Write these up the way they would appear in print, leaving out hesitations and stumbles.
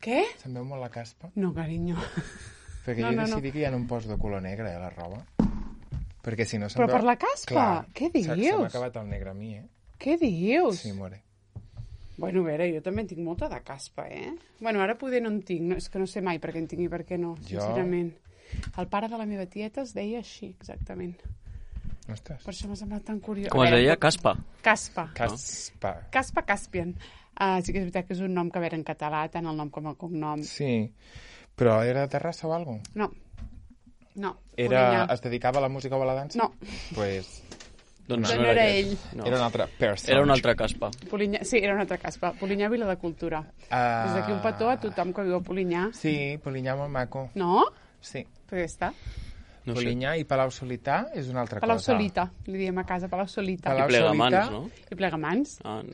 Què? Se'n veu molt la caspa? No, carinyo. Perquè jo he decidit que ja no em poso de color negre, a la roba. Perquè si no se'n Però veu... per la caspa? Clar, Què dius? Se m'ha acabat el negre a mi, Què dius? Sí, more. Bueno, a veure, jo també en tinc molta de caspa, Bueno, ara poder no en tinc, no, és que no sé mai per què en tinc i per què no, sincerament. El pare de la meva tieta es deia així, exactament. Ostres. Per això m'ha semblat tan curiós. Com es deia? Caspa. Caspa. Caspa. Caspian. Sí que és veritat que és un nom que, a veure, en català, tant el nom com el cognom. Sí, però era de Terrassa o alguna cosa? No. Es dedicava a la música o a la dansa? No. Pues... Doncs no era ell. No. Era una altra persona. Era una altra caspa. Sí, era una altra caspa. Polinyà, Vila de Cultura. Des d'aquí un petó a tothom que viu a Polinyà. Sí, Polinyà molt maco. No? Sí. Per què està? No Polinyà i Palau Solità és una altra Palau cosa. Solita, li diem a casa, Palau Solita. I Plegamans, no? I Plegamans.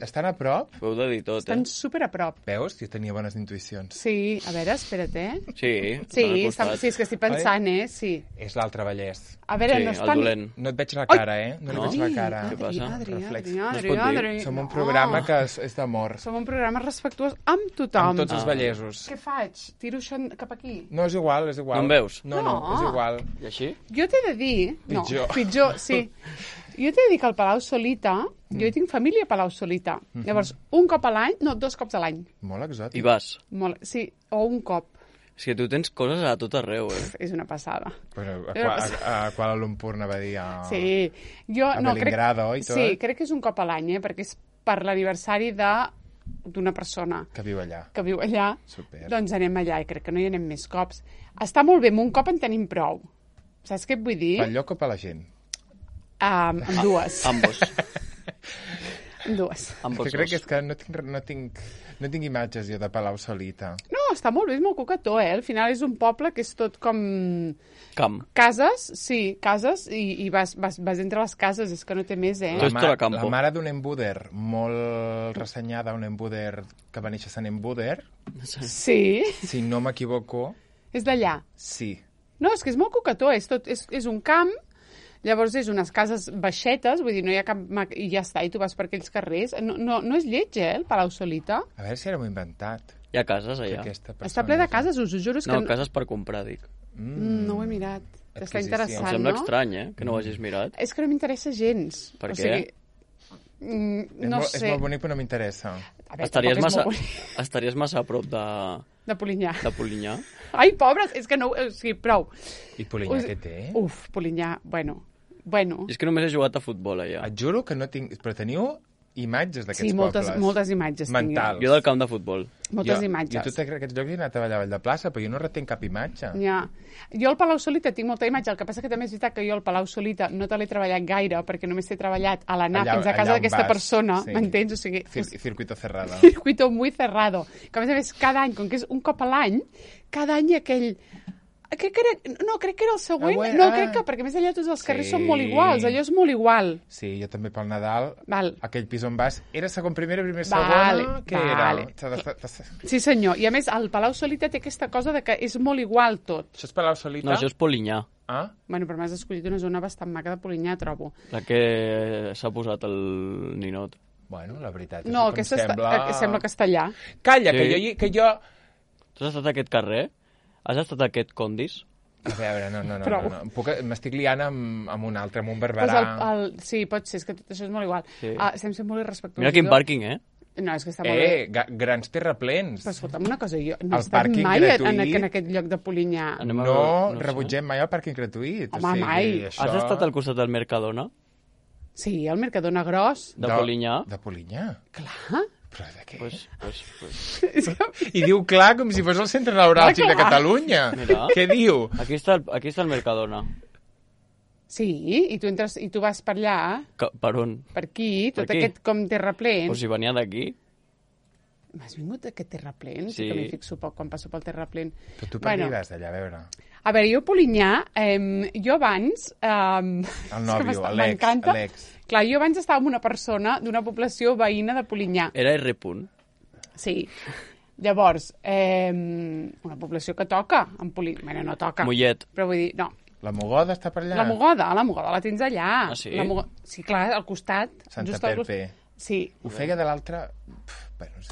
Estan a prop? Ho heu de dir tot, Estan super a prop. Veus? Jo tenia bones intuïcions. Sí, a veure, espera't, Sí, sí, és que estic pensant, sí. És l'altre Vallès. A veure, no estan... No et veig la cara, No et veig la cara. Què passa? Adri. Som un programa que és d'amor. Som un programa respectuós amb tothom. Amb tots els vallesos. Què faig? Tiro això cap aquí? No, és igual, és igual. No em veus? No, és igual. I així? Jo t'he de dir... Pitjor, sí. Jo t'he de dir que al Palau Solita, jo hi tinc família a Palau Solita. Llavors, un cop a l'any, no, 2 cops a l'any. Molt exòtic. I vas? Sí, o un cop. És que tu tens coses a tot arreu, És una passada. Però a Kuala Lumpur anava a dir Sí. Jo, a Belingrado i tot. Sí, crec que és un cop a l'any, perquè és per l'aniversari d'una persona que viu allà. Super. Doncs anem allà i crec que no hi anem més cops. Està molt bé, amb un cop en tenim prou. Saps què et vull dir? Pel lloc o per la gent? Amb dues. Ambos. Amb dues. Que crec que és que no tinc imatges jo de Palau Solita. No, està molt bé, és molt cocató, Al final és un poble que és tot com... Camp. Cases, i vas entre les cases, és que no té més, La mare d'un embuder molt ressenyada, un embuder que va néixer sent embuder. Sí. Si no m'equivoco. És d'allà. Sí. No, és que és molt cocató, és un camp, llavors és unes cases baixetes, vull dir, no hi ha cap... I ja està, i tu vas per aquells carrers. No és lleig, el Palau Solita. A veure si era molt inventat. Hi ha cases allà. Està ple de cases, us ho juro. No, cases per comprar, dic. No ho he mirat. Està interessant, no? Em sembla estrany, que no ho hagis mirat. És que no m'interessa gens. Per què? No sé. És molt bonic, però no m'interessa. Estaries massa a prop de... De Polinyà. De Polinyà. Ai, pobres, és que no... O sigui, prou. I Polinyà què té? Uf, Polinyà, bueno. I és que només he jugat a futbol allà. Et juro que no tinc... Però teniu imatges d'aquests pobles. Sí, moltes imatges mentals. Jo del camp de futbol. Moltes imatges. Jo a tots aquests llocs he anat a ballar a Vall de Plaça, però jo no retenc cap imatge. Ja. Jo al Palau Solita tinc molta imatge, el que passa que també és veritat que jo al Palau Solita no te l'he treballat gaire, perquè només t'he treballat a l'anar fins a casa d'aquesta persona, m'entens? O sigui, circuito cerrado. Circuito muy cerrado. Que a més, cada any, com que és un cop a l'any, cada any aquell... crec que era el següent. Crec que, perquè més allà tots els carrers són molt iguals, allò és molt igual. Sí, jo també pel Nadal, aquell pis on vas, era segon primera, primer segona, què era? Sí senyor, i a més el Palau Solita té aquesta cosa de que és molt igual tot. Això és Palau Solita? No, això és Polinyà. Bueno, però m'has escollit una zona bastant maca de Polinyà, trobo. La que s'ha posat el ninot. Bueno, la veritat és que sembla castellà. Calla, que jo... Tu has estat a aquest carrer? Has estat a aquest Condis? A veure, no. M'estic liant amb un altre, amb un Barberà. Sí, pot ser, és que tot això és molt igual. Estem sent molt irrespectuosos. Mira quin pàrquing, No, és que està molt bé. Grans terraplens. Però escolta'm una cosa, jo no he estat mai en aquest lloc de Polinyà. No rebutgem mai el pàrquing gratuït. Home, mai. Has estat al costat del Mercadona? Sí, el Mercadona gros. De Polinyà? De Polinyà? Clar. Però de què? Pues. I diu clar com si fos el centre neuràlgic de Catalunya. Mira. Què diu? Aquí està el Mercadona. Sí, i tu entres i tu vas per allà. Per on? Per aquí, tot aquest com terraplens. Pues si venia d'aquí. Has vingut d'aquest terraplens? Sí. Que m'hi fixo poc quan passo pel terraplens. Però tu per què hi vas d'allà, a veure? A veure, jo a Polinyà, jo abans... El nòvio, Alex. Clar, jo abans estava amb una persona d'una població veïna de Polinyà. Era R. Sí. Llavors, una població que toca en Polinyà. Bueno, no toca. Mollet. Però vull dir, no. La Mogoda està per allà? La Mogoda la tens allà. Ah, sí? Sí, clar, al costat. Santa Perpe. Sí. Ho feia de l'altre...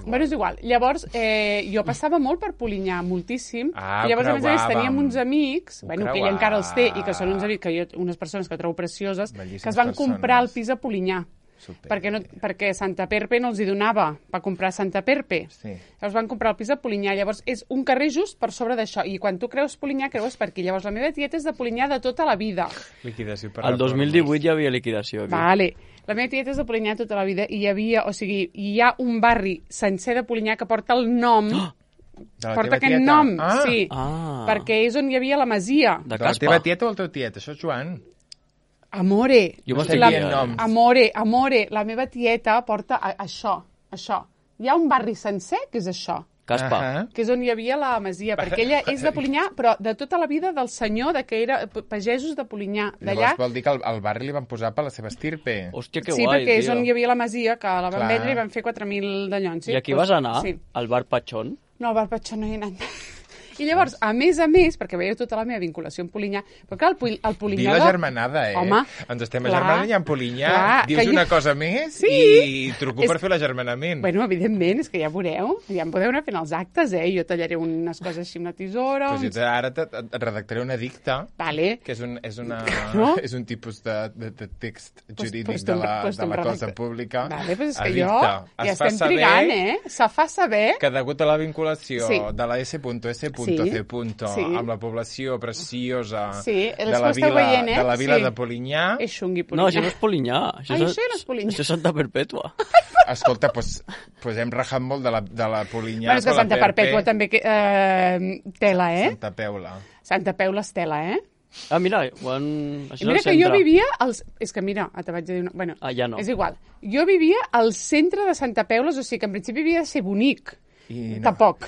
Bueno, és igual. Llavors, jo passava molt per Polinyà, moltíssim. I llavors, a més, teníem uns amics, que ell encara els té, i que són uns amics, unes persones que trobo precioses, que es van comprar el pis a Polinyà. Perquè Santa Perpe no els hi donava per comprar Santa Perpe. Llavors van comprar el pis a Polinyà. Llavors és un carrer just per sobre d'això. I quan tu creus Polinyà, creues per aquí. Llavors la meva tieta és de Polinyà de tota la vida. Liquidació per el 2018 hi havia liquidació aquí. Vale. La meva tieta és de Polinyà tota la vida i hi havia, hi ha un barri sencer de Polinyà que porta el nom... Porta aquest nom, sí. Perquè és on hi havia la masia. De la teva tieta o el teu tiet? Això és Joan. Amore, Amore, la meva tieta porta això. Hi ha un barri sencer que és això. Caspa. Que és on hi havia la masia, perquè ella és de Polinyà, però de tota la vida del senyor, que era pagesos de Polinyà. Llavors vol dir que al barri li van posar per la seva estirpe. Hòstia, que guai, sí, perquè és on hi havia la masia, que la van vendre i van fer 4.000 d'allons. I aquí vas anar? Al bar Patxón? No, al bar Patxón no hi he anat. I llavors, a més, perquè veieu tota la meva vinculació amb Polinyà, però clar, el Polinyà... Diu la germanada, Home, ens estem agermanant i en Polinyà dius una cosa més i truco per fer l'agermanament. Bueno, evidentment, és que ja veureu, ja em podeu anar fent els actes, Jo tallaré unes coses així amb la tisora... Pues jo ara et redactaré un edicte, que és un tipus de text jurídic de la cosa pública. Vale, pues és que jo ja estem trigant, Se fa saber... Que degut a la vinculació de la S.S. amb la població preciosa de la vila de Polinyà. És xungui Polinyà. No, això no és Polinyà. Això no és Polinyà. Això és Santa Perpètua. Escolta, doncs hem rajat molt de la Polinyà. Bueno, és que Santa Perpètua també tela, Santa Peula. Santa Peula és tela, Ah, mira, això és mira que jo vivia... És que mira, te vaig dir una... Bueno, ja no. És igual. Jo vivia al centre de Santa Peula, o sigui que en principi havia de ser bonic. Tampoc.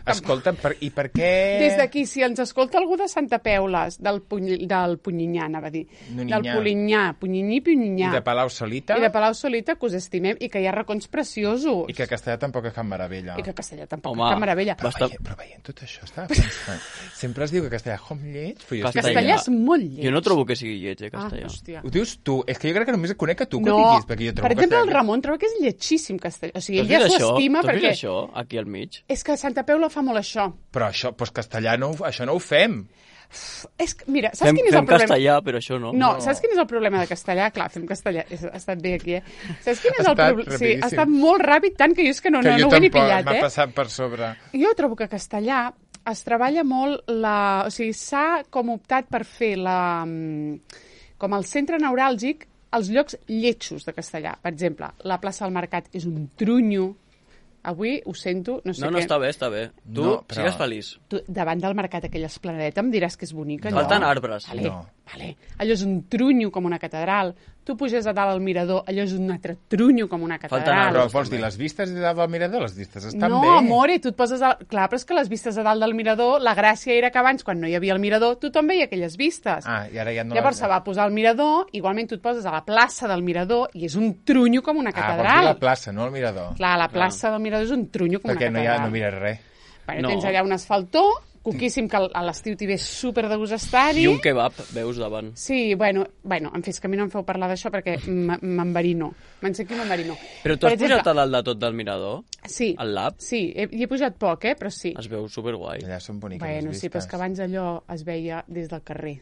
Escolta, i per què... Des d'aquí, si ens escolta algú de Santa Peules, del Punyinyà, anava a dir. Del Polinyà, Punyinyà. I de Palau Solita. Que us estimem, i que hi ha racons preciosos. I que Castellà tampoc és Can Meravella. Can Meravella. Però veient tot això, estava pensant... Sempre es diu que Castellà és com lleig, però Castellà és molt lleig. Jo no trobo que sigui lleig, Castellà. Ho dius tu, és que jo crec que només conec a tu que ho diguis, perquè jo trobo per exemple, el Ramon troba que és lletxíssim Castellà. O sigui, ell ja s'ho estima perquè... això, aquí al mig? És que a Santa Peula fa molt això. Però això, doncs Castellà, això no ho fem. És que, mira, saps quin és el problema? Fem castellà, però això no. No, saps quin és el problema de Castellà? Clar, fem castellà, ha estat bé aquí, Saps quin és el problema? Sí, ha estat molt ràpid, tant que jo és que no ho he ni pillat, m'ha passat per sobre. Jo trobo que Castellà es treballa molt o sigui, s'ha com optat per fer com el centre neuràlgic els llocs lletjos de Castellà. Per exemple, la plaça del Mercat és un trunyo. Avui ho sento, no sé què. No, està bé. Tu sigues feliç. Tu, davant del mercat, aquella esplanadeta, em diràs que és bonica, allò. Falten arbres. Vale. Allò és un trunyo com una catedral. Tu puges a dalt al mirador, allò és un altre trunyo com una catedral. Però vols dir, les vistes de dalt del mirador, les vistes estan bé. No, amore, tu et poses... Clar, però és que les vistes de dalt del mirador, la gràcia era que abans, quan no hi havia el mirador, tothom veia aquelles vistes. I ara ja no... Llavors se va posar al mirador, igualment tu et poses a la plaça del mirador i és un trunyo com una catedral. Vols dir la plaça, no el mirador. Clar, la plaça del mirador és un trunyo com una catedral. Perquè no mires res. Bueno, tens allà un asfaltó, coquíssim, que a l'estiu t'hi ve super de gust estar-hi. I un kebab, veus davant. Sí, bueno, en fi, és que a mi no em feu parlar d'això perquè m'enverino. M'ensequi m'enverino. Però tu has pujat a dalt de tot del mirador? Sí. Al lab? Sí, hi he pujat poc, però sí. Es veu superguai. Allà són boniques les vistes. Sí, però és que abans allò es veia des del carrer.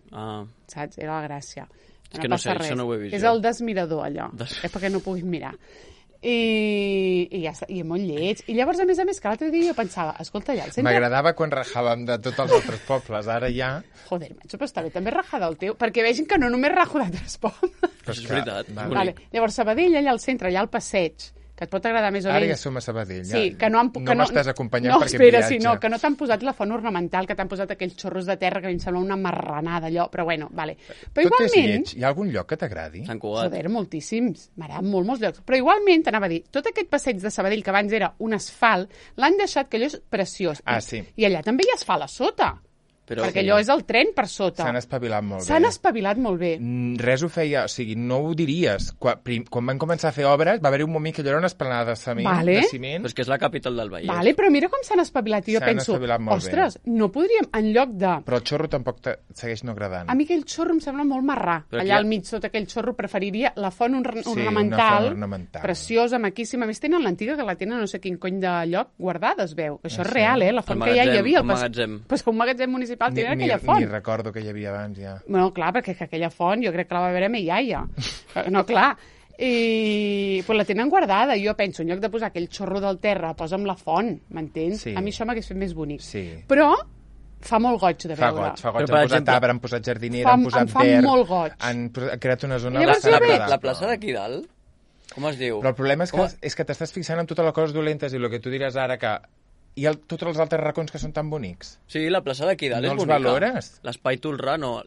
Saps? Era la gràcia. És que no sé, això no ho he vist. És el desmirador, allò. És perquè no puguis mirar. I ja està, i molt lleig. I llavors, a més, que l'altre dia jo pensava, escolta, allà al centre... M'agradava quan rajàvem de tots els altres pobles, ara ja... Joder, macho, però està bé també rajar del teu, perquè vegin que no només rajo d'altres pobles. Però és veritat. Vale. Llavors, Sabadell, allà al centre, allà al passeig, que et pot agradar més o menys... Ara ja som a Sabadell. Sí, que no m'estàs acompanyant perquè espera, viatge. No, que no t'han posat la font ornamental, que t'han posat aquells xorros de terra que a mi em sembla una marranada, allò, però bueno, vale. Però tot igualment... és lleig. Hi ha algun lloc que t'agradi? Sant Cugat. Joder, moltíssims. M'agraden molts llocs. Però igualment, t'anava a dir, tot aquest passeig de Sabadell, que abans era un asfalt, l'han deixat, que allò és preciós. Sí. I allà també hi ha asfalt a sota. perquè allò és el tren per sota. S'han espavilat molt bé. S'han espavilat molt bé. Res ho feia, o sigui, no ho diries. Quan van començar a fer obres, va haver un moment que allò era una esplanada de ciment. Però és que és la capital del Vallès. Vale, però mira com s'han espavilat. I jo penso, ostres, no podríem, en lloc de... Però el xorro tampoc segueix no agradant. A mi aquell xorro em sembla molt marrà. Allà al mig, sota aquell xorro, preferiria la font ornamental, preciosa, maquíssima. A més, tenen l'antiga, que la tenen no sé quin cony de lloc guardada, es veu. Això és real, la font que ja hi havia. El magatzem. Pues un magatzem municipal tenia aquella font. Ni recordo que hi havia abans, ja. Bueno, clar, perquè aquella font jo crec que la va veure me iaia. No, clar. I pues la tenen guardada. Jo penso, en lloc de posar aquell xorro del terra, posa'm la font, m'entens? Sí. A mi això m'hagués fet més bonic. Sí. Però fa molt goig de veure. Fa goig. Han posat arbre, han posat jardinera, han posat verd. Em fa molt goig. Han creat una zona bastant agradable. La plaça d'aquí dalt, com es diu? Però el problema és que t'estàs fixant en totes les coses dolentes i el que tu diràs ara que i tots els altres racons que són tan bonics. Sí, la plaça d'aquí dalt és bonica. No els valores? L'espai Tolrà, no.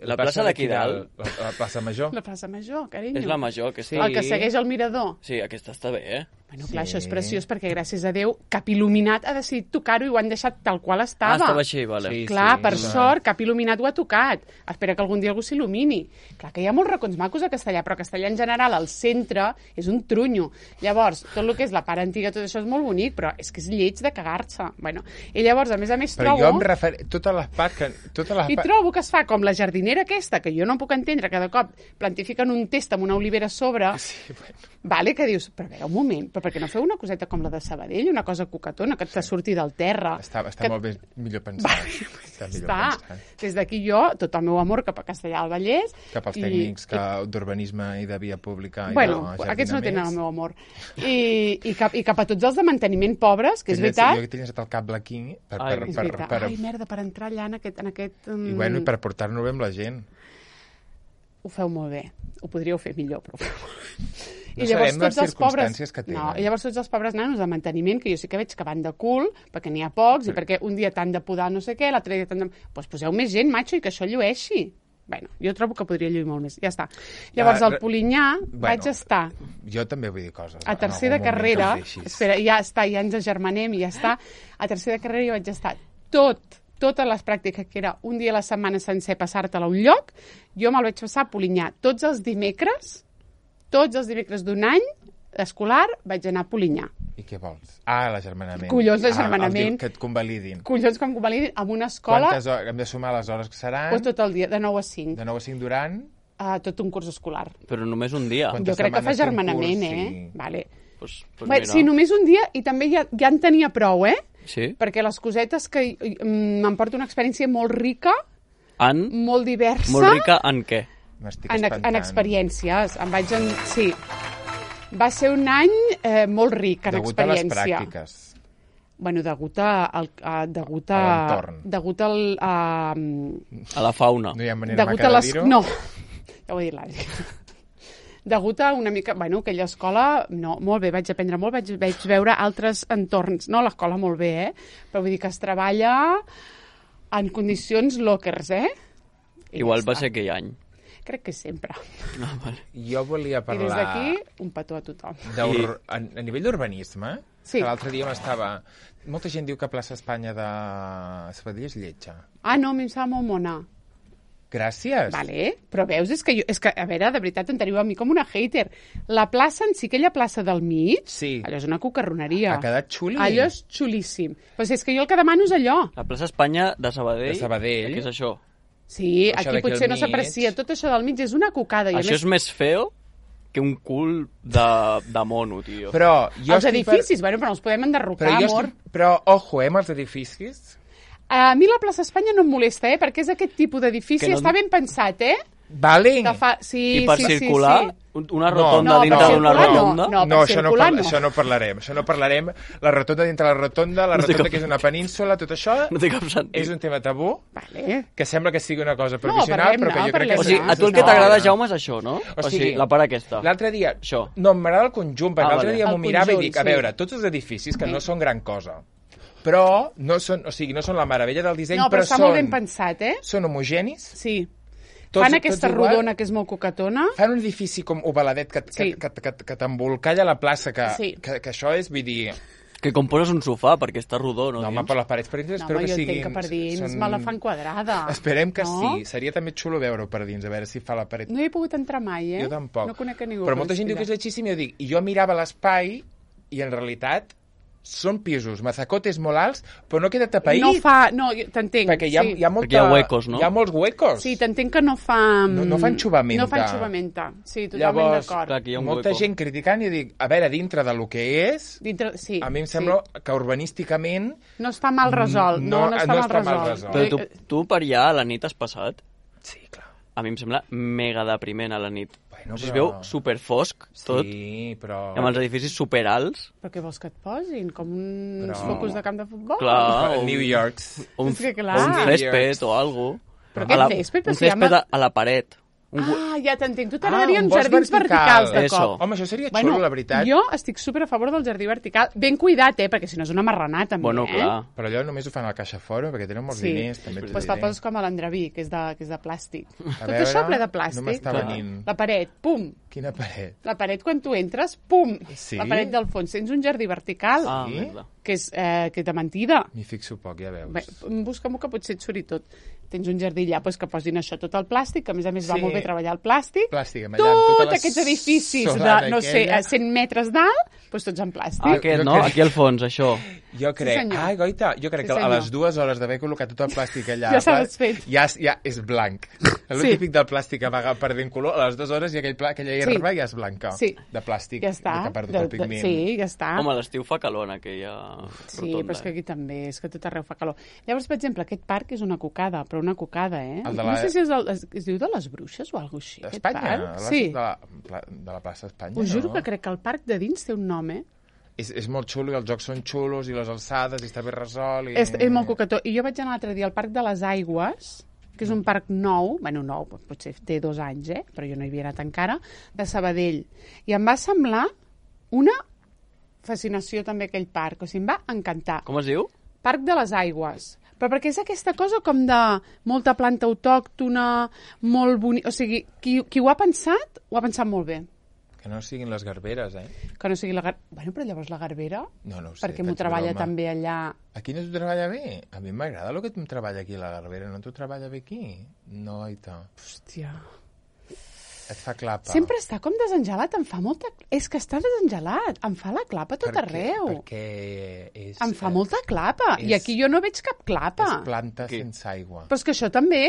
La plaça d'aquí dalt. La plaça Major. La plaça Major, carinyo. És la Major, aquesta. Sí. El que segueix el mirador. Sí, aquesta està bé, Bueno, clar, això és preciós perquè, gràcies a Déu, Cap Il·luminat ha decidit tocar-ho i ho han deixat tal qual estava. Estava així, vale. Sí, clar, per sort, Cap Il·luminat ho ha tocat. Espera que algun dia algú s'il·lumini. Clar que hi ha molts racons macos a Castellà, però a Castellà en general, al centre, és un trunyo. Llavors, tot el que és la part antiga, tot això és molt bonic, però és que és lleig de cagar-se. Bueno, i llavors, a més però jo em refereixo... Totes les parts... I trobo que es fa com la jardinera aquesta, que jo no puc entendre, cada cop plantifiquen un test amb una olivera a sobre, vale, que dius, però a veure, un moment, però per què no feu una coseta com la de Sabadell, una cosa coquetona, que et surti del terra? Està molt millor pensat. Està. Des d'aquí jo, tot el meu amor cap a Castellà del Vallès. Cap als tècnics d'urbanisme i de via pública. Bueno, aquests no tenen el meu amor. I cap a tots els de manteniment pobres, que és veritat... Jo que tenies el cable aquí... Ai, merda, per entrar allà en aquest... I bueno, i per portar-nos bé amb la gent. Ho feu molt bé. Ho podríeu fer millor, però ho feu molt bé. No sabem les circumstàncies que tenen. No, i llavors tots els pobres nanos de manteniment, que jo sí que veig que van de cul, perquè n'hi ha pocs, i perquè un dia t'han de podar no sé què, l'altre dia t'han de... Doncs poseu més gent, macho, i que això llueixi. Bueno, jo trobo que podria lluir molt més. Ja està. Llavors, al Polinyà vaig estar... Jo també vull dir coses. A tercer de carrera... Espera, ja està, ja ens agermanem i ja està. A tercer de carrera jo vaig estar totes les pràctiques, que era un dia a la setmana sencer passar-te-la a un lloc, jo me'l vaig passar a Polinyà. Tots els dimecres d'un any escolar vaig anar a Polinyà. I què vols? Ah, l'agermanament. Collons, l'agermanament. Que et convalidin. Collons, que em convalidin amb una escola... Quantes hores? Hem de sumar les hores que seran? Pues tot el dia, de 9 a 5. De 9 a 5 durant? Tot un curs escolar. Però només un dia. Jo crec que fa agermanament, sí. Vale. Pues sí, només un dia, i també ja en tenia prou, Sí. Perquè les cosetes que m'emporta una experiència molt rica, molt diversa... Molt rica en què? En experiències. Sí. Va ser un any molt ric en experiència. Degut a les pràctiques. Bueno, degut a l'entorn. Degut a la fauna. No hi ha manera maca de dir-ho? No, ja ho he dit l'Adri. Degut a una mica... Bueno, aquella escola... No, molt bé, vaig aprendre molt, vaig veure altres entorns. No, l'escola molt bé, Però vull dir que es treballa en condicions lockers, Igual va ser aquell any. Crec que sempre. Vale. Jo volia parlar... I des d'aquí, un petó a tothom. A nivell d'urbanisme, que l'altre dia m'estava... Molta gent diu que plaça Espanya de Sabadell és lletja. Ah, no, a mi em sembla molt mona. Gràcies. Vale, però veus, és que, a veure, de veritat, em teniu a mi com una hater. La plaça en si, aquella plaça del mig, allò és una cucarroneria. Ha quedat xuli. Allò és xulíssim. Pues és que jo el que demano és allò. La plaça Espanya de Sabadell. De Sabadell. Què és això? Sí, això aquí potser no s'aprecia. Tot això del mig és una cucada. Això és més feo que un cul de mono, tio. Però els edificis, bueno, però no els podem enderrocar, amor. Però, ojo, amb els edificis... A mi la plaça Espanya no em molesta, perquè és aquest tipus d'edifici, està ben pensat, Vale. I per circular, una rotonda dintre d'una rotonda? No, això no parlarem. Això no parlarem. La rotonda dintre la rotonda que és una península, tot això és un tema tabú, que sembla que sigui una cosa provisional, però que jo crec que... O sigui, a tu el que t'agrada, Jaume, és això, no? O sigui, la part aquesta. L'altre dia... No, m'agrada el conjunt, perquè l'altre dia m'ho mirava i dic, a veure, tots els edificis que no són gran cosa, però no són la meravella del disseny, però està molt ben pensat, Són homogenis. Sí. Fan aquesta rodona que és molt coquetona. Fan un edifici com ovaladet que t'embolcalla la plaça, que això és, vull dir... que com poses un sofà, perquè està rodó, no? No, home, per les parets per dins espero que siguin... No, jo entenc que per dins me la fan quadrada. Esperem que sí. Seria també xulo veure-ho per dins, a veure si fa la paret... No hi he pogut entrar mai, Jo tampoc. No conec a ningú. Però molta gent diu que és lletgíssim i jo dic... I jo mirava l'espai i en realitat són pisos, mazacotes molt alts, però no queda tapaït. No fa... No, t'entenc, perquè hi ha molta... Perquè hi ha huecos, no? Hi ha molts huecos. Sí, t'entenc que no fa... No fan xuvamenta. No fan xuvamenta. Sí, totalment d'acord. Llavors, molta gent criticant i dic, a veure, dintre de lo que és, sí, a mi em sembla que urbanísticament... No està mal resolt. No està mal resolt. Però tu per allà a la nit has passat? Sí, clar. A mi em sembla mega depriment a la nit. Bueno, es veu superfosc, tot. Sí, però... Amb els edificis superalts. Però què vols que et posin? Com uns focus de camp de futbol? Clar. New York. O un césped o alguna cosa. Però aquest césped? Un césped a la paret. Ja t'entenc. Tu t'agradarien jardins verticals de cop. Home, això seria xulo, la veritat. Jo estic super a favor del jardí vertical. Ben cuidat, perquè si no és una marranada, també, Bueno, clar. Però allò només ho fan al Caixa Foro, perquè tenen molts diners. Doncs te'l poses com a l'Andreví, que és de plàstic. Tot això ple de plàstic. No m'està venint. La paret, pum. Quina paret? La paret, quan tu entres, pum. Sí? La paret del fons. Tens un jardí vertical. Sí? Que és de mentida. M'hi fixo poc, ja veus. Bé, busca-m'ho que potser et suri tot. Tens un jardí allà, doncs que posin això tot el plàstic, que a més va molt bé treballar el plàstic. Tots aquests edificis de, no sé, a 100 metres d'alt, doncs tots en plàstic. Aquest, no? Aquí al fons, això. Jo crec, Goita, jo crec que a les 2 hores d'haver col·locat tot el plàstic allà... Ja s'ha desfet. Ja és blanc. El típic del plàstic que va perdent color, a les 2 hores i aquella herba ja és blanca. De plàstic. Ja està. Que ha perdut el pigment. Sí, ja està. Home, a l'estiu fa calor en aquella Sí, però és que aquí també, és que tot arreu fa calor. Llavors, per exemple, aquest parc és una cocada, però una cocada, No sé si es diu de les Bruixes o alguna cosa així. D'Espanya? Sí. De la plaça Espanya, Us juro que crec que el parc de dins té un nom, És molt xulo, i els jocs són xulos, i les alçades, i està ben resolt. És molt cocató. I jo vaig anar l'altre dia al Parc de les Aigües, que és un parc nou, nou, potser té 2 anys, però jo no hi havia anat encara, de Sabadell. I em va semblar una fascinació també aquell parc, o sigui, em va encantar. Com es diu? Parc de les Aigües. Però perquè és aquesta cosa com de molta planta autòctona, molt bonic... O sigui, qui ho ha pensat molt bé. Que no siguin les garberes, Que no sigui la garbera... Bueno, però llavors la garbera... No ho sé. Perquè m'ho treballa també allà... Aquí no t'ho treballa bé? A mi m'agrada el que em treballa aquí la garbera. No t'ho treballa bé aquí? No, Aita. Hòstia... Et fa clapa. Sempre està com desengelat, em fa molta... És que està desengelat, em fa la clapa tot arreu. Perquè és... Em fa molta clapa, i aquí jo no veig cap clapa. És planta sense aigua. Però és que això també,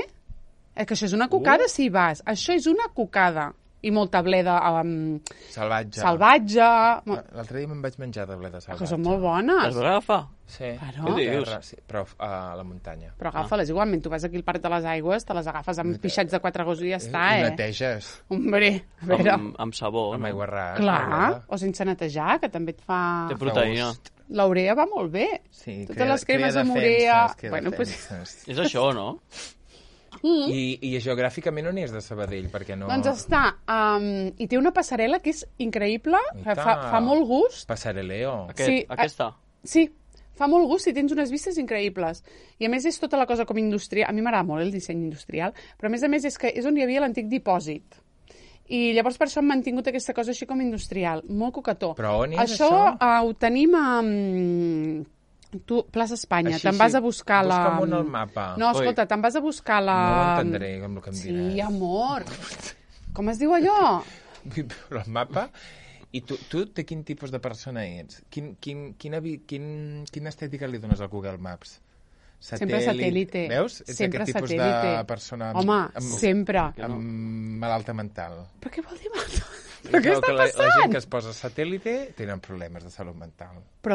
que això és una cocada si hi vas. Això és una cocada. I molta bleda salvatge. L'altre dia me'n vaig menjar de bleda salvatge. Que són molt bones. Les vas agafar? Sí. Claro. Però a la muntanya. Però agafa-les igualment. Tu vas aquí al Parc de les Aigües, te les agafes amb pixats de 4 gossos i ja està, I neteges. Hombre, a veure. Amb sabó. Amb aigua ras. Clar, o sense netejar, que també et fa... Té proteïna. L'urea va molt bé. Sí, totes les cremes amb urea... Bueno, és això, no? I geogràficament on és de Sabadell? Perquè no... Doncs està... I té una passarel·la que és increïble, fa molt gust. Passareleo. Aquesta? Sí, fa molt gust i tens unes vistes increïbles. I a més és tota la cosa com industrial. A mi m'agrada molt el disseny industrial, però a més és que és on hi havia l'antic dipòsit. I llavors per això hem mantingut aquesta cosa així com industrial. Molt cocató. Però on és això? Ho tenim a... Tu, plaça Espanya, te'n vas a buscar la... Busca'm el mapa. No, escolta, te'n vas a buscar la... No ho entendré, com el que em diràs. Sí, amor. Com es diu allò? Però el mapa... I tu de quin tipus de persona ets? Quina estètica li dones al Google Maps? Sempre satèl·lite. Veus? Ets sempre aquest tipus satèl·lite. de persona... Home, sempre. Amb malalta mental. Però què vol dir malalta? Però què està passant? La gent que es posa satèl·lite tenen problemes de salut mental. Però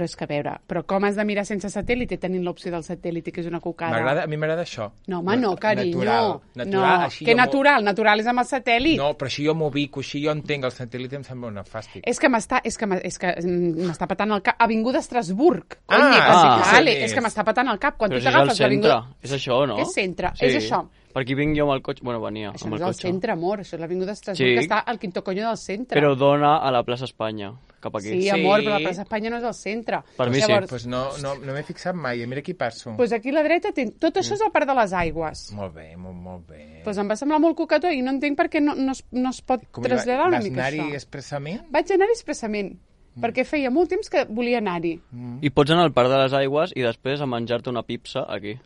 és que a veure, però com has de mirar sense satèl·lite tenint l'opció del satèl·lite, que és una cocada? A mi m'agrada això. No, home, no, carinyo. Natural. Que natural és amb el satèl·lit. No, però així jo m'ho ubico, així jo entenc, el satèl·lit em sembla una fàstic. És que m'està patant el cap. Avinguda Estrasburg. És que m'està patant el cap. Quan tu t'agafes l'avinguda... És això, no? Què és centre? És això. Per aquí vinc jo amb el cotxe. Bueno, venia això amb el cotxe. Això no és el centre, amor. Això és l'avinguda Estrasburg, que està al quinto coño del centre. Però dona a la plaça Espanya, cap aquí. Sí, amor, però la plaça Espanya no és el centre. Per mi sí. Pues no m'he fixat mai. Mira aquí passo. Pues aquí a la dreta, tot això és el Parc de les Aigües. Molt bé, molt bé. Pues em va semblar molt cocató i no entenc per què no es pot traslladar una mica això. Vas anar-hi expressament? Vaig anar-hi expressament. perquè feia molt temps que volia anar-hi. I pots anar al Parc de les Aigües i després a menjar-te una pizza aquí.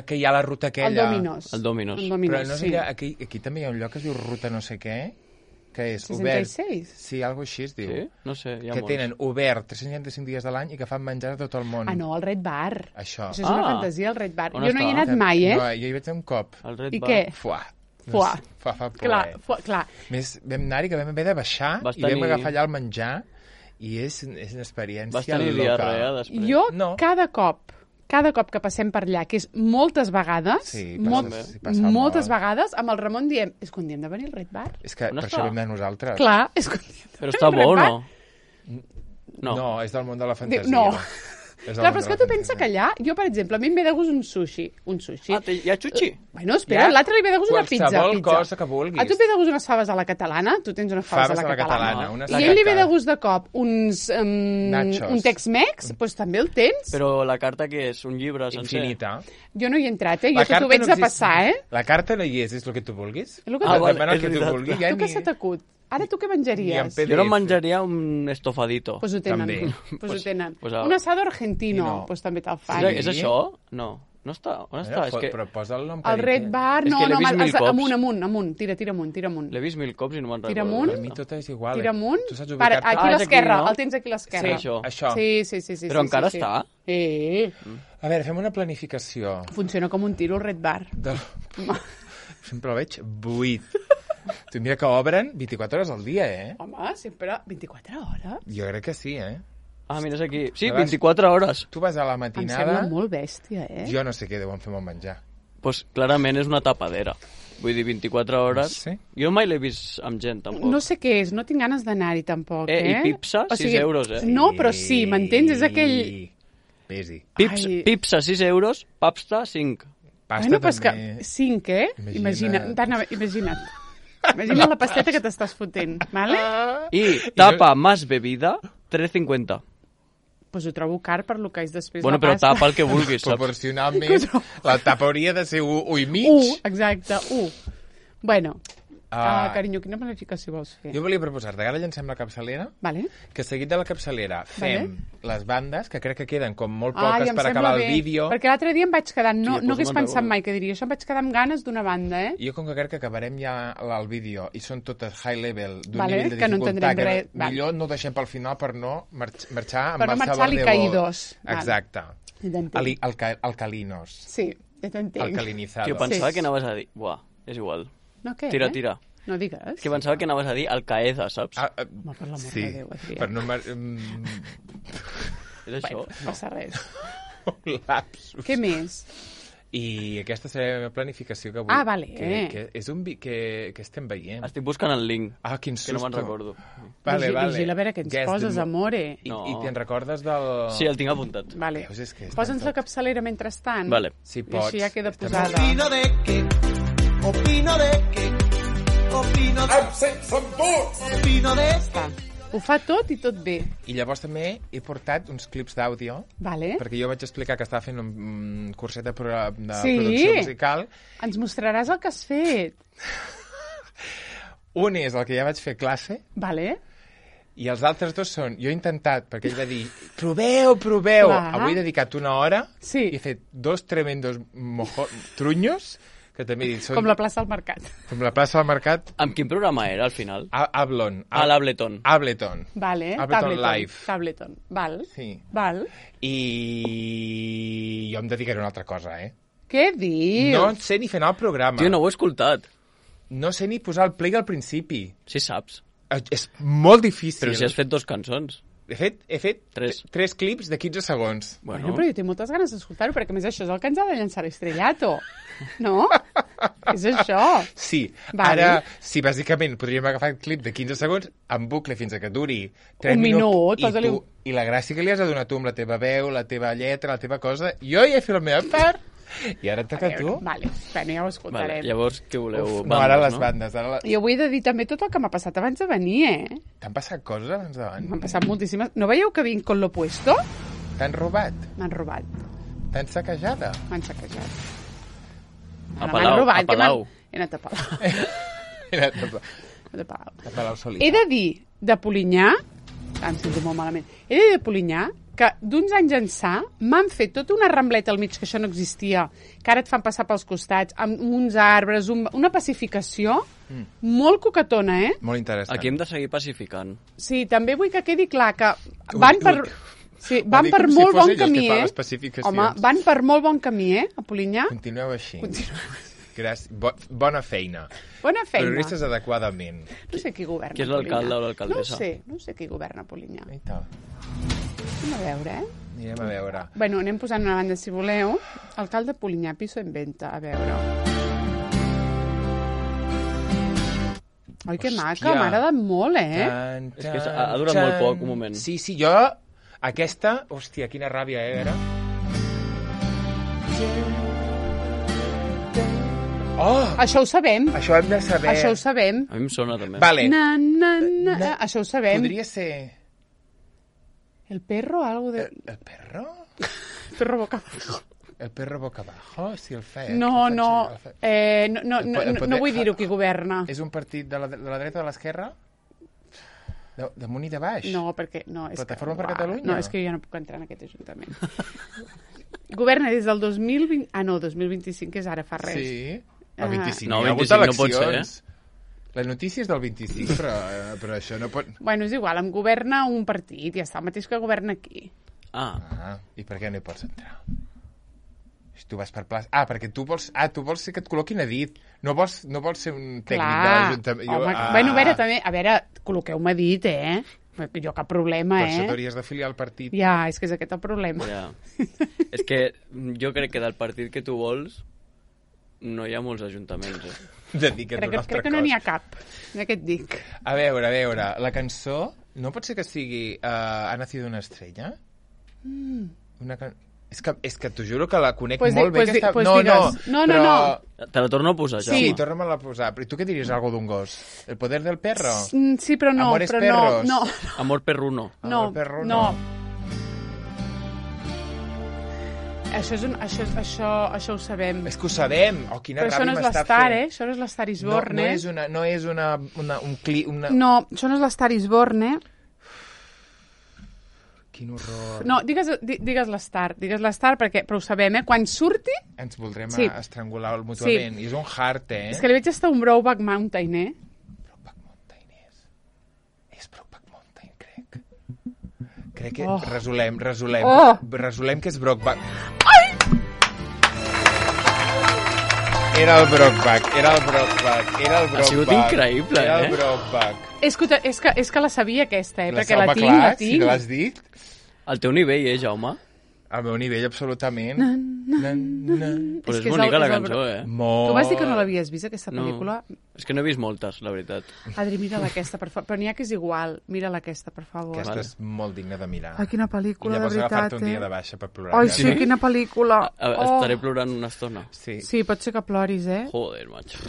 Que hi ha la ruta aquella. El Domino's. El Domino's. Però no sé, aquí també hi ha un lloc que es diu ruta no sé què, que és 66? obert. Sí, alguna cosa així es diu. Sí? No sé, hi ha que molts. tenen obert 365 dies de l'any i que fan menjar a tot el món. No, el Red Bar. Això. És una fantasia, el Red Bar. On Jo no hi he anat mai, No, jo hi vaig anar un cop. El Red I Bar. què? Fuà. Fuà. Fa por, Clar. Més vam anar-hi que vam haver de baixar i vam agafar allà el menjar i és una experiència Vas tenir diarrea després? Jo, cada cop que passem per allà, que és moltes vegades, moltes vegades, amb el Ramon diem, és que un dia hem de venir al Red Bar. És que per això vam anar nosaltres. Clar, és que un dia hem de Però està bo o no? No, és del món de la fantasia. No. Clar, però és que tu pensa que allà, jo, per exemple, a mi em ve de gust un sushi. Hi ha xuxi? Bueno, espera, l'altre li ve de gust una pizza. Qualsevol cosa que vulguis. A tu et ve de gust unes faves a la catalana? Tu tens unes faves a la catalana. I a ell li ve de gust de cop uns... nachos. Un Tex-Mex? Doncs també el tens. Però la carta què és? Un llibre sencer? Infinita. Jo no hi he entrat, Jo t'ho veig de passar, La carta no hi és el que tu vulguis. És el que tu vulguis. Tu què se t'acut? Ara tu què menjaries? Jo no menjaria un estofadito. Pues ho tenen. Un asado argentino. Pues també te'l fan. És això? No. No està? On està? Però posa el nom. El Red Bar, no, amunt. Tira amunt. L'he vist 1000 cops i no me'n recordo. Tira amunt. Per mi tot és igual. Tira amunt. Tu saps ubicar-te? Aquí a l'esquerra, el tens aquí a l'esquerra. Sí, això. Sí. Però encara està? A veure, fem una planificació. Funciona com un tiro el Red Bar. Sempre el veig buit. Tu mira que obren 24 hores al dia, Home, sempre 24 hores? Jo crec que sí, mira, és aquí. Sí, 24 hores. Tu vas a la matinada... Em sembla molt bèstia, Jo no sé què deuen fer amb el menjar. Doncs clarament és una tapadera. Vull dir, 24 hores... Sí. Jo mai l'he vist amb gent, tampoc. No sé què és, no tinc ganes d'anar-hi, tampoc, I pizza, 6 euros, No, però sí, m'entens? És aquell... Pesi. Pizza, 6 euros, pasta, 5. Pasta però és que 5, Imagina't. Imagina la pasteta que t'estàs fotent, ¿vale? I tapa más bebida, 3,50. Pues ho trobo car per lo que és després bueno, la pasta. Bueno, però tapa el que vulguis, saps? Proporcionalment, la tapa hauria de ser 1 i mig. 1, exacte, 1. Bueno, carinyo, quina planificació vols fer? Jo volia proposar-te que ara llancem la capçalera, que seguit de la capçalera fem les bandes, que crec que queden com molt poques per acabar el vídeo. Perquè l'altre dia em vaig quedar, no hagués pensat mai que diria, això em vaig quedar amb ganes d'una banda, Jo com que crec que acabarem ja el vídeo i són totes high level, d'un nivell de dificultat, que millor no ho deixem pel final per no marxar amb marxador de caídos. Exacte. Alcalinos. Sí, ja t'entenc. Alcalinizados. Jo pensava que anaves a dir, buah, és igual. No, què? Tira. No digues. Que pensava que anaves a dir Alcaeza, saps? Home, per l'amor de Déu, Adrià. Per no... És això? No passa res. Un lapsus. Què més? I aquesta serà la meva planificació que vull. Vale. Que és un que estem veient. Estic buscant el link. Quin susto. Que no me'n recordo. Vale. Vigila a veure què ens poses, amore. I te'n recordes del... Sí, el tinc apuntat. Vale. Posa'ns la capçalera mentrestant. Vale. Si pots. I així ja queda posada. Opino de que opino de Ho fa tot i tot bé. I llavors també he portat uns clips d'àudio, perquè jo vaig explicar que estava fent un curset de producció musical. Ens mostraràs el que has fet. Un és el que ja vaig fer classe. I els altres dos són... Jo he intentat, perquè ell va dir, proveu. Avui he dedicat una hora i he fet 2 tremendos trunyos que també he dit... Com la plaça del Mercat. Com la plaça del Mercat. Amb quin programa era, al final? Ableton. Ableton Live. Tableton. Val. Sí. Val. I jo em dedicaré a una altra cosa, Què dius? No sé ni fer anar el programa. Tio, no ho he escoltat. No sé ni posar el play al principi. Sí saps. És molt difícil. Però si has fet 2 cançons. He fet 3 clips de 15 segons. Bueno, però jo tinc moltes ganes d'escoltar-ho, perquè a més això és el que ens ha de llançar l'estrellato. No? És això. Sí. Ara, sí, bàsicament, podríem agafar el clip de 15 segons en bucle fins a que duri 3 minuts. I la gràcia que li has de donar tu amb la teva veu, la teva lletra, la teva cosa. Jo ja he fet la meva part. I ara et toca a tu. Vale, bueno, ja ho escoltarem. Llavors, què voleu? No, ara les bandes. Jo vull de dir també tot el que m'ha passat abans de venir, T'han passat coses abans de venir? M'han passat moltíssimes. No veieu que vinc con lo puesto? T'han robat? M'han robat. T'han saquejada? M'han saquejat. A Palau. He anat a Palau. A Palau Solità. He de dir, de Polinyà, Em sento molt malament. He de dir, Polinyà, que d'uns anys ençà m'han fet tota una rambleta al mig, que això no existia, que ara et fan passar pels costats, amb uns arbres, una pacificació molt coquetona, Molt interessant. Aquí hem de seguir pacificant. Sí, també vull que quedi clar que van per... Sí, van per molt bon camí, Home, van per molt bon camí, a Polinyà. Continueu així. Gràcies. Bona feina. Bona feina. Periodistes adequadament. No sé qui governa Qui és l'alcalde o l'alcaldessa? No sé qui governa Polinyà. I tal. Anem a veure, Anirem a veure. Bueno, anem posant una banda, si voleu. Alcalde Polinyà, piso en venta. A veure. Oi, que maca, m'ha agradat molt, És que ha durat molt poc, un moment. Sí, jo... Aquesta... Hòstia, quina ràbia, era? Oh! Això ho sabem. Això hem de saber. Això ho sabem. A mi em sona, també. Vale. Això ho sabem. Podria ser... El perro, algo de... El perro? El perro boca abajo. El perro boca abajo, si el fe. No vull dir-ho qui governa. És un partit de la dreta o de l'esquerra? Damunt i de baix? No, perquè... No, Plataforma per Catalunya? No, és que jo no puc entrar en aquest ajuntament. Governa des del 2020... Ah, no, 2025, que és ara, fa res. Sí, el 25. No, el 25 no pot ser, La notícia és del 25, però això no pot... Bueno, és igual, em governa un partit, ja està, el mateix que governa aquí. I per què no hi pots entrar? Si tu vas per plaça... perquè tu vols ser que et col·loquin a dit. No vols ser un tècnic de l'Ajuntament. Bueno, a veure, col·loqueu-me a dit, Jo cap problema, Per això t'hauries d'afiliar al partit. Ja, és que és aquest el problema. Ja. És que jo crec que del partit que tu vols no hi ha molts ajuntaments, Crec que no n'hi ha cap, ja que et dic. A veure, la cançó no pot ser que sigui Ha nacido una estrella? És que t'ho juro que la conec molt bé. No. Te la torno a posar, ja. Sí, torna-me-la a posar. Però tu què diries, algo d'un gos? El poder del perro? Sí, però no. Amores perros? No. Amor perruno. No. Això ho sabem. És que ho sabem. Oh, quina però ràbia m'està fent. Això no és l'Star is Born, No és un clip... No, això no és l'Star is Born, Quin horror. No, digues l'Star, però ho sabem, quan surti... Ens voldrem estrangular mútuament. I és un heart, És que li veig estar un Brokeback Mountain, Brokeback Mountain és Brokeback Mountain, crec. Crec que resolem que és Brokeback. Ai! Era el Brokeback. Ha sigut increïble, Era el Brokeback. És que la sabia aquesta, perquè la tinc. Si no l'has dit. Al teu nivell, Jaume? Al meu nivell, absolutament. Però és bonica la cançó, Tu vas dir que no l'havies vist, aquesta pel·lícula? És que no he vist moltes, la veritat. Adri, mira-la aquesta, per favor. Però n'hi ha que és igual. Mira-la aquesta, per favor. Aquesta és molt digna de mirar. Ai, quina pel·lícula, de veritat, I llavors agafar-te un dia de baixa per plorar. Ai, sí, quina pel·lícula. Estaré plorant una estona. Sí, pot ser que ploris, Joder, macho.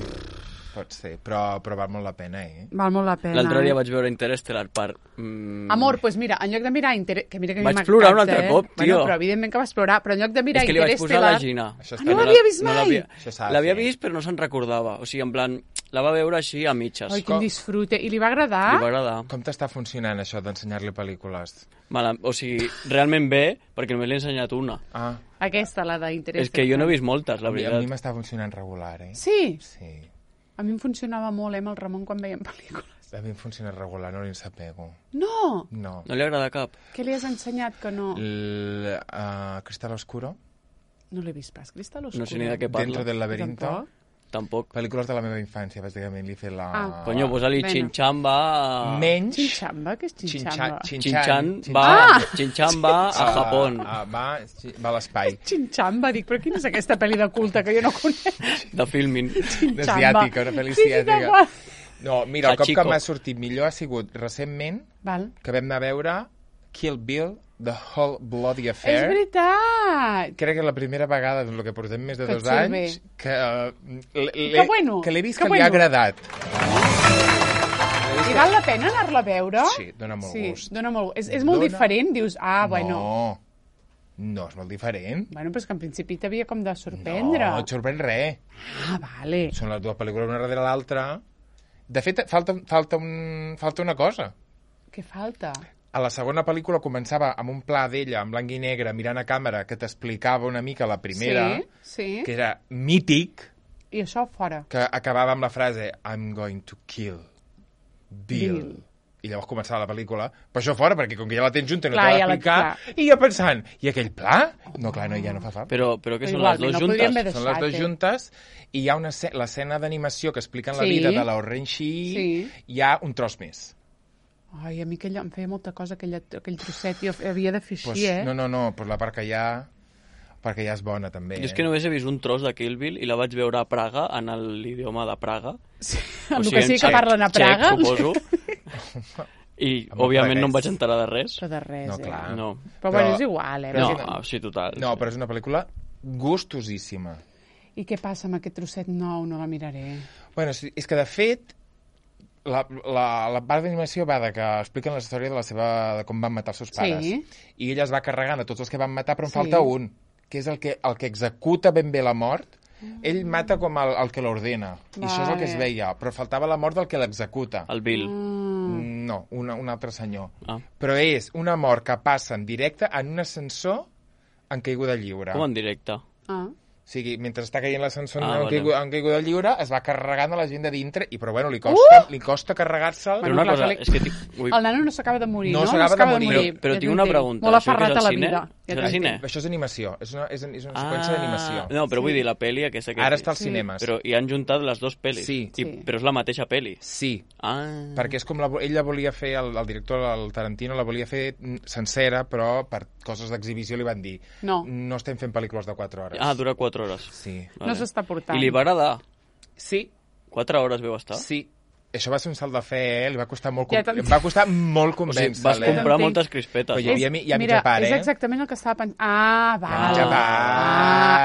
Pot ser, però val molt la pena, Val molt la pena. L'altre dia vaig veure Interstellar per... Amor, doncs mira, en lloc de mirar Interstellar... Vaig plorar un altre cop, tio. Bueno, però evidentment que vas plorar, però en lloc de mirar Interstellar... És que li vaig posar la Gina. No l'havia vist mai? L'havia vist, però no se'n recordava. O sigui, en plan, la va veure així a mitges. Ai, quin disfrute. I li va agradar? Li va agradar. Com t'està funcionant això d'ensenyar-li pel·lícules? O sigui, realment bé, perquè només l'he ensenyat una. Aquesta, la d'Interstellar. És que jo no he vist moltes, la veritat. A mi m'està funcionant regular, Sí? Sí. A mi em funcionava molt, amb el Ramon, quan veiem pel·lícules. A mi em funciona regular, no li ensapego. No? No. No li agrada cap? Què li has ensenyat que no? Cristal Oscuro. No l'he vist pas, Cristal Oscuro. No sé ni de què parla. Dentro del laberinto. Tampoc. Pel·lícules de la meva infància, bàsicament. Li he fet la... Coño, posa-li Chinchamba... Menys... Chinchamba? Què és Chinchamba? Chinchamba a Japón. Va a l'espai. Chinchamba, dic, però quina és aquesta pel·li de culte que jo no conec? De filming. D'asiàtica, una pel·li asiàtica. No, mira, el cop que m'ha sortit millor ha sigut recentment que vam anar a veure Kill Bill, The Whole Bloody Affair. És veritat! Crec que és la primera vegada en el que portem més de 2 anys que l'he vist que li ha agradat. I val la pena anar-la a veure? Sí, dona molt gust. Dona molt. És molt diferent? Dius, bueno... No, és molt diferent. Bueno, però és que en principi t'havia com de sorprendre. No, et sorprèn res. Vale. Són les dues pel·lícules una darrere l'altra. De fet, falta una cosa. Què falta? a la segona pel·lícula començava amb un pla d'ella, en blanc i negre, mirant a càmera, que t'explicava una mica la primera, que era mític. I això fora. Que acabava amb la frase I'm going to kill Bill. I llavors començava la pel·lícula. Per això fora, perquè com que ja la tens junta no t'ha d'explicar. I jo pensant, i aquell pla? No, clar, ja no fa fam. Però què són les dues juntes? Són les dues juntes i hi ha l'escena d'animació que expliquen la vida de la Oren Shee, hi ha un tros més. Ai, a mi em feia molta cosa aquell trosset, jo havia de fer així, No, però la part que hi ha... perquè ja és bona, també. Jo és que només he vist un tros de Kill Bill i la vaig veure a Praga, en l'idioma de Praga. Sí, amb el que sí que parlen a Praga. Suposo. I, òbviament, no em vaig enterar de res. Però de res, no, clar. No. Però bueno, és igual, No, sí, total. No, però és una pel·lícula gustosíssima. I què passa amb aquest trosset nou? No la miraré. Bueno, és que, de fet, la part d'animació va de que expliquen la història de com van matar els seus pares. I ella es va carregant a tots els que van matar, però en falta un, que és el que executa ben bé la mort. Ell mata com el que l'ordena, i això és el que es veia, però faltava la mort del que l'executa. El Bill. No, un altre senyor. Però és una mort que passa en directe en un ascensor en caiguda lliure. Com en directe? O sigui, mentre està caient l'ascensor en caiguda lliure, es va carregant a la gent de dintre, però bueno, li costa carregar-se'l. Però una cosa, és que... El nano no s'acaba de morir, no? No s'acaba de morir. Però tinc una pregunta. Molt aferrat a la vida. Això és animació, és una seqüència d'animació. No, però vull dir, la pel·li aquesta... Ara està als cinemes. Però hi han juntat les dues pel·lis. Però és la mateixa pel·li. Sí, perquè és com ella volia fer, el director, el Tarantino, la volia fer sencera, però per coses d'exhibició li van dir no estem fent pel·lícules de 4 hores. Dura 4 hores. Sí. No s'està portant. I li va agradar? Sí. 4 hores veu estar? Sí. Això va ser un salt de fe, li va costar molt, va costar molt convèncer-la. O sigui, vas comprar moltes crispetes. Però hi ha mitja part, és exactament el que estava pensant. Val.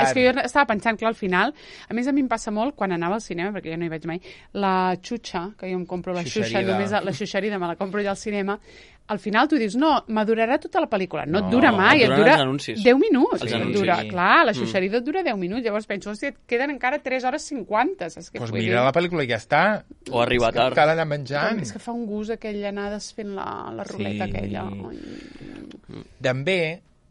És que jo estava pensant, clar, al final, a més a mi em passa molt, quan anava al cinema, perquè jo no hi vaig mai, la xutxa, que jo em compro la xuxa, només la xuxerida me la compro jo al cinema, al final tu dius, no, m'adurarà tota la pel·lícula. No et dura mai, et dura 10 minuts. Clar, la xuxerida et dura 10 minuts. Llavors penso, hòstia, et queden encara 3 hores 50. Doncs mira la pel·lícula i ja està. O arribar tard. Cal anar menjant. És que fa un gust aquell anar desfent la ruleta aquella. També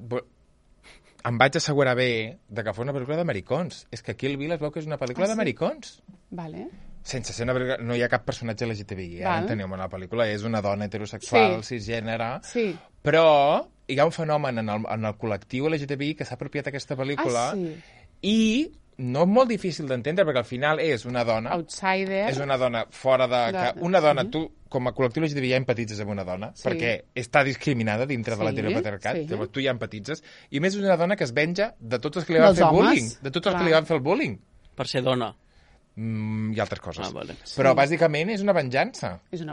em vaig assegurar bé que fos una pel·lícula d'americons. És que Kill Bill es veu que és una pel·lícula d'americons. Vale. Sense ser una pel·lícula... No hi ha cap personatge LGTBI, entenem, en la pel·lícula. És una dona heterosexual, cisgènere... Però hi ha un fenomen en el col·lectiu LGTBI que s'ha apropiat aquesta pel·lícula i no és molt difícil d'entendre, perquè al final és una dona... Outsider. És una dona fora de... Una dona, tu, com a col·lectiu LGTBI, ja empatitzes amb una dona, perquè està discriminada dintre de l'heteropatriarcat, llavors tu ja empatitzes, i més és una dona que es venja de tots els que li van fer bullying, de tots els que li van fer el bullying. Per ser dona. I altres coses. Vale. Però bàsicament és una venjança.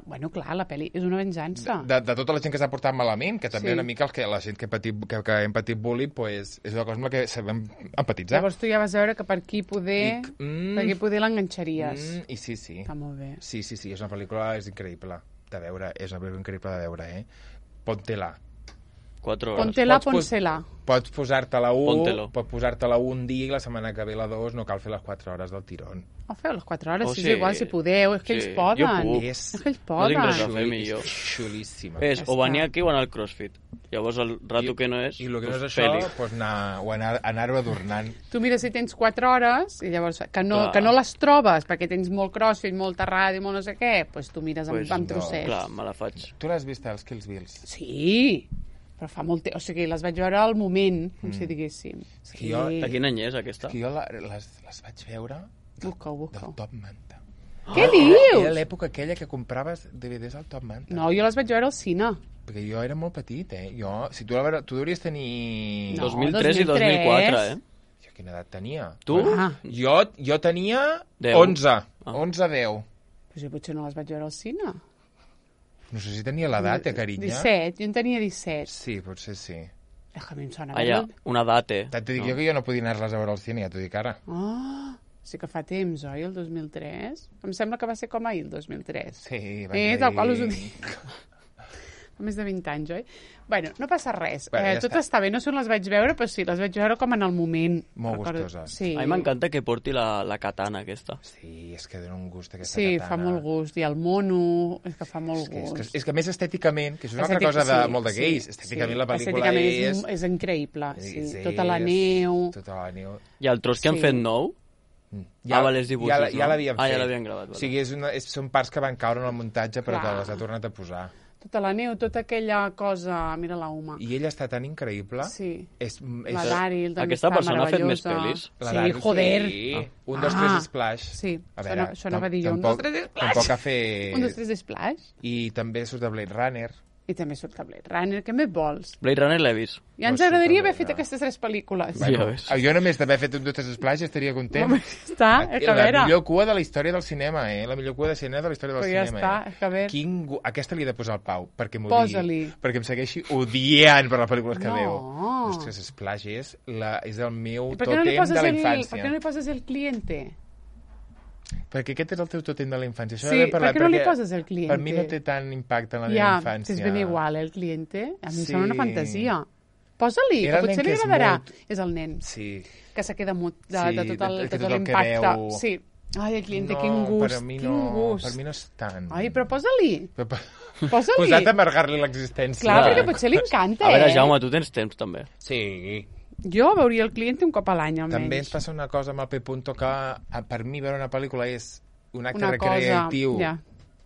Bueno, clar, la pel·li és una venjança. De tota la gent que s'ha portat malament, que també una mica la gent que hem patit bullying pues, és una cosa amb la que sabem empatitzar. Llavors tu ja vas veure que per aquí poder l'enganxaries. I sí. Està molt bé. Sí, és una pel·lícula, és increïble de veure, Ponte-la. 4 hores. Ponte-la. Pots posar-te-la un dia i la setmana que ve la 2 no cal fer les 4 hores del tirón. Feu les 4 hores, és igual, si podeu, és que ells poden. Jo puc. És que ells poden. No tinc res a fer millor. Xulíssima. O venir aquí o anar al CrossFit. Llavors el rato que no és... I el que no és això, pues anar-ho adornant. Tu mira si tens 4 hores, i llavors que no les trobes, perquè tens molt CrossFit, molta ràdio, molt no sé què, doncs tu mires amb trossets. Clar, me la faig. Tu l'has vist, els Kills Bills? Sí, però fa molt temps, o sigui, les vaig veure al moment, com si diguéssim. De quin any és aquesta? Jo les vaig veure del Top Manta. Què dius? Era l'època aquella que compraves DVDs al Top Manta. No, jo les vaig veure al cine. Perquè jo era molt petit, Si tu hauries tenir... 2003 i 2004, Jo quina edat tenia? Tu? Jo tenia 11. 11-10. Però jo potser no les vaig veure al cine. No sé si tenia l'edat, carinya. 17, jo en tenia 17. Sí, potser sí. A mi em sona una data. T'he dit jo que jo no podia anar-les a veure al cine, ja t'ho dic ara. Sí que fa temps, oi, el 2003? Em sembla que va ser com ahir, el 2003. Sí, tal qual us ho dic. Fa més de 20 anys, oi? Bueno, no passa res. Bueno, tot està bé, no sé on les vaig veure, però sí, les vaig veure com en el moment. Molt gustoses. Sí. A mi m'encanta que porti la katana aquesta. Sí, és que dona un gust aquesta sí, katana. fa molt gust. I el mono, és que fa molt gust. És que més estèticament, que és una altra cosa de molt de gais, estèticament la pel·lícula és increïble. Sí. Tota la neu. I el tros que han fet nou, les dibuixos, ja l'havien fet. Ja l'havien gravat. O sigui, són parts que van caure en el muntatge, però que les ha tornat a posar. Tota la neu, tota aquella cosa... Mira la Uma. I ella està tan increïble. Sí. És la Daryl també Aquesta està persona ha fet més pel·lis. Sí, joder. Sí. 1, 2, 3 Splash. Sí, a veure, això no va dir jo. 1, 2, 3 Splash. Tampoc ha fet... 1, 2, 3 Splash. I també surt de Blade Runner. I també surt a Blade Runner. Què més vols? Blade Runner l'he vist. Ja ens agradaria haver fet aquestes 3 pel·lícules. Bueno, jo només d'haver fet 1, 2, 3 Splash estaria content. Està, és que a veure. La millor cua de la història del cinema, La millor cua de cinema de la història del cinema. Ja està, és que a veure. Aquesta li he de posar al Pau, perquè m'ho Posa-li. Perquè em segueixi odiant per les pel·lícules que veu. Ostres, Splash és el meu tòtem de la infància. Per què no li poses el cliente? Perquè aquest és el teu tòtem de la infància. Sí, per què no li poses el cliente? Per mi no té tant impacte en la meva infància. Ja, és ben igual, el cliente. A mi em sembla una fantasia. Posa-li, que potser li agradarà. És el nen. Sí. Que se queda mut de tot l'impacte. Sí. Ai, el cliente, quin gust, quin gust. Per mi no és tant. Ai, però posa-li. Posa-li. Posat a amargar-li l'existència. Clar, perquè potser li encanta, A veure, Jaume, tu tens temps, també. Sí. Jo veuria el cliente un cop a l'any, almenys. També ens passa una cosa amb el P. que per mi veure una pel·lícula és un acte recreatiu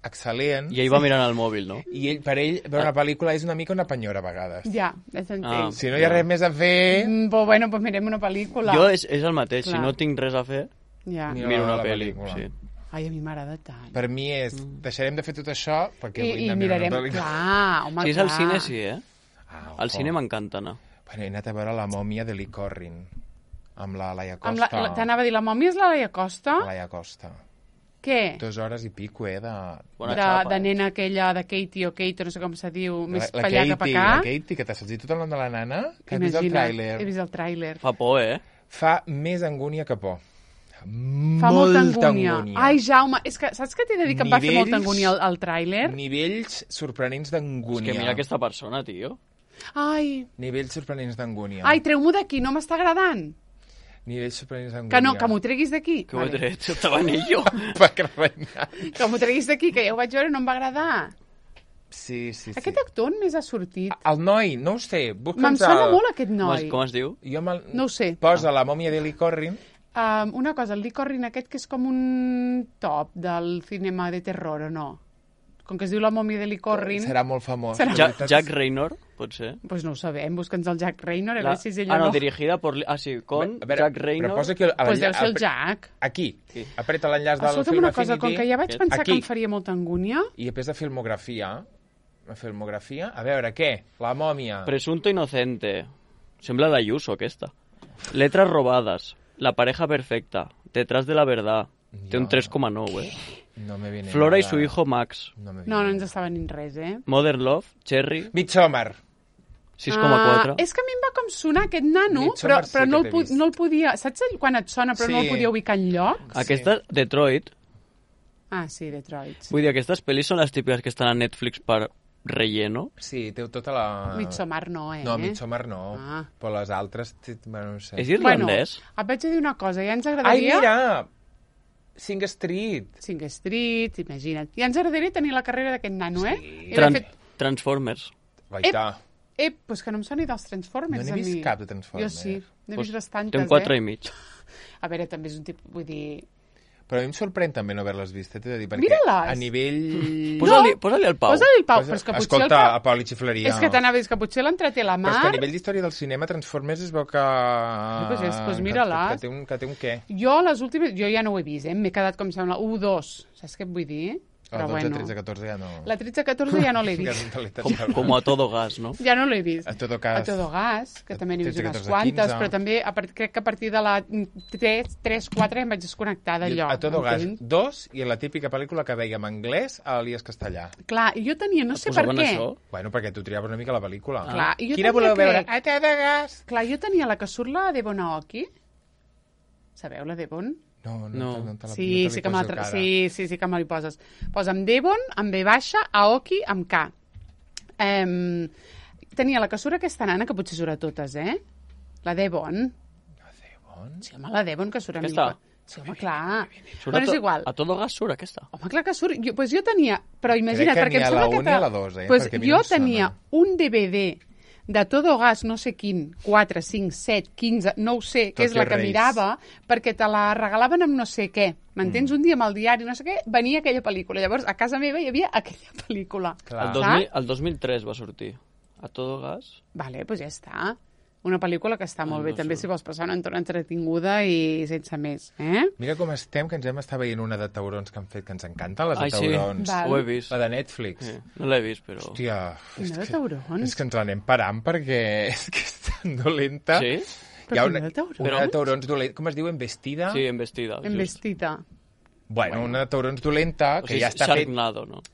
excel·lent. I ell va mirant el mòbil, no? I per ell veure una pel·lícula és una mica una penyora a vegades. Ja t'entenc. Si no hi ha res més a fer... Bueno, doncs mirem una pel·lícula. Jo és el mateix, si no tinc res a fer, miro una pel·lícula. Sí. Ai, a mi m'agrada tant. Per mi és, deixarem de fer tot això perquè vull anar a mirar una pel·lícula. Clar, home, si és al cine, sí, al cine m'encanta anar. Bueno, he anat a veure La mòmia de Lee Corrin, amb la Laia Costa. T'anava a dir, la mòmia és la Laia Costa? La Laia Costa. Què? 2 hores i pico, de nena aquella, de Katie o Kate, no sé com se diu, més per allà cap a cá. La Katie, que t'has sentit tot el nom de la nana? Que has vist el tràiler. He vist el tràiler. Fa por, Fa més angúnia que por. Fa molta angúnia. Ai, Jaume, és que saps què t'he de dir que em va fer molta angúnia el tràiler? Nivells sorprenents d'angúnia. És que mira aquesta persona, tio. Ai. Nivells sorprenents d'angúnia. Ai, treu-m'ho d'aquí, no m'està agradant. Nivells sorprenents d'angúnia. Que no, que m'ho treguis d'aquí. Que ho he tret, estava en ell. Que m'ho treguis d'aquí, que ja ho vaig veure i no em va agradar. Sí. Aquest actor on més ha sortit? El noi, no ho sé. Me'n sona molt aquest noi. Com es diu? No ho sé. Posa La mòmia de Lee Corrin. Una cosa, el Lee Corrin aquest que és com un top del cinema de terror, o no? Com que es diu La mòmia de Lee Corrin... Serà molt famós. Jack Raynor, pot ser? Pues no ho sabem, busca'ns el Jack Raynor, a veure si és ell o no. dirigida por... con Jack Raynor. Però posa aquí... Pues deu ser el Jack. Aquí. Apreta l'enllaç del Film Affinity. Una cosa, com que ja vaig pensar que em faria molta angúnia... I després de filmografia... A veure, què? La mòmia... Presunto inocente. Sembla l'Ayuso, aquesta. Letras robadas. La pareja perfecta. Detrás de la verdad. Té un 3,9, No me viene Flora nada. y su hijo Max. No ens estava ni res, Modern Love, Cherry. Midsommar. 6,4. És que a mi em va com sonar aquest nano, però no el podia... Saps quan et sona però no el podia ubicar enlloc? Aquesta, Detroit. Ah, sí, Detroit. Vull dir, aquestes pel·lis són les típiques que estan a Netflix per relleno. Sí, té tota la... Midsommar no, No, Midsommar no. Però les altres... Bueno, no sé. És irlandès? Et vaig a dir una cosa, ja ens agradaria... Ai, mira! Sing Street, imagina't. Ja ens agradaria tenir la carrera d'aquest nano, Transformers. Pues que no em soni dels Transformers. No n'he vist cap de Transformers. Jo sí, n'he vist bastantes, Té un 4,5. A veure, també és un tipus, vull dir... Però a mi em sorprèn també no haver-les vist, t'he de dir, perquè Mira-les! A nivell... Posa-li al Pau. Posa-li al Pau, però és que potser... Escolta, a Pau li xiflaria. És que t'anava a dir que potser l'entreté la Mar... Però és que a nivell d'història del cinema, Transformers es veu que... Pues mira-les. Que té un què. Jo les últimes... Jo ja no ho he vist, m'he quedat, com sembla, 1, 2. Saps què et vull dir? La 12, 13, 14 ja no... La 13, 14 ja no l'he vist. Com a Todo Gas, no? Ja no l'he vist. A Todo Gas, que també n'he vist unes quantes, però també crec que a partir de la 3, 4 em vaig desconnectar d'allò. A Todo Gas 2 i la típica pel·lícula que veiem anglès a l'Elies Castellà. Clar, jo tenia, no sé per què... Bueno, perquè tu triaves una mica la pel·lícula. Clar, quina voleu veure? A Todo Gas! Clar, jo tenia la que surt la Devon Aoki. Sabeu la Devon? No. Sí que me li poses. Posa'm Devon, amb V baixa, Aoki, amb K. tenia la que surt aquesta nana, que potser surt a totes, La Devon. La Devon? Sí, home, la Devon, que surt a mi. Sí, home, clar. Bueno, és igual. A Todo Gas surt aquesta. Home, clar que surt. Pues jo tenia... Però imagina't, crec que perquè em sembla que... N'hi ha la 1 i la 2, Pues jo tenia un DVD de Todo Gas, no sé quin, 4, 5, 7, 15, no ho sé, que és la que mirava, perquè te la regalaven amb no sé què. M'entens? Un dia amb el diari, no sé què, venia aquella pel·lícula. Llavors, a casa meva hi havia aquella pel·lícula. El 2003 va sortir. A Todo Gas. Vale, doncs ja està. Una pel·lícula que està molt bé, també, si vols passar una estona entretinguda i sense més. Mira com estem, que ens hem estat veient una de taurons que han fet, que ens encanten, les de taurons. Sí, ho he vist. La de Netflix. Sí, no l'he vist, però... Hòstia, de taurons? És que ens l'anem parant perquè és que és tan dolenta. Sí? Hi ha una de taurons dolenta, com es diu, Embestida? Sí, Embestida. Embestida. Bueno, una de taurons dolenta, que ja està fet... Sharknado, no?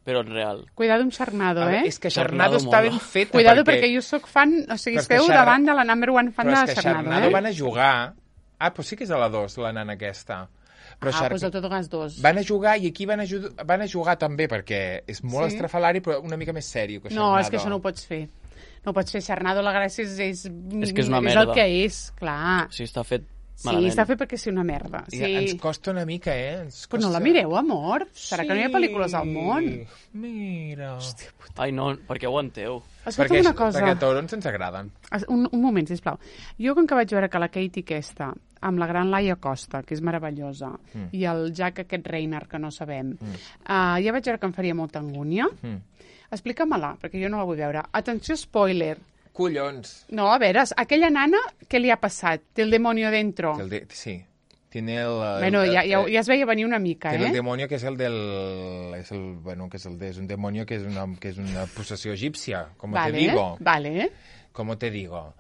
Però en real. Cuidado amb Sharknado, És que Sharknado està ben feta. Cuidado perquè jo sóc fan, o sigui, esteu davant de la number one fan de Sharknado. Però és que Sharknado van a jugar... Ah, doncs sí que és a la 2, la nana aquesta. Doncs el Todo Gas 2. Van a jugar i aquí van a jugar també, perquè és molt estrafalari, però una mica més sèrio que Sharknado. No, és que això no ho pots fer. No ho pots fer. Sharknado, la gràcia és que és una merda. És el que és, clar. Sí, està fet Sí, malament. està fet perquè és una merda. Sí. Ens costa una mica, Però no la mireu, amor. Serà que no hi ha pel·lícules al món? Mira. Hòstia puta. Ai, no, per què aguanteu? Escolta'm una cosa. Perquè taurons ens agraden. Un moment, sisplau. Jo, com que vaig veure que la Katie aquesta, amb la gran Laia Costa, que és meravellosa, i el Jack aquest Reiner, que no sabem, ja vaig veure que em faria molta angúnia. Explica-me-la, perquè jo no la vull veure. Atenció, spoiler. Collons. No, a veure, aquella nana, què li ha passat? Té el demonio dentro. Sí. Tiene el... Bueno, ja es veia venir una mica, Tiene el demonio que és el del... És un demonio que és una possessió egípcia, como te digo. Vale. Como te digo.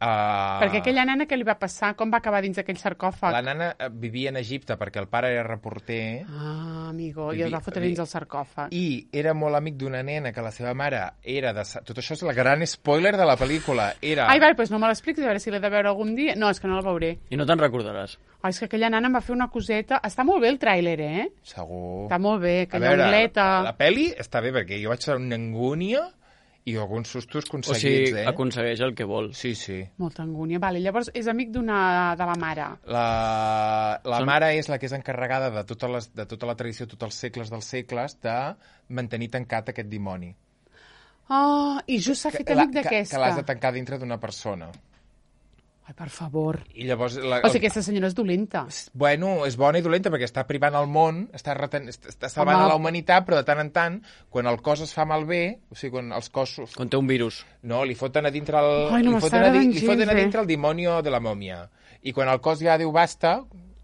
Perquè aquella nana, què li va passar? Com va acabar dins aquell sarcòfag? La nana vivia en Egipte perquè el pare era reporter. Ah, amigo, i el va fotre dins el sarcòfag. I era molt amic d'una nena que la seva mare era de... Tot això és el gran spoiler de la pel·lícula. Ai, vale, doncs no me l'expliquis, a veure si l'he de veure algun dia. No, és que no la veuré. I no te'n recordaràs. Ai, és que aquella nana em va fer una coseta... Està molt bé el tràiler, Segur. Està molt bé, aquella angleta... La pel·li està bé perquè jo vaig ser una angúnia i alguns sustos aconseguits, O sigui, aconsegueix el que vol. Sí, sí. Molta angúnia. Vale, llavors és amic de la mare. La mare és la que és encarregada de tota la tradició, tots els segles dels segles, de mantenir tancat aquest dimoni. Oh, i just s'ha fet amic d'aquesta. Que l'has de tancar dintre d'una persona. Ai, per favor. I llavors... O sigui, aquesta senyora és dolenta. Bueno, és bona i dolenta perquè està privant el món, està salvant a la humanitat, però de tant en tant, quan el cos es fa malbé, o sigui, quan els cossos... Quan té un virus. No, li foten a dintre el... Ai, no m'està agradant gens, li foten a dintre el demonio de la mòmia. I quan el cos ja diu basta...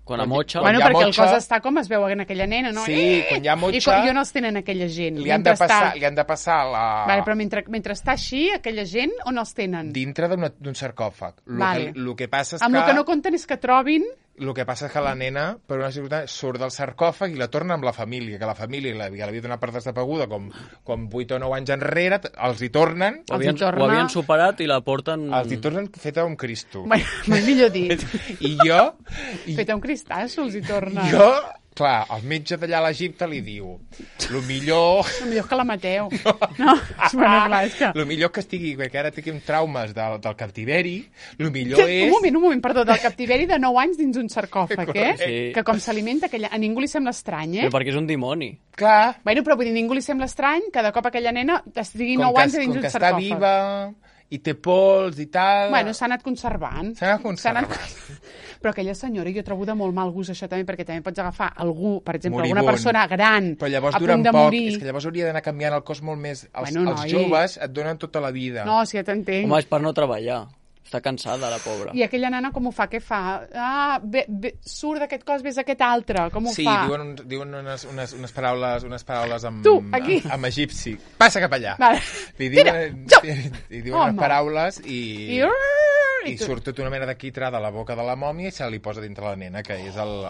Quan amotxa... Bueno, perquè el cos està com es veu en aquella nena, no? Sí, quan ja motxa... I quan jo no els tenen aquella gent. Li han de passar la... Vale, però mentre està així, aquella gent, on els tenen? Dintre d'un sarcòfag. Vale. El que passa és el que no compten és que trobin... El que passa és que la nena, per una circumstància, surt del sarcòfag i la torna amb la família, que la família ja l'havia donat per desapaguda com 8 o 9 anys enrere, els hi tornen... Ho havien superat i la porten... Els hi tornen feta un Cristo. Mai millor dit. I jo... Feta un cristasso, els hi tornen. Jo... Clar, el metge d'allà a l'Egipte li diu lo millor que la mateu. No, bueno, clar, és que... Lo millor que estigui, que ara tinguem traumes del captiveri, lo millor és... Un moment, perdó, del captiveri de 9 anys dins un sarcòfag, Sí. Que com s'alimenta aquella... A ningú li sembla estrany, Però perquè és un dimoni. Clar. Bueno, però vull dir, ningú li sembla estrany que de cop aquella nena estigui 9 anys dins un sarcòfag. Com que està viva i té pols i tal... Bueno, s'ha anat conservant. Però aquella senyora, jo trobo de molt mal gust això també, perquè també pots agafar algú, per exemple, alguna persona gran, però llavors a punt de morir... És que llavors hauria d'anar canviant el cos molt més... Els joves et donen tota la vida. No, sí, ja t'entenc. Home, és per no treballar. Està cansada, la pobra. I aquella nana com ho fa? Què fa? Surt d'aquest cos, ves a aquest altre. Com ho fa? Sí, diuen unes paraules amb... Tu, aquí. Amb egipci. Passa cap allà. Vale. Li diuen unes paraules i surt tota una mena de quitrà de la boca de la mòmia i se li posa dintre la nena, que és el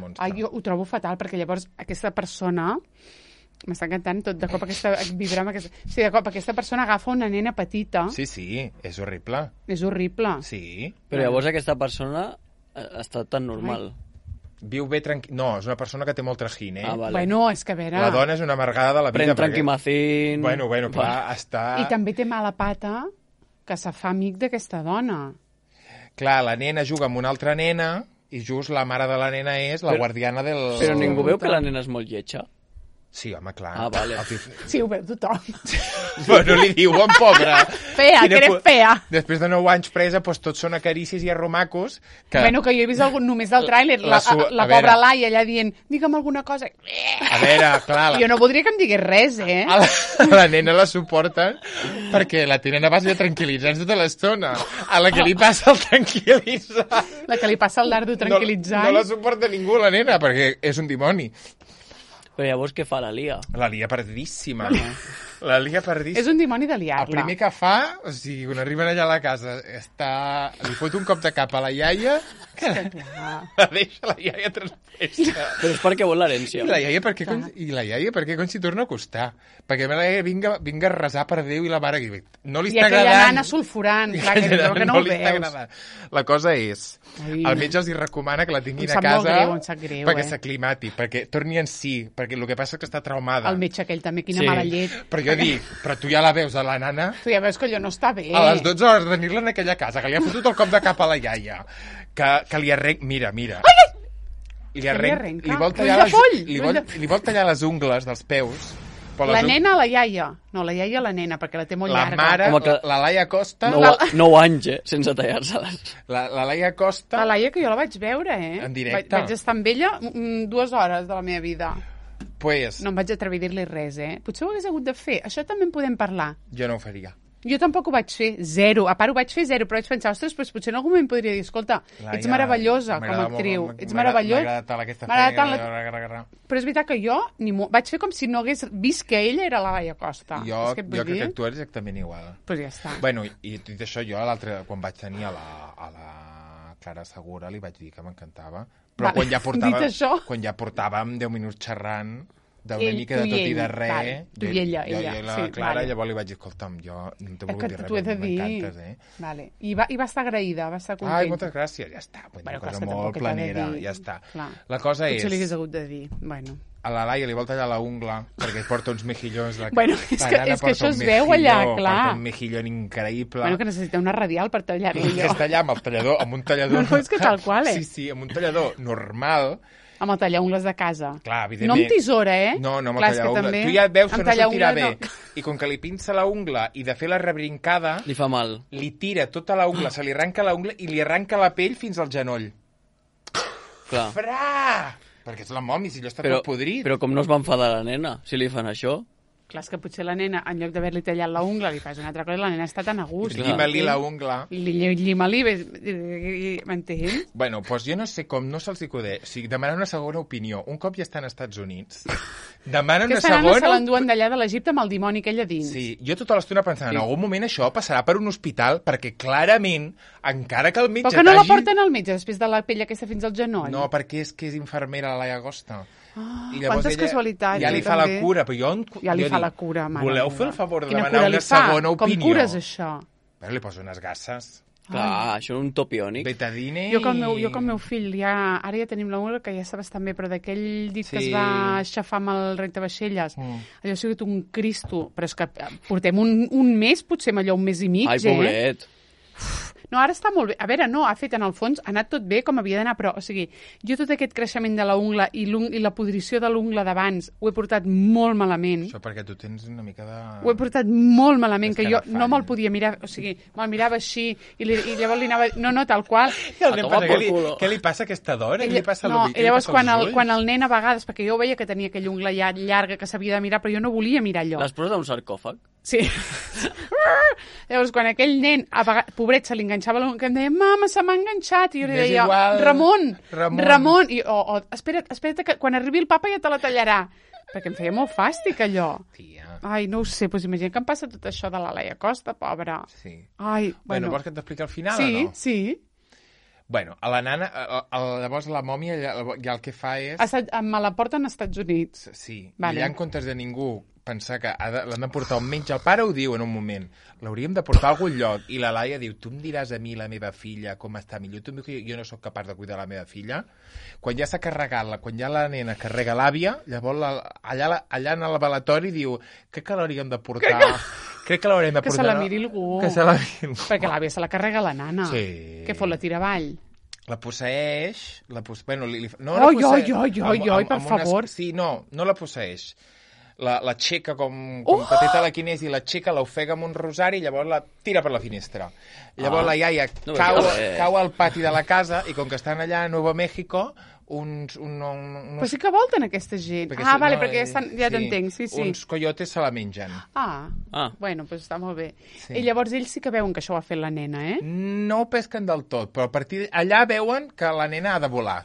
monstre. Ai, jo ho trobo fatal, perquè llavors aquesta persona... M'està encantant tot, de cop vibrar amb aquesta... Sí, de cop aquesta persona agafa una nena petita... Sí, és horrible. És horrible. Sí. Però llavors aquesta persona està tan normal. Viu bé tranquil... No, és una persona que té molt trajín, Vale. Bueno, és que a veure... La dona és una amargada de la vida. Pren tranquimacín... Bueno, clar, està... I també té mala pata que se fa amic d'aquesta dona. Clar, la nena juga amb una altra nena i just la mare de la nena és la guardiana del... Però ningú veu que la nena és molt lletja? Sí, home, clar. Vale. Sí, ho veu tothom. Bueno, li diuen, pobra. Fea, que eres fea. Després de 9 anys presa, doncs tots són acarícies i arromacos. Que... Bueno, que jo he vist només del tràiler, la pobra Laia allà dient, digue'm alguna cosa. A veure, clar... Jo no voldria que em digués res, La nena la suporten perquè la tenen a base de tranquil·litzants tota l'estona. A la que li passa el tranquil·litzant... La que li passa el dardo tranquil·litzant. No la suporta ningú, la nena, perquè és un dimoni. Però llavors què fa la Lia? La Lia perdíssima. La Lia perdíssima. És un dimoni de liar-la. El primer que fa, o sigui, quan arriben allà a la casa, li fot un cop de cap a la iaia, que la deixa la iaia transfesta. Però és perquè vol l'herència. I la iaia perquè com s'hi torna a acostar? Perquè la iaia vinga a resar per Déu i la mare que no li està agradant. I aquella nana sulfurant, clar, que no ho veus. La cosa és, el metge els hi recomana que la tinguin a casa perquè s'aclimati, perquè torni en si, perquè el que passa és que està traumada. El metge aquell també, quina mala llet. Però jo dic, però tu ja la veus a la nana? Tu ja veus que allò no està bé. A les 12 hores de tenir-la en aquella casa, que li ha fotut el cop de cap a la iaia, que li arrenca... Mira. Li vol tallar les ungles dels peus. La nena o la iaia? No, la iaia o la nena, perquè la té molt llarga. La mare, la Laia Costa... 9 anys, sense tallar-se-les. La Laia Costa... La Laia, que jo la vaig veure, En directe. Vaig estar amb ella 2 hores de la meva vida. Pues... No em vaig atrevir a dir-li res, Potser ho hagués hagut de fer. Això també en podem parlar. Jo no ho faria. Jo tampoc ho vaig fer, 0. A part, ho vaig fer 0, però vaig pensar, ostres, doncs potser en algun moment podria dir, escolta, ets meravellosa com a actriu, ets meravellosa. M'agrada tant Però és veritat que jo vaig fer com si no hagués vist que ella era la Laia Costa. Jo crec que tu eres exactament igual. Pues ja està. Bueno, i dit això, jo quan vaig tenir a la Clara Segura li vaig dir que m'encantava, però quan ja portàvem 10 minuts xerrant d'una mica de tot i de res. Tu i ella. Jo i la Clara, llavors li vaig dir, escolta'm, jo no t'he volgut dir res, m'encantes, Vale. I va estar agraïda, va estar content. Ai, moltes gràcies, ja està. Una cosa molt planera, ja està. La cosa és... Potser li hagués hagut de dir, bueno... A la Laia li vol tallar la ungla perquè porta uns mejillons. Bueno, és que això es veu allà, clar. Porta un mejillón increïble. Bueno, que necessita una radial per tallar-lo. I que es talla amb el tallador, amb un tallador... No, és que tal qual, Sí, amb un tallador normal... Amb el tallar-ungles de casa. Clar, evidentment. No amb tisora, No, amb el tallar-ungles. Tu ja et veus que no sortirà bé. I com que li pinça la ungla i de fer la rebrincada... Li fa mal. Li tira tota la ungla, se li arranca la ungla i li arranca la pell fins al genoll. Clar. Perquè és la mòmia, si allò està tot podrit. Però com no es va enfadar la nena, si li fan això? Clar, és que potser la nena, en lloc d'haver-li tallat la ungla, li fas una altra cosa, la nena està tan a gust. Llima-li la ungla. Llima-li, m'entens? Bueno, doncs jo no sé com, no se'ls acudeix. O sigui, demanar una segona opinió. Un cop ja està als Estats Units, demana una segona... Que se l'enduen d'allà de l'Egipte amb el dimoni que ella dins. Sí, jo tota l'estona pensant, en algun moment això passarà per un hospital, perquè clarament, encara que el metge Però que no la porten al metge després de la pell aquesta fins al genoll? No, perquè és que és infermera la Laia Costa. I quantes casualitats. Ja li fa la cura, però ja li fa la cura, mare. Voleu fer el favor de demanar una segona opinió? Com cures això? Però li poso unes gasses. Clar, això és un topiònic. Betadine jo que el meu fill, ara ja tenim l'ungla que ja està bastant bé, però d'aquell dit que es va aixafar amb el rentavaixelles, allò ha sigut un cristo, però és que portem un mes, potser amb allò un mes i mig, Ai, pobret. No, ara està molt bé. A veure, no, ha fet en el fons, ha anat tot bé com havia d'anar, però, o sigui, jo tot aquest creixement de la ungla i la podrició de l'ungla d'abans ho he portat molt malament. Això perquè tu tens una mica de... Ho he portat molt malament, que jo no me'l podia mirar, o sigui, me'l mirava així i llavors li anava... No, no, tal qual. Què li passa a aquesta dona? Què li passa no, i llavors quan el nen a vegades, perquè jo veia que tenia aquella ungla ja llarga que s'havia de mirar, però jo no volia mirar allò. L'has posat a un sarcòfag? Sí. Llavors, quan aquell nen, pobret, se li enganxava l'ungla, que em deia, mama, se m'ha enganxat, i jo li deia, Ramon, i espera't que quan arribi el papa ja te la tallarà, perquè em feia molt fàstic allò. Tia. Ai, no ho sé, doncs imagina que em passa tot això de la Laia Costa, pobra. Sí. Ai, bueno, vols que t'expliqui al final o no? Sí. Bueno, a la nana, llavors la mòmia ja el que fa és... Me la porten als Estats Units. Sí, vale. I allà en comptes de ningú pensar que l'han de portar on menys. El pare ho diu en un moment, l'hauríem de portar a algun lloc, i la Laia diu, tu em diràs a mi la meva filla com està millor, tu em dius que jo no sóc capaç de cuidar la meva filla. Quan ja s'ha carregat, quan ja la nena carrega l'àvia, llavors allà en el velatori diu, crec que l'hauríem de portar... Crec que l'haurem de portar... Que se la miri algú. Que se la miri algú. Perquè l'àvia se la carrega la nana. Sí. Què fot, la tira avall? La posseeix... Bueno, Oi, per favor. Sí, no la posseeix. L'aixeca com que té telequinesi, i l'aixeca, l'ofega amb un rosari i llavors la tira per la finestra. Llavors la iaia cau al pati de la casa i com que estan allà a Nuevo México... Però sí que volten aquesta gent. Vale, perquè ja t'entenc, sí. Uns coyotes se la mengen. Bueno, doncs està molt bé. I llavors ells sí que veuen que això ho ha fet la nena, eh? No ho pesquen del tot, però a partir allà veuen que la nena ha de volar.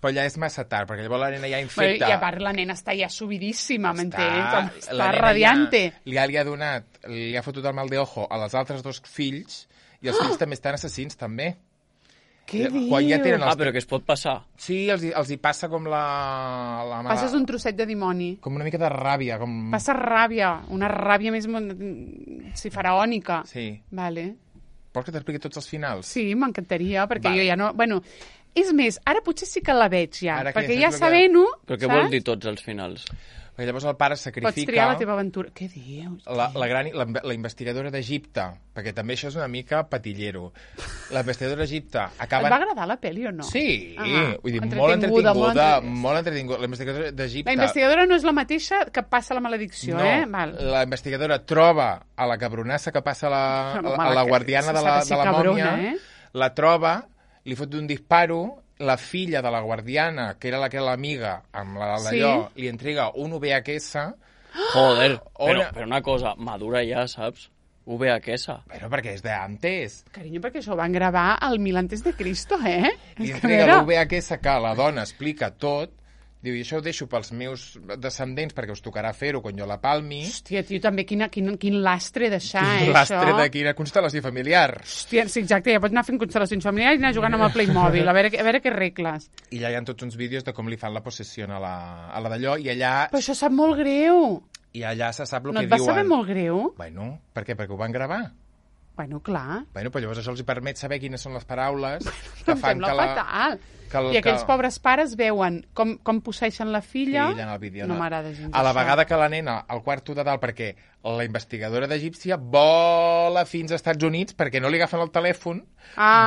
Però ja és massa tard, perquè llavors la nena ja infecta... I a part la nena està ja subidíssima, m'entens? Està radiante. Li ha fotut el mal de ojo a les altres dos fills, i els fills també estan assassins, també. Què dius? Però que es pot passar. Sí, els hi passa com la... Passes un trosset de dimoni. Com una mica de ràbia. Passa ràbia, una ràbia més faraònica. Sí. Vale. Vols que t'expliqui tots els finals? Sí, m'encantaria, perquè jo ja no... Bueno, és més, ara potser sí que la veig ja, perquè ja sabent-ho... Però què vol dir tots els finals? Perquè llavors el pare sacrifica... Pots triar la teva aventura. Què dius? La investigadora d'Egipte, perquè també això és una mica patillero. La investigadora d'Egipte acaba... Et va agradar la pel·li o no? Sí, vull dir, molt entretinguda. La investigadora d'Egipte... La investigadora no és la mateixa que passa la maledicció, Val. La investigadora troba a la cabronassa que passa a la guardiana de la mòmia, la troba, li fot un disparo, la filla de la guardiana, que era l'amiga, amb d'allò, li entrega un VHS... Joder, però una cosa, madura ja, saps? VHS. Bueno, perquè és d'antes. Carinyo, perquè això ho van gravar al 1000 antes de Cristo, Li entrega el VHS que la dona explica tot. Diu, i això ho deixo pels meus descendents perquè us tocarà fer-ho quan jo la palmi. Hòstia, tio, també quin lastre deixar, això. Quin lastre de quina constel·lació familiar. Hòstia, sí, exacte, ja pots anar fent constel·lacions familiars i anar jugant amb el Playmobil, a veure què regles. I allà hi ha tots uns vídeos de com li fan la possessió a la d'allò, i allà... Però això sap molt greu. I allà se sap el que diuen. No et va saber molt greu? Bueno, per què? Perquè ho van gravar. Bueno, clar. Bueno, però llavors això els permet saber quines són les paraules que fan que la... fatal. I aquells pobres pares veuen com posseixen la filla. Sí, en el vídeo. No m'agrada gens. A la vegada que la nena al quarto de dalt, perquè la investigadora d'Egípcia vola fins als Estats Units perquè no li agafen el telèfon,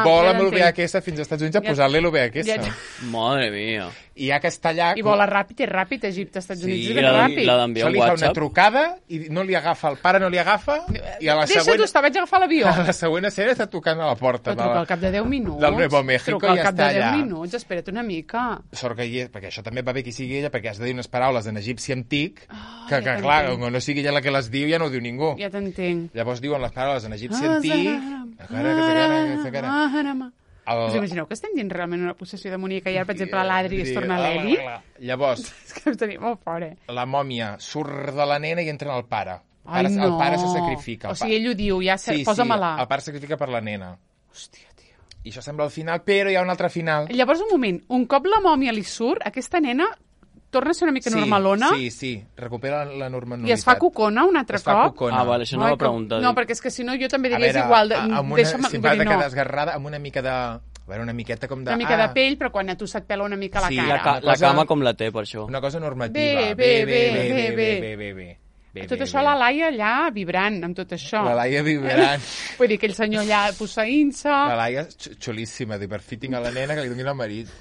vola amb el VHS fins als Estats Units a posar-li el VHS. Madre mia. I ja que està allà... I vola ràpid, és ràpid, Egipte, Estats Units, és ben ràpid. Això li fa una trucada i no li agafa, el pare no li agafa, i a la següent... Deixa-t'ho, vaig agafar l'avió. A la següent escena està tocant a la porta. Però truca al cap de 10 minuts. Del Nuevo México i ja està allà. Truca al cap de 10 minuts, espera't una mica. Sort que hi és, perquè això també va bé que sigui ella, perquè has de dir unes paraules en egipci antic, que clar, com no sigui ella la que les diu, ja no ho diu ningú. Ja t'entenc. Llavors diuen les paraules en egipci antic... Us imagineu que estem dient realment una possessió demoníaca i ara, per exemple, l'Adri es torna l'Eli? Llavors... És que estaria molt fort, La mòmia surt de la nena i entra en el pare. Ai, no. El pare se sacrifica. O sigui, ell ho diu, ja posa-me-la. El pare sacrifica per la nena. Hòstia, tio. I això sembla el final, però hi ha un altre final. Llavors, un moment, un cop la mòmia li surt, aquesta nena torna a ser una mica normalona? Sí, recupera la normalitat. I es fa cocona un altre cop? Vale, això no ho va preguntar. No, perquè és que si no jo també diria és igual. Si va de quedar esgarrada, amb una mica de... A veure, una miqueta com de... Una mica de pell, però quan a tu se't pela una mica la cara. La cama com la té, per això. Una cosa normativa. Bé. Tot això la Laia allà vibrant, amb tot això. La Laia vibrant. Vull dir, aquell senyor allà posseint-se... La Laia xulíssima, per fitting a la nena que li donin el marit.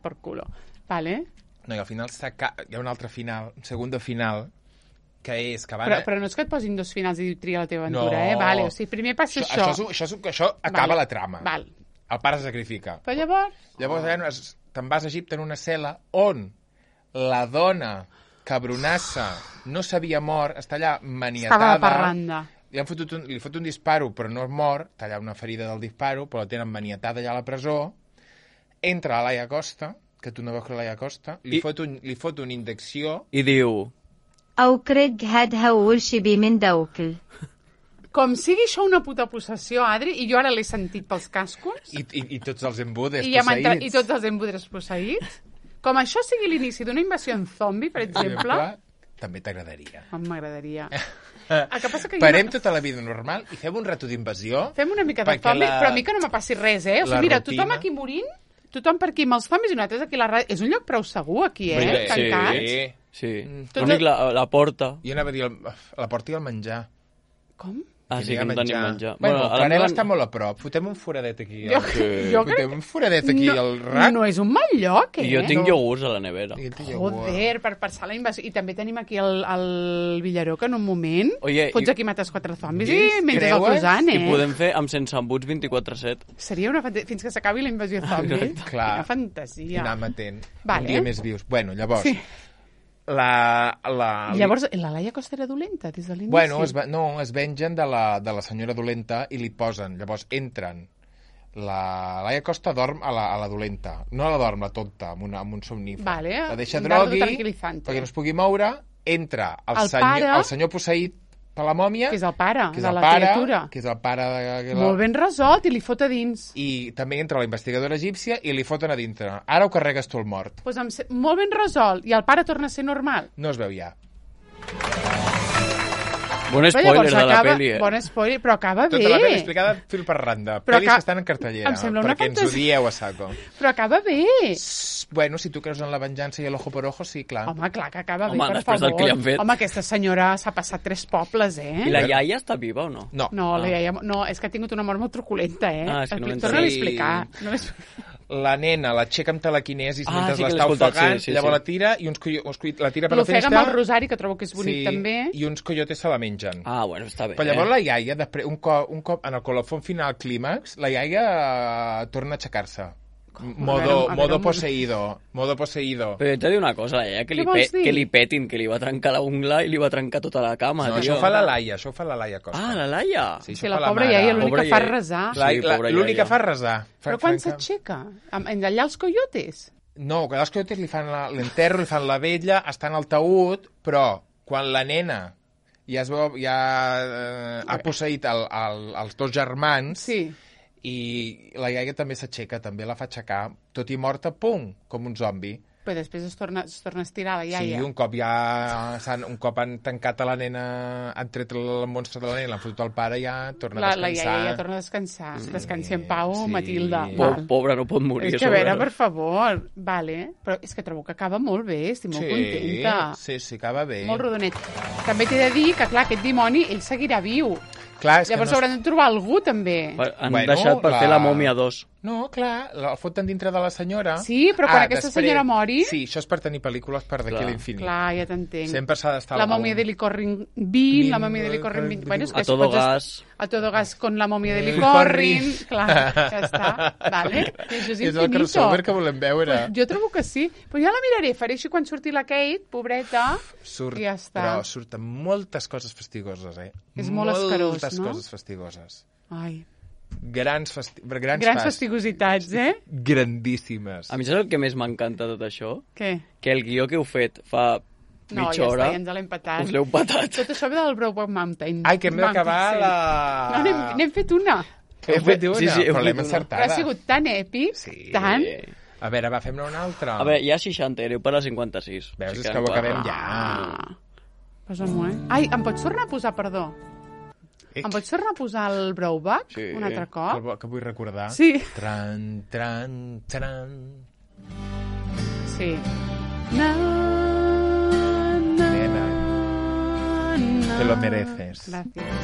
Per culo. Vale. No, i al final hi ha un altre final, un segon final, que és que van... Però no és que et posin dos finals i tria la teva aventura, Vale, o sigui, primer passa això. Això acaba la trama. Val. El pare se sacrifica. Però llavors... Llavors te'n vas a Egipte en una cel·la on la dona cabronassa no s'havia mort, està allà maniatada. Estava de parranda. Li fot un disparo, però no es mor, està allà una ferida del disparo, però la tenen maniatada allà a la presó. Entra a Laia Costa, que tu no veus que Laia Costa, li fot una indecció... I diu... Com sigui això una puta possessió, Adri, i jo ara l'he sentit pels cascos... I tots els embuders posseïts. I tots els embuders posseïts. Com això sigui l'inici d'una invasió en zombi, per exemple... també t'agradaria. M'agradaria. Parem tota la vida normal i fem un rato d'invasió. Fem una mica de zombi, però a mi que no me passi res, O sigui, mira, tothom aquí morint, tothom per aquí amb els zombis i nosaltres aquí a la ràdio. És un lloc prou segur, aquí, Tancats. Sí. L'únic, la porta. Jo anava a dir la porta i el menjar. Com? Ah, sí, que no tenim menjar. Bueno, Clarel està molt a prop. Fotem un foradet aquí. Fotem un foradet aquí al rac. No és un mal lloc, I jo tinc iogurts a la nevera. Joder, per passar la invasió. I també tenim aquí el Villaró, que en un moment fots aquí mates 4 zombis i menges el croissant, I podem fer amb sense embuts 24/7. Seria una fantasia. Fins que s'acabi la invasió zombi. Clar. Una fantasia. Anar matent. Un dia més vius. Bueno, llavors... Llavors, la Laia Costa era dolenta des de l'inici? Bueno, es vengen de la senyora dolenta i li posen. Llavors entren. La Laia Costa dorm a la dolenta. No la dorm, la tonta, amb un somnífer. La deixa drogui perquè no es pugui moure. Entra el senyor posseït per la mòmia, que és el pare de la criatura, que és el pare molt ben resolt, i li fot a dins. I també entra la investigadora egípcia i li foten a dintre. Ara ho carregues tu el mort. Molt ben resolt, i el pare torna a ser normal. No es veu ja. Bon spoiler de la pel·li, Bon spoiler, però acaba bé. Tota la pel·li explicada fil per randa. Pel·lis que estan en cartellera, perquè ens odieu a saco. Però acaba bé. Bueno, si tu creus en la venjança i l'ojo por ojo, sí, clar. Home, clar que acaba bé, per favor. Home, aquesta senyora s'ha passat 3 pobles, I la iaia està viva o no? No, la iaia... No, és que ha tingut una mort molt truculenta, és que no l'he torna a explicar. La nena l'aixeca amb telequinesis mentre l'està ofegant, llavors la tira i la tira per la finestra. L'ofega amb el rosari, que trobo que és bonic també. I uns coyotes se la mengen. Ah, bueno, està bé. Però llavors la iaia, un cop en el colofón final clímax, la iaia torna a aixecar-se. Modo poseído. Però jo t'he de dir una cosa, la iaia, que li petin, que li va trencar la ungla i li va trencar tota la cama. No, això ho fa la Laia Costa. Ah, la Laia? Sí, la pobra iaia, l'única fa resar. L'única fa resar. Però quan s'aixeca? Allà els coyotes? No, que els coyotes li fan l'enterro, li fan la vella, està en el taüt, però quan la nena ja ha posseït els 2 germans... Sí. I la iaia també s'aixeca, també la fa aixecar, tot i morta, pum, com un zombi. Però després es torna a estirar la iaia. Sí, un cop han tancat a la nena, han tret el monstre de la nena, l'han fotut al pare, ja torna a descansar. La iaia ja torna a descansar. Descansi en pau, Matilda. Pobra, no pot morir. És que a veure, per favor. Vale. Però és que trobo que acaba molt bé, estic molt contenta. Sí, acaba bé. Molt rodonet. També t'he de dir que, clar, aquest dimoni, ell seguirà viu. Clar, llavors hauran de trobar algú, també. Han deixat per fer la mòmia 2. No, clar, el foten dintre de la senyora. Sí, però quan aquesta senyora mori... Sí, això és per tenir pel·lícules per d'aquí a l'infinit. Clar, ja t'entenc. Sempre s'ha d'estar... La mòmia de Licorrin 20, la mòmia de Licorrin 20... Bueno, a todo gas. A todo gas con la mòmia de Licorrin. Clar, ja està. Vale? Això és infinito. És el crossover que volem veure. Jo trobo que sí. Però ja la miraré, faré així quan surti la Kate, pobreta, i ja està. Però surten moltes coses fastigoses, És molt escarós, moltes coses fastigoses. Ai... Grans fastigositats, grandíssimes. A mi saps el que més m'encanta tot això? Què? Que el guió que heu fet fa mitja hora... No, ja ens l'hem patat. Us l'heu patat. Tot això ve del Brokeback Mountain. Ai, que hem d'acabar la... No, n'hem fet una. Hem fet una, però l'hem encertada. Però ha sigut tan èpic, tant... A veure, fem-ne una altra. A veure, hi ha 60, hereu per la 56. Veus, és que ho acabem ja. Posa-m'ho, Ai, em pots tornar a posar, perdó? Em pots tornar a posar el Brokeback un altre cop? Que vull recordar. Sí. Tran, tran, tran. Sí. Nena, te lo mereces. Gràcies.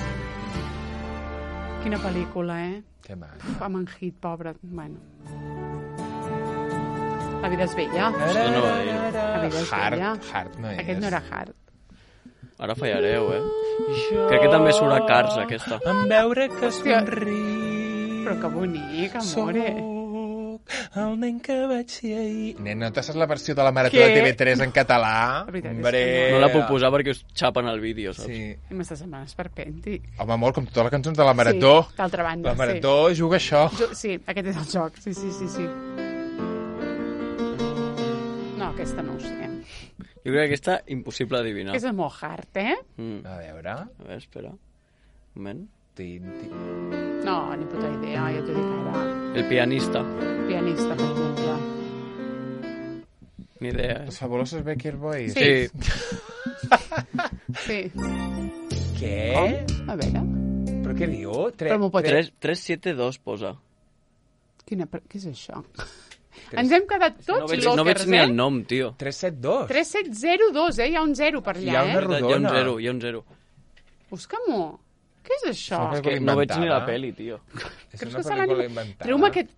Quina pel·lícula, Que mal. Amb en Hit, pobre. Bueno. La vida és bella. Això no va dir. La vida és bella. Hard no és. Aquest no era Hard. Ara fallareu, Crec que també surt a Cars, aquesta. En veure que somriu. Però que bonic, amore. El nen que vaig ser ahir. Nen, no te saps la versió de la Marató de TV3 en català? No la puc posar perquè us xapen el vídeo, saps? Sí. I m'estàs semblant esperpèntic. Home, amor, com totes les cançons de la Marató. Sí, d'altra banda, la Marató juga això. Sí, aquest és el joc. Sí. No, aquesta no ho sé. Jo crec que aquesta impossible adivinar. És molt hard, A veure, espera. Un moment. No, ni puta idea, ja t'ho dic ara. El pianista. Pianista, per exemple. Ni idea. Los fabulosos Baker Boys. Sí. Sí. Què? A veure. Però què diu? 372 posa. Què és això? Ens hem quedat tots lòquers, No veig ni el nom, tio. 372. 3702, hi ha un 0 per allà, Hi ha una rodona. Hi ha un 0. Busca-m'ho. Què és això? És que no veig ni la peli, tio. És una pel·lícula inventada.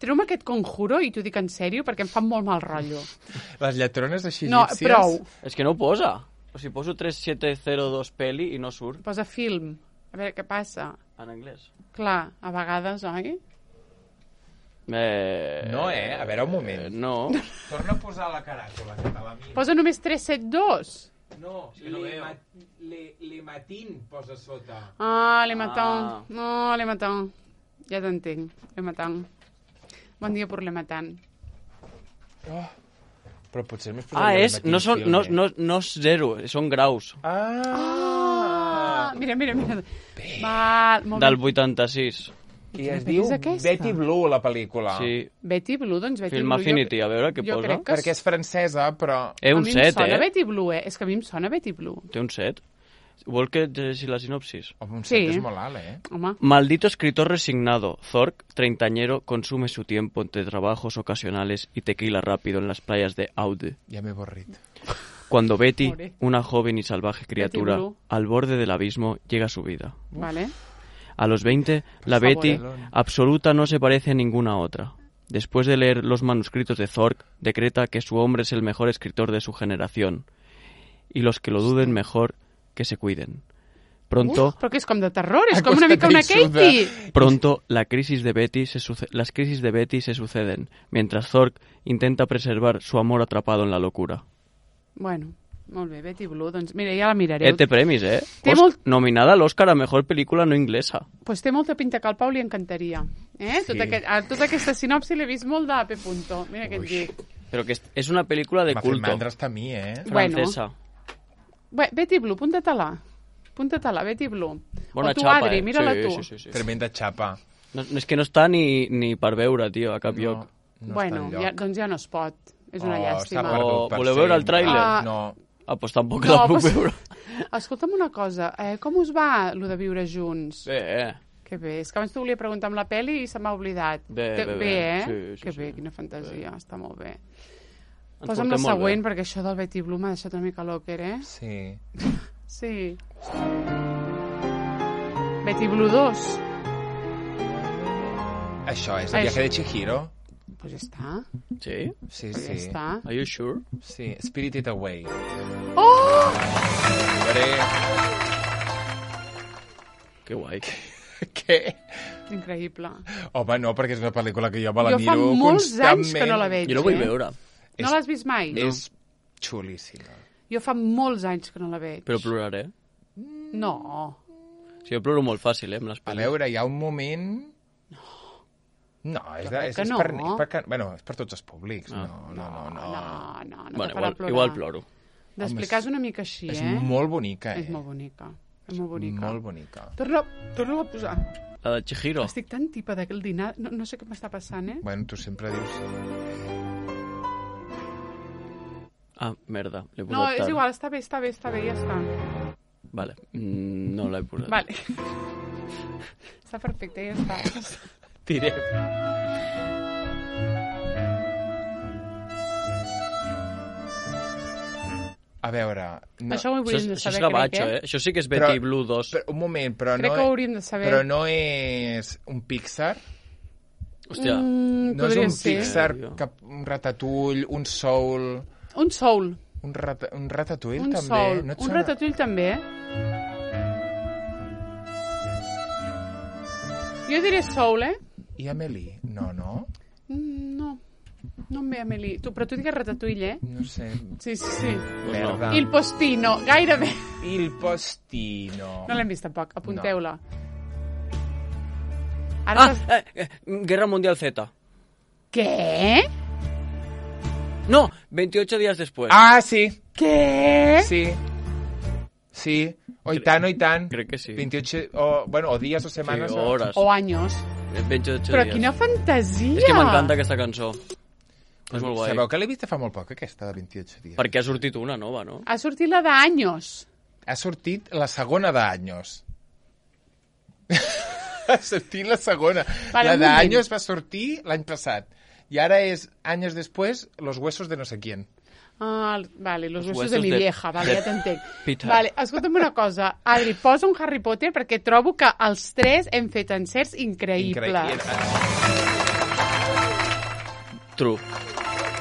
Treu-me aquest conjuro i t'ho dic en sèrio perquè em fa molt mal rotllo. Les lletrones així No, egípcies... prou. És que no ho posa. O sigui, poso 3702 peli i no surt. Posa film. A veure què passa. En anglès. Clar, a vegades, oi? No, a veure, un moment. No. Torna a posar la caràtula, que te la miro. Posa només 372. No, Le Matin posa sota. Le Matin. No, Le Matin. Ja t'entenc, Le Matin. Bon dia per Le Matin. Però potser més posaria Le Matin. No és 0, són graus. Mira. Val, molt Del 86. I es diu Betty Blue, la pel·lícula. Sí. Betty Blue, doncs Betty Film Blue. Affinity, a veure què posa. Perquè és francesa, però... Un 7, A mi em sona Betty Blue, És que a mi em sona Betty Blue. Té un 7? Vol que llegeixi la sinopsis? Un 7 és molt alt, Home. Maldito escritor resignado, Zork, treintañero, consume su tiempo entre trabajos ocasionales y tequila rápido en las playas de Aude. Ja m'he avorrit. Cuando Betty, una joven y salvaje criatura, al borde del abismo, llega a su vida. Vale. A los 20, la Betty absoluta no se parece a ninguna otra. Después de leer los manuscritos de Zork, decreta que su hombre es el mejor escritor de su generación. Y los que lo duden mejor, que se cuiden. Pronto... Però que és com de terror, és com una mica una Katie. Pronto, las crisis de Betty se suceden, mientras Zork intenta preservar su amor atrapado en la locura. Bueno, molt bé, Betty Blue, doncs mira, ja la mirareu. Té premis, Nominada a l'Oscar a Mejor Pel·lícula no inglesa. Pues té molta pinta que al Pau li encantaria. Sí. Tota aquesta sinopsi l'he vist molt de P. Mira què et dic. Però que és una pel·lícula de culto. M'ha fet mandra hasta a mi, Francesa. Bé, Betty Blue, punta-te-la. Punta-te-la, Betty Blue. Bona o tu, xapa, Adri, mira-la tu. Sí. Tremenda xapa. No, és que no està ni per veure, tio, a cap lloc. No bueno, doncs ja no es pot. És una llàstima. Voleu veure el tràiler? No. Pues tampoc la puc veure. Escolta'm una cosa, com us va, lo de viure junts? Bé. Que bé, és que abans t'ho volia preguntar amb la peli i se m'ha oblidat. Bé. Sí, que bé, quina fantasia, està molt bé. Posa'm la següent, perquè això del Betty Blue m'ha deixat una mica locker, Sí. Sí. Betty Blue 2. Això és el viaje de Chihiro? Pues ja està. Sí? Sí. Ja està. Are you sure? Sí, Spirited Away. Oh! Que guai. Què? Increïble. Home, no, perquè és una pel·lícula que jo me la miro constantment. Jo fa molts anys que no la veig. Jo la vull veure. No l'has vist mai? És xulíssima. Jo fa molts anys que no la veig. Però ploraré? No. Sí, jo ploro molt fàcil, amb les pel·lis. A veure, hi ha un moment... No, és per tots els públics. No. Bueno, igual ploro. D'explicar és una mica així, És molt bonica, És molt bonica. Molt bonica. Torna a posar. La de Chihiro. Estic tan tipa d'aquell dinar. No sé què m'està passant, Bueno, tu sempre dius... Merda. No, és igual, està bé, ja està. Vale, no l'he posat. Vale. Està perfecte, ja està. Tirem. A veure... Això ho hauríem de saber, Això és gavatxo, Això sí que és Betty Blue 2. Un moment, però crec que ho hauríem de saber. Però no és un Pixar? Hòstia. No és un Pixar, un Ratatouille, un Soul... Un Soul. Un Ratatouille, també? Soul. Un Ratatouille, també, Jo diré Soul, I Amélie? No. No em ve Amélie. Però tu digues Ratatouille, No sé. Sí. Merda. Il Postino, gairebé. Il Postino. No l'hem vist tampoc, apunteu-la. Guerra Mundial Z. Què? No, 28 días después. Sí. Què? Sí. I tant. Crec que sí. 28, o dies o setmanes. Sí, hores. O anys. 28 Però dies. quina fantasia! És que m'encanta aquesta cançó. És molt guai. Sabeu que l'he vista fa molt poc, aquesta de 28 dies? Perquè ha sortit una nova, no? Ha sortit la d'Anyos. ha sortit la segona d'Anyos. Ha sortit la segona. La d'Anyos va sortir l'any passat. I ara és, anys després, Los huesos de no sé quién. Vale, los huesos de mi vieja, vale, ja t'entenc. Vale, escolta'm una cosa, Adri, posa un Harry Potter perquè trobo que els 3 hem fet encerts increïbles. True.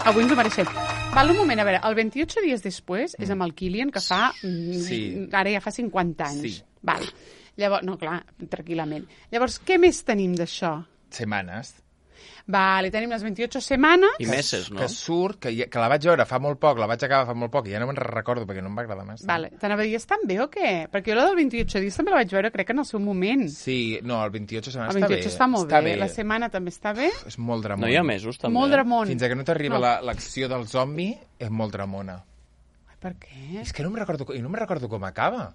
Avui ens ho mereixem. Val, un moment, a veure, el 28 dies després és amb el Kilian, que fa... Ara ja fa 50 anys. Sí. Val. Llavors, no, clar, tranquil·lament. Llavors, què més tenim d'això? Setmanes. Vale, tenim les 28 setmanes. I meses, no? Que surt, que la vaig veure fa molt poc, la vaig acabar fa molt poc, i ja no me'n recordo perquè no em va agradar massa. Vale, t'anava a dir, estan bé o què? Perquè jo la del 28 dies també la vaig veure, crec que en el seu moment. Sí, no, el 28 setmanes està bé. El 28 està molt bé. La setmana també està bé. És molt dramón. No hi ha mesos, també. Molt dramón. Fins que no t'arriba l'acció del zombi, és molt dramona. Ai, per què? És que no me'n recordo com acaba.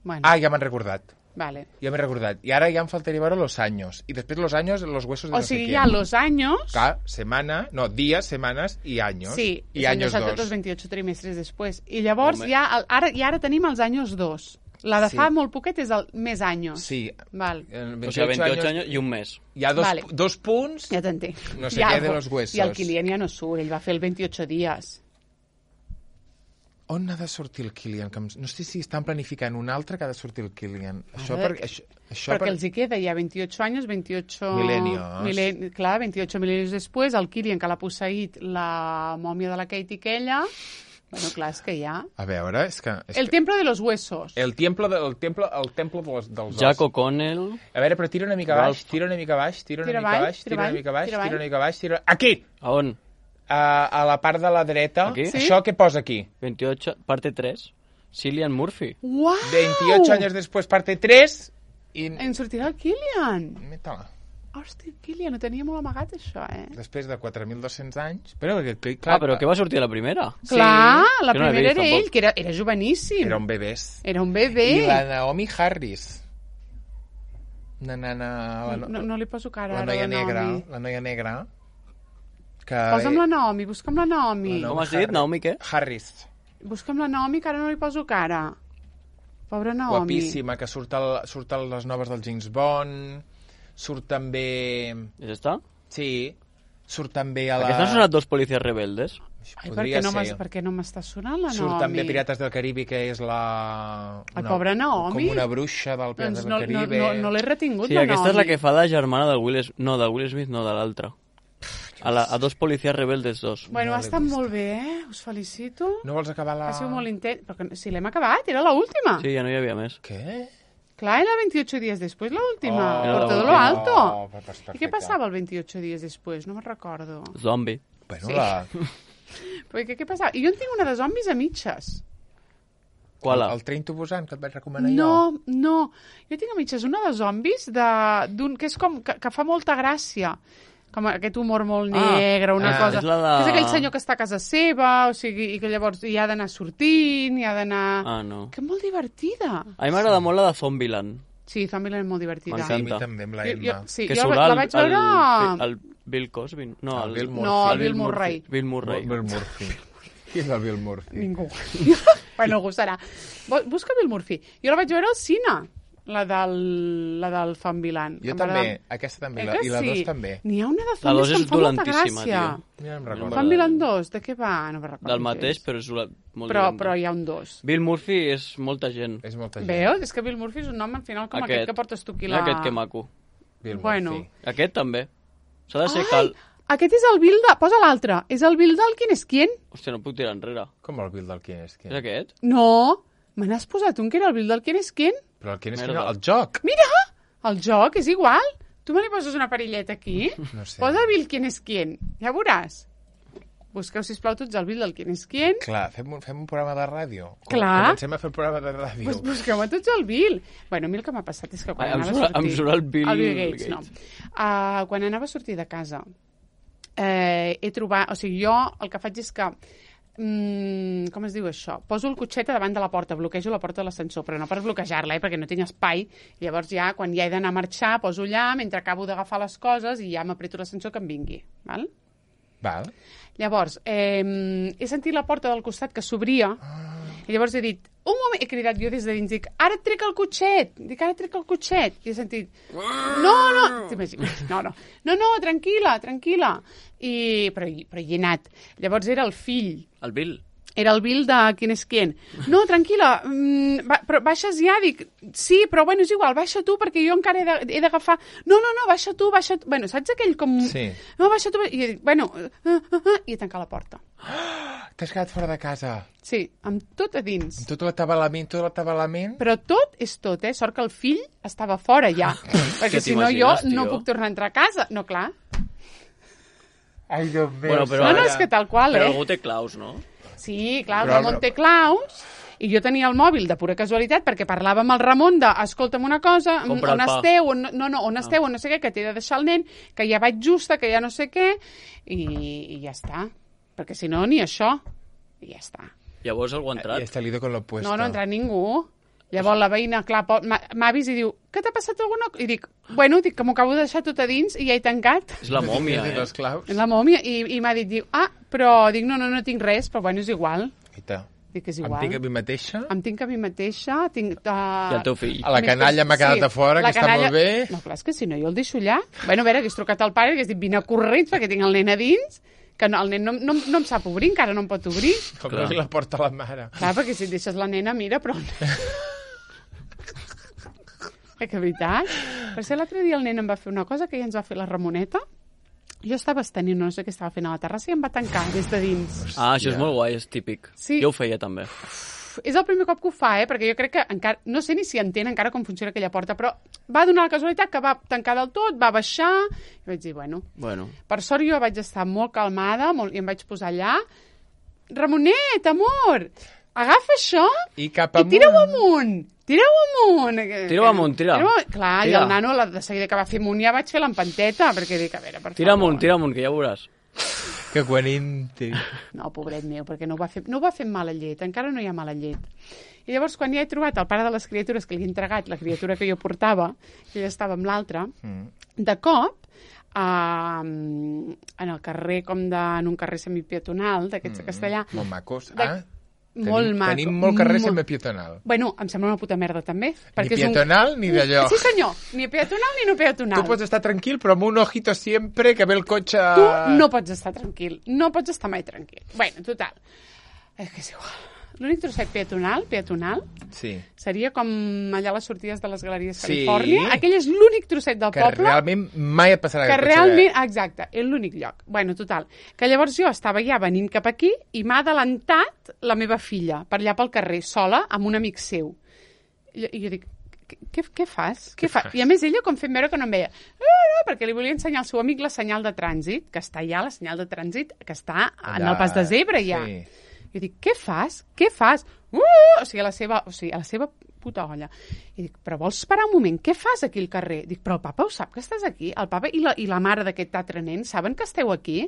Bueno. Ja m'han recordat. Vale. Ja m'he recordat. I ara ja em faltaria veure Los años. I després Los años, Los huesos de no sé quién. O sigui, hi ha Los años... Días, semanas i años. Sí, i años 2. Los 28 trimestres després. I llavors ara tenim els años 2. La de fa molt poquet és el més años. Sí. Val. O sigui, 28 anys i un mes. Hi ha dos punts... Ja t'entenc. No sé què de los huesos. I el Kilian ja no surt, ell va fer el 28 dies. On ha de sortir el Kilian? No sé si estan planificant un altre que ha de sortir el Kilian. Perquè els hi queda ja 28 anys, 28... Milenios. Clar, 28 milenios després, el Kilian, que l'ha posseït la mòmia de la Katie Keller... Bueno, clar, és que ja... A veure, és que... El templo de los huesos. El templo dels ossos. Jack O'Connell... A veure, però tira una mica baix, tira una mica baix... Aquí! A on? A la part de la dreta. Aquí? Sí? Això què posa aquí? 28, parte 3. Cillian Murphy. Uau! 28 anys després, parte 3. En sortirà el Kilian. Meta-la. Hòstia, Kilian, ho tenia molt amagat, això, Després de 4.200 anys... Però què va sortir a la primera? Clar, la primera era ell, que era joveníssim. Era un bebès. Era un bebè. I la Naomi Harris. No li poso cara ara, la noia negra. Posa'm la Naomi, busca'm la Naomi. Com has dit? Naomi què? Harris. Busca'm la Naomi, que ara no li poso cara. Pobra Naomi. Guapíssima, que surt a les noves del James Bond, surt també... És esta? Sí, surt també a la... Aquests no són els dos policies rebeldes? Ai, per què no m'està sonant la Naomi? Surt també Pirates del Caribe, que és la... Pobra Naomi. Com una bruixa del Pirates del Caribe. No l'he retingut, la Naomi. Sí, aquesta és la que fa de germana de Will Smith, no de l'altre. A dos policies rebeldes, dos. Bueno, ha estat molt bé, Us felicito. No vols acabar la... Ha sigut molt intent. Però si l'hem acabat, era l'última. Sí, ja no hi havia més. Què? Clar, era 28 dies després, l'última. Por todo lo alto. I què passava el 28 dies després? No me'n recordo. Zombi. Bueno, Perquè què passava? I jo en tinc una de zombis a mitges. Qual? El Train to Busan, que et vaig recomanar jo? No. Jo tinc a mitges una de zombis que és com... que fa molta gràcia. Com aquest humor molt negre, una cosa... És aquell senyor que està a casa seva, o sigui, i que llavors hi ha d'anar sortint, hi ha d'anar... no. Que molt divertida. A mi m'agrada molt la de Zombieland. Sí, Zombieland és molt divertida. M'encanta. Sí, a mi també, amb la Emma. Que surt la vaig veure... el Bill Cosby. No, el Bill Murphy. el Bill Murray. Bill Murray. Qui és el Bill Murphy? Ningú. Bueno, algú serà. Busca Bill Murphy. Jo la vaig veure al cine. La del Zombieland. Jo també, aquesta també, i la 2 també. N'hi ha una de zombis que em fa molta gràcia. Ja em recordo. Zombieland 2, de què va? No me'n recordo. Del mateix, però és molt però hi ha un 2. Bill Murphy és molta gent. És molta gent. Veus? És que Bill Murphy és un nom al final com aquest que portes tu aquí la... Aquest que maco. Bill Murphy. Aquest també. S'ha de ser cal... Aquest és el Bill de... Posa l'altre. És el Bill del Qui és quién? Hòstia, no puc tirar enrere. Com el Bill del Qui és quién? És aquest? No. Me n'has posat un que era el Bill del Qui és quién? Però el Qui és quién, el joc. Mira! El joc és igual. Tu me li poses una perilleta aquí? No sé. Posa Bill Qui és quién. Ja veuràs. Busqueu, sisplau, tots el Bill del Qui és quién. Clar, fem un programa de ràdio. Clar. Comencem a fer el programa de ràdio. Pues busqueu a tots el Bill. Bueno, a mi el que m'ha passat és que quan anava a sortir... Em surt el Bill Gates. No. Quan anava a sortir de casa, he trobat... O sigui, jo el que faig és que... com es diu això? Poso el cotxet davant de la porta, bloquejo la porta de l'ascensor, però no per bloquejar-la, perquè no tinc espai. Llavors ja, quan ja he d'anar a marxar, poso allà, mentre acabo d'agafar les coses i ja m'apreto l'ascensor que em vingui. Val? Llavors, he sentit la porta del costat que s'obria i llavors he dit, un moment, he cridat jo des de dins, dic, ara et trec el cotxet, i he sentit, no, t'imagines, no, tranquil·la, però hi he anat. Llavors era el fill. El Bill? Era el Bill de Quién es quién. No, tranquil·la, però baixes ja, dic, sí, però bueno, és igual, baixa tu, perquè jo encara he d'agafar... No, baixa tu. Bueno, saps aquell com... Sí. No, baixa tu, i he dit, bueno, i he tancat la porta. T'has quedat fora de casa? Sí, amb tot a dins. Amb tot l'atabalament? Però tot és tot, Sort que el fill estava fora ja, perquè si no jo no puc tornar a entrar a casa. No, clar. Ai, Déu meu. Bueno, però no, és que tal qual, Però algú té claus, no? Sí, clar, el Ramon té claus, i jo tenia el mòbil de pura casualitat perquè parlava amb el Ramon de, escolta'm una cosa, on esteu, on no sé què, que t'he de deixar el nen, que ja vaig justa, que ja no sé què, i ja està. Perquè si no, ni això. I ja està. Llavors algú ha entrat? I està lido con lo puesto. No ha entrat ningú. Llavors la veïna, clar, m'ha vist i diu, què t'ha passat alguna cosa? I dic, que m'ho acabo de deixar tot a dins i ja he tancat. És la mòmia, És la mòmia, i m'ha dit, però dic, no tinc res, però bueno, és igual. Dic que és igual. Em tinc a mi mateixa? Em tinc a mi mateixa. I el teu fill? A la canalla m'ha quedat a fora, que està molt bé. No, clar, és que si no jo el deixo allà. Bueno, a veure, hagués trucat al pare i hagués dit, vine corrents perquè tinc el nen a dins, que el nen no em sap obrir, encara no em pot obrir. Com la porta la mare. Clar, perquè si et deixes la nena, mira, però... Que veritat. Per ser l'altre dia el nen em va fer una cosa que ja ens va fer la Ramoneta. Jo estava estenint, no sé què estava fent a la terrassa i em va tancar des de dins. Això és molt guai, és típic. Sí. Jo ho feia també. És el primer cop que ho fa, perquè jo crec que encara, no sé ni si entén encara com funciona aquella porta, però va donar la casualitat que va tancar del tot, va baixar, i vaig dir, bueno. Per sort jo vaig estar molt calmada i em vaig posar allà. Ramonet, amor, agafa això i tira-ho amunt. Tira-ho amunt. Clar, i el nano, de seguida que va fer amunt, ja vaig fer l'empanteta, perquè dic, a veure, per favor. Tira amunt, que ja veuràs. Que guaninte. No, pobret meu, perquè no ho va fer amb mala llet, encara no hi ha mala llet. I llavors, quan ja he trobat el pare de les criatures que li he entregat, la criatura que jo portava, que ella estava amb l'altra, de cop, en el carrer, en un carrer semipeatonal, d'aquests de Castellà... Molt macos, Molt maco. Tenim molt carrer semipietonal. Bueno, em sembla una puta merda, també. Ni pietonal ni d'allò. Sí, senyor. Ni pietonal ni no pietonal. Tu pots estar tranquil, però amb un ojito sempre que ve el cotxe... Tu no pots estar tranquil. No pots estar mai tranquil. Bueno, total. És que és igual. L'únic trosset peatonal, sí, seria com allà a les sortides de les Galeries Califòrnia. Aquell és l'únic trosset del poble. Que realment mai et passarà aquest cotxe. Exacte, és l'únic lloc. Bueno, total. Que llavors jo estava ja venint cap aquí i m'ha adelantat la meva filla per allà pel carrer, sola, amb un amic seu. I jo dic, què fas? I a més ella com fent veure que no em veia. No, perquè li volia ensenyar al seu amic la senyal de trànsit, que està allà, la senyal de trànsit, que està en el pas de zebra ja. Sí. Jo dic, què fas? O sigui, a la seva puta olla. I dic, però vols parar un moment? Què fas aquí al carrer? Dic, però el papa ho sap que estàs aquí? El papa i la mare d'aquest altre nen saben que esteu aquí?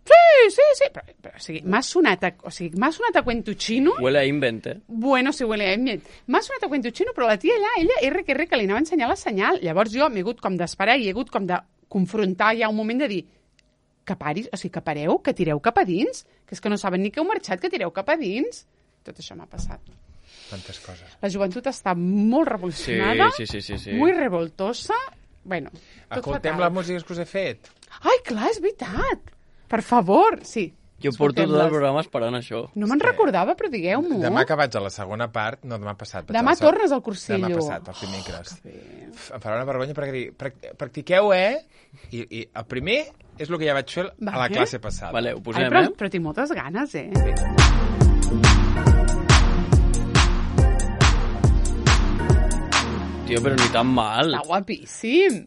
Sí. Però o sigui, m'ha sonat a cuento chino. Huele a invent, Bueno, sí, huele a invent. M'ha sonat a cuento chino, però la tia allà, ella, R, que li anava a ensenyar la senyal. Llavors jo m'he hagut com d'esperar i he hagut com de confrontar ja un moment de dir que paris, o sigui, que pareu, que tireu cap a dins, que és que no saben ni que heu marxat, que tireu cap a dins. Tot això m'ha passat. Tantes coses. La joventut està molt revolucionada, sí. molt revoltosa. Bueno, tot escoltem fatal. la música que us he fet. Ai, clar, és veritat. Per favor, sí. Jo porto tot el programa esperant això. No me'n recordava, però digueu-m'ho. Demà que vaig a la segona part, no, demà passat. Demà tornes al cursillo. Demà passat, al dimecres. Em farà una vergonya perquè practiqueu, I el primer és el que ja vaig fer a la classe passada. Vale, ho posem, però tinc moltes ganes, Tio, però ni tan mal. Està guapíssim.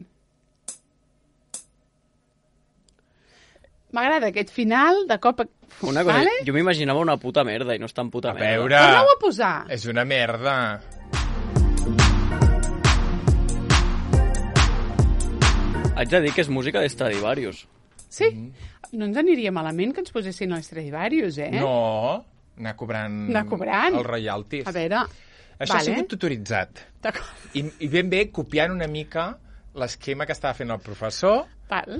M'agrada aquest final, de cop... Una cosa, jo m'imaginava una puta merda i no és tan puta merda. A veure... Torna-ho a posar. És una merda. Haig de dir que és música d'Stradivarius. Sí? No ens aniria malament que ens posessin els Stradivarius, No, anar cobrant els royalties. A veure... Això ha sigut tutoritzat. I ben bé copiant una mica l'esquema que estava fent el professor. Val.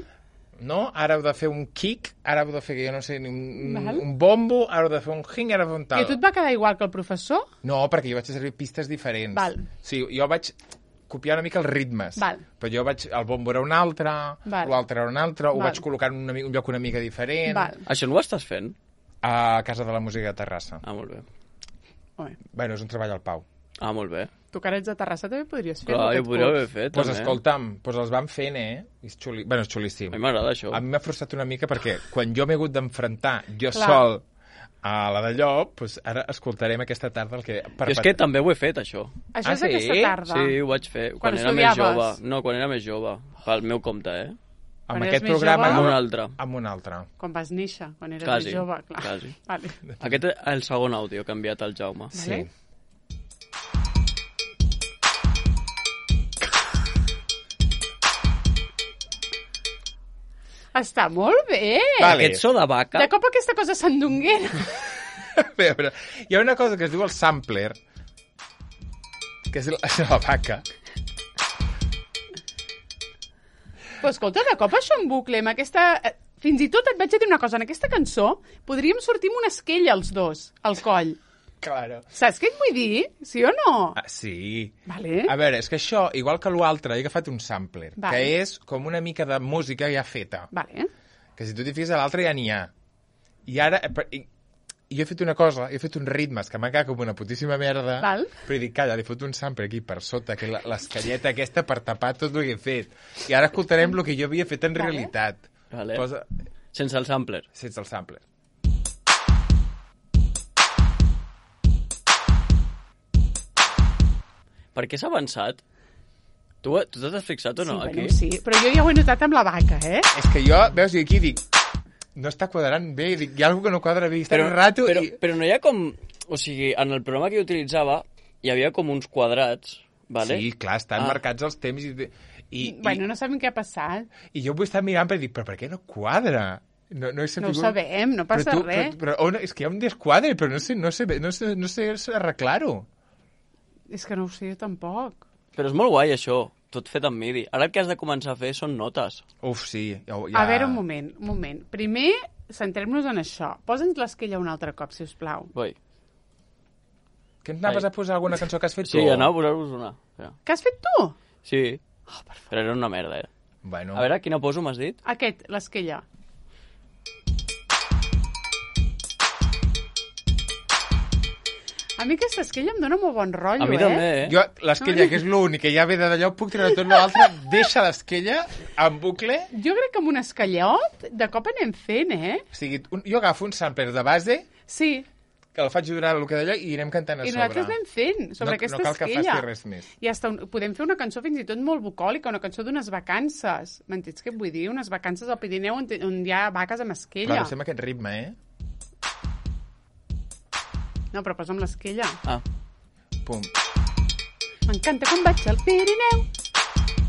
no? Ara heu de fer un kick, ara heu de fer, jo no sé, un bombo, ara heu de fer un hing, ara heu de fer un tal. I a tu et va quedar igual que el professor? No, perquè jo vaig servir pistes diferents. Val. Sí, jo vaig copiar una mica els ritmes. Val. Però jo el bombo era un altre, l'altre era un altre, ho vaig col·locar en un lloc una mica diferent. Val. Això no ho estàs fent? A Casa de la Música de Terrassa. Ah, molt bé. Bueno, és un treball al Pau. Ah, molt bé. Tu que ara ets de Terrassa també podries fer. Clar, jo podria haver fet, també. Doncs escolta'm, els van fent, És xulíssim. A mi m'agrada això. A mi m'ha frustrat una mica perquè quan jo m'he hagut d'enfrontar jo sol a la d'allò, doncs ara escoltarem aquesta tarda el que... Jo és que també ho he fet, això. Això és aquesta tarda? Sí, ho vaig fer. Quan era més jove. No, quan era més jove. Pel meu compte, Amb aquest programa... Amb un altre. Amb un altre. Quan vas néixer, quan eres més jove, clar. Quasi. Vale. Aquest és el segon àudio que ha enviat el Jaume. Sí. Està molt bé. Vale. Aquest so de vaca... De cop aquesta cosa sandunguera. A veure, hi ha una cosa que es diu el sampler, que és la vaca. Però escolta, de cop això en bucle, amb aquesta... Fins i tot et vaig a dir una cosa, en aquesta cançó podríem sortir amb una esquella els dos, al coll. Claro. Saps què et vull dir? Sí o no? Sí. Vale. A veure, és que això, igual que l'altre, he agafat un sampler, que és com una mica de música ja feta. Vale. Que si tu t'hi fixes a l'altre ja n'hi ha. I ara... jo he fet una cosa, he fet uns ritmes que m'ha quedat com una putíssima merda, però he dit, calla, li fot un sampler aquí per sota, que l'escalleta aquesta per tapar tot el que he fet. I ara escoltarem el que jo havia fet en realitat. Vale. Sense el sampler. Sense el sampler. Per què s'ha avançat? Tu t'has fixat o no, aquí? Bueno, sí, però jo ja ho he notat amb la vaca, És que jo, veus, i aquí dic, no està quadrant bé, dic, hi ha alguna que no quadra bé, està un rato... Però no hi ha com... O sigui, en el programa que jo utilitzava, hi havia com uns quadrats, vale? Sí, clar, estan marcats els temps bueno, no sabem què ha passat. I jo ho he estat mirant per dir, però per què no quadra? No he sabut... No ho sabem, no passa res. Però és que hi ha un desquadre, però no sé arreglar-ho. És que no ho sé jo tampoc. Però és molt guai, això, tot fet amb MIDI. Ara el que has de començar a fer són notes. Uf, sí. Ja... A veure, un moment. Primer, centrem-nos en això. Posa'ns l'esquella un altre cop, si us plau. Vull. Que anaves a posar alguna cançó que has fet tu? Sí, anava a posar-vos una. Ja. Que has fet tu? Sí. Però era una merda, Bueno. A veure, quina poso, m'has dit? Aquest, l'esquella. A mi aquesta esquella em dona molt bon rotllo, A mi també, Jo, l'esquella, que és l'únic que ja ve de d'allò, puc treure tot l'altre, deixa l'esquella en bucle. Jo crec que amb un esquellot de cop anem fent, O sigui, jo agafo un sampler de base... Sí. Que el faig durar el que d'allò i anirem cantant a sobre. I nosaltres anem fent sobre aquesta esquella. No cal que faci res més. I podem fer una cançó fins i tot molt bucòlica, una cançó d'unes vacances. M'entens què et vull dir? Unes vacances al Pirineu on hi ha vaques amb esquella. Però fem aquest ritme, No, però posa'm l'esquella. Pum. M'encanta quan vaig al Pirineu.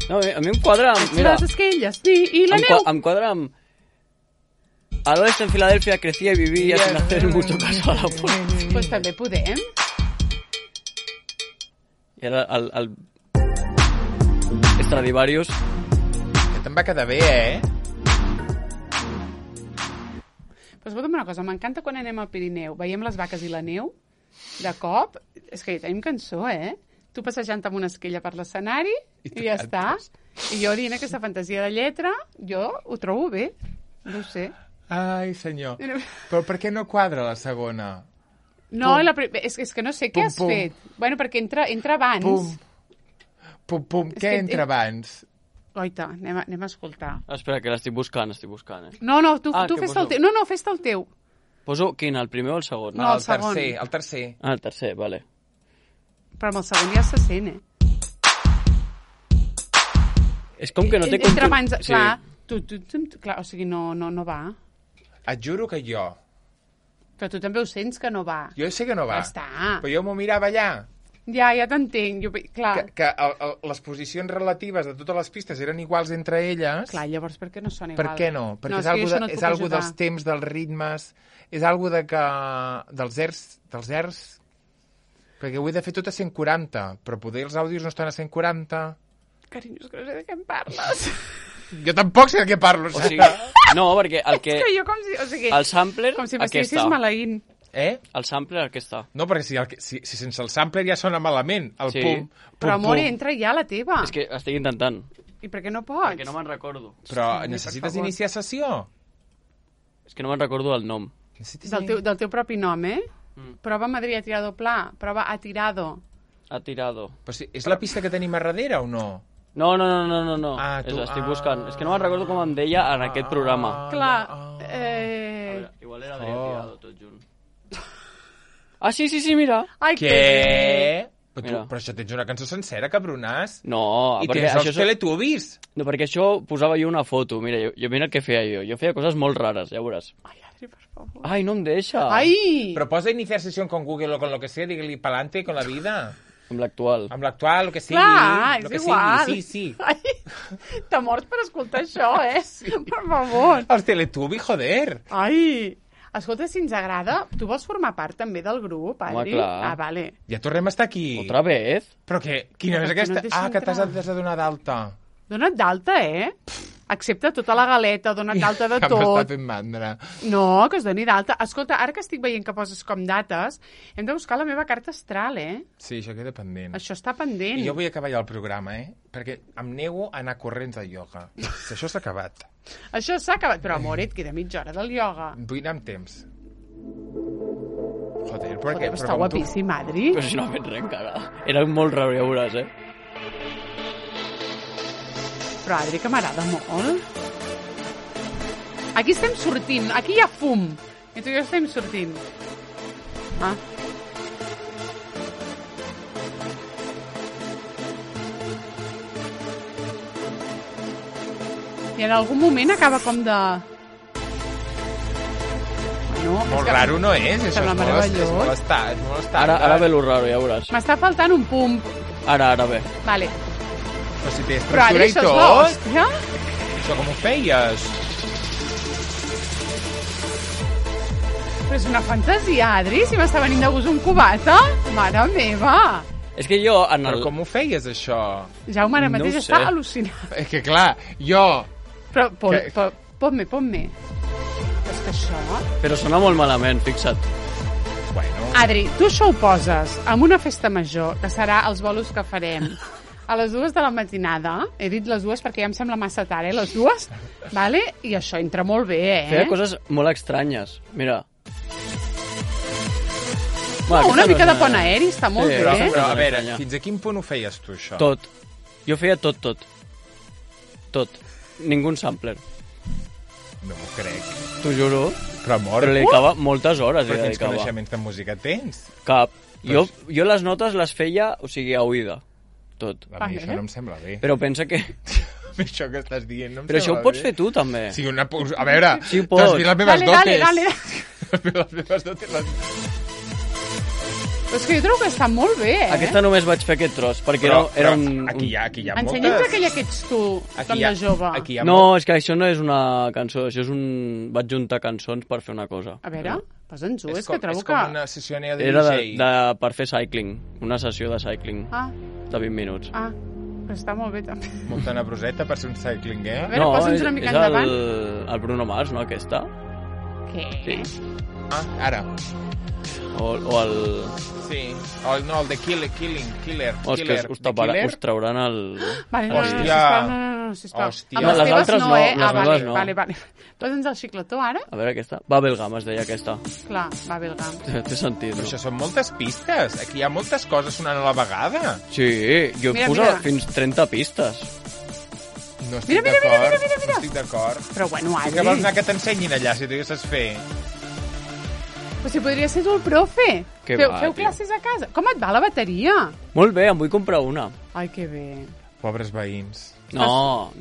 No, a mi em quadra amb... Mira, les esquelles i la neu. Em quadra amb... Al oeste en Filadelfia crecía y vivía sin hacer mucho caso a la política. Pues també podem. I ara el Stradivarius... Que te'n va quedar bé, Però escolta'm una cosa, m'encanta quan anem al Pirineu, veiem les vaques i la neu, de cop, és que ja tenim cançó, Tu passejant amb una esquella per l'escenari i ja està. I jo dient aquesta fantasia de lletra, jo ho trobo bé, no ho sé. Ai, senyor. Però per què no quadra la segona? No, és que no sé què has fet. Bueno, perquè entra abans. Pum. Què entra abans? Oita, anem a escoltar. Espera, que l'estic buscant, No, tu fes-te el teu. No, fes-te el teu. Poso quin, el primer o el segon? No, el segon. El tercer. Ah, el tercer, vale. Però amb el segon ja se sent, És com que no té... Entra abans, clar. Clar, o sigui, no va. Et juro que jo... Però tu també ho sents que no va. Jo sé que no va. Ja està. Però jo m'ho mirava allà. Ja t'entenc. Clar. Que les posicions relatives de totes les pistes eren iguals entre elles. Clar, llavors per què no són iguals? Per què no? Perquè és algo dels temps, dels ritmes, és algo dels airs... Perquè ho he de fer tot a 140, però poder els àudios no estan a 140. Carinyo, és que no sé de què em parles. Jo tampoc sé de què parlo. O sigui, no, perquè el que... És que jo com si... O sigui, el sampler, com si aquí m'estiguessis està. maleint. El sampler, aquí està. No, perquè si sense el sampler ja sona malament, el pum. Però, amor, entra ja la teva. És que estic intentant. I per què no pots? Perquè no me'n recordo. Però necessites iniciar sessió? És que no me'n recordo el nom. Del teu propi nom, eh? Prova Madrid a tirado pla. Prova a tirado. Ha tirado. Però si, és la pista que tenim a darrere o no? No. Estic buscant. És que no me'n recordo com em deia en aquest programa. Clar. A veure, igual era Adrià Tirado tot junt. Ah, sí, mira. Ai, Què? Però això tens una cançó sencera, cabronàs. No, I perquè tens els Teletubbies. No, perquè això posava jo una foto. Mira, jo mira el que feia jo. Jo feia coses molt rares, ja veuràs. Ai, Adri, per favor. Ai, no em deixa. Ai! Però posa iniciar sessió con Google o con lo que sea, digue-li pa'lante con la vida. Amb l'actual. Amb l'actual, el que sigui. Clar, és lo que igual. Sigui. Sí. Ai, t'ha mort per escoltar això, eh? Sí. Per favor. Els Teletubbies, joder. Ai! Escolta, si ens agrada, tu vols formar part també del grup, Adri? Home, clar. Ah, vale. Ja tornem a estar aquí. Otra vez? Però què? Quina és aquesta? Que t'has de donar d'alta. Dona't d'alta, eh? Accepta tota la galeta, dona't d'alta de tot. M'està fent mandra. No, que es doni d'alta. Escolta, ara que estic veient que poses com dates, hem de buscar la meva carta astral, eh? Sí, això queda pendent. Això està pendent. I jo vull acabar ja el programa, eh? Perquè em nego a anar corrents al ioga. Si això s'ha acabat. Això s'ha acabat. Però, amor, et queda mitja hora del ioga. Vull anar amb temps. Joder, però Joder, està guapíssim, Adri. Però si no ha fet res encara. Era molt raro, ja veuràs, eh? Però, Adri, que m'agrada molt. Aquí estem sortint. Aquí hi ha fum. I tu i jo estem sortint. Ah. I en algun moment acaba com de... No, molt raro no és, això és molt estat. Ara ve lo raro, ja veuràs. M'està faltant un pum. Ara ve. Vale. Però si té estructura i tot. Hòstia? Això com ho feies? Però és una fantasia, Adri, si m'està venint de gust un cubata. Mare meva. És que jo... Però com ho feies, això? Jaume, ara mateix està al·lucinat. És que, clar, jo... Però ponme. És que això... Però sona molt malament, fixa't. Bueno... Adri, tu això ho poses en una festa major, que serà els bolos que farem a les 2 de la matinada. He dit les 2 perquè ja em sembla massa tard, les 2. Vale? I això entra molt bé, Feia coses molt estranyes. Mira. No, una mica de pont aeri està molt bé. Però, a veure, fins a quin punt ho feies tu, això? Tot. Jo feia tot. Tot. Ningú sampler. No m'ho crec. T'ho juro. Però, amor... Però li dedicava moltes hores. Però quins coneixements de música tens? Cap. Jo les notes les feia, o sigui, a oïda. Tot. A mi això no em sembla bé. Però pensa que... això que estàs dient no em però sembla bé. això ho pots fer tu, també. Sí, a veure, sí, t'has vist les meves dotes. Dale. Les meves dotes... Però és que jo trobo que està molt bé, Aquesta només vaig fer aquest tros, perquè era un... Aquí hi ha moltes... Ensenya'ns aquella que ets tu, com de jove. No, és que això no és una cançó, això és un... Vaig juntar cançons per fer una cosa. A veure, posa'ns-ho, és que trobo que... És com una sessió de Era DJ. per fer cycling, una sessió de cycling. De 20 minuts. Però està molt bé, també. Molta nebroseta per ser un cycling, eh? A veure, posa'ns una mica endavant. El Bruno Mars, no, aquesta? Què? Sí. Ara. O el... Sí, no, el de Killer. O és que us trauran el... Vale, no, sisplau. Hòstia. Les altres no, les meves no. Vale. Posa'ns el xicletó, ara. A veure aquesta. Bubblegum es deia aquesta. Clar, Bubblegum. Té sentit, Però això són moltes pistes. Aquí hi ha moltes coses sonant a la vegada. Sí, jo poso fins 30 pistes. No estic d'acord. No estic d'acord. Però bueno, Adri... Que vols anar que t'ensenyin allà, si tu ja saps fer? Però si podria ser tu el profe. Feu classes a casa. Com et va la bateria? Molt bé, em vull comprar una. Ai, que bé. Pobres veïns. No,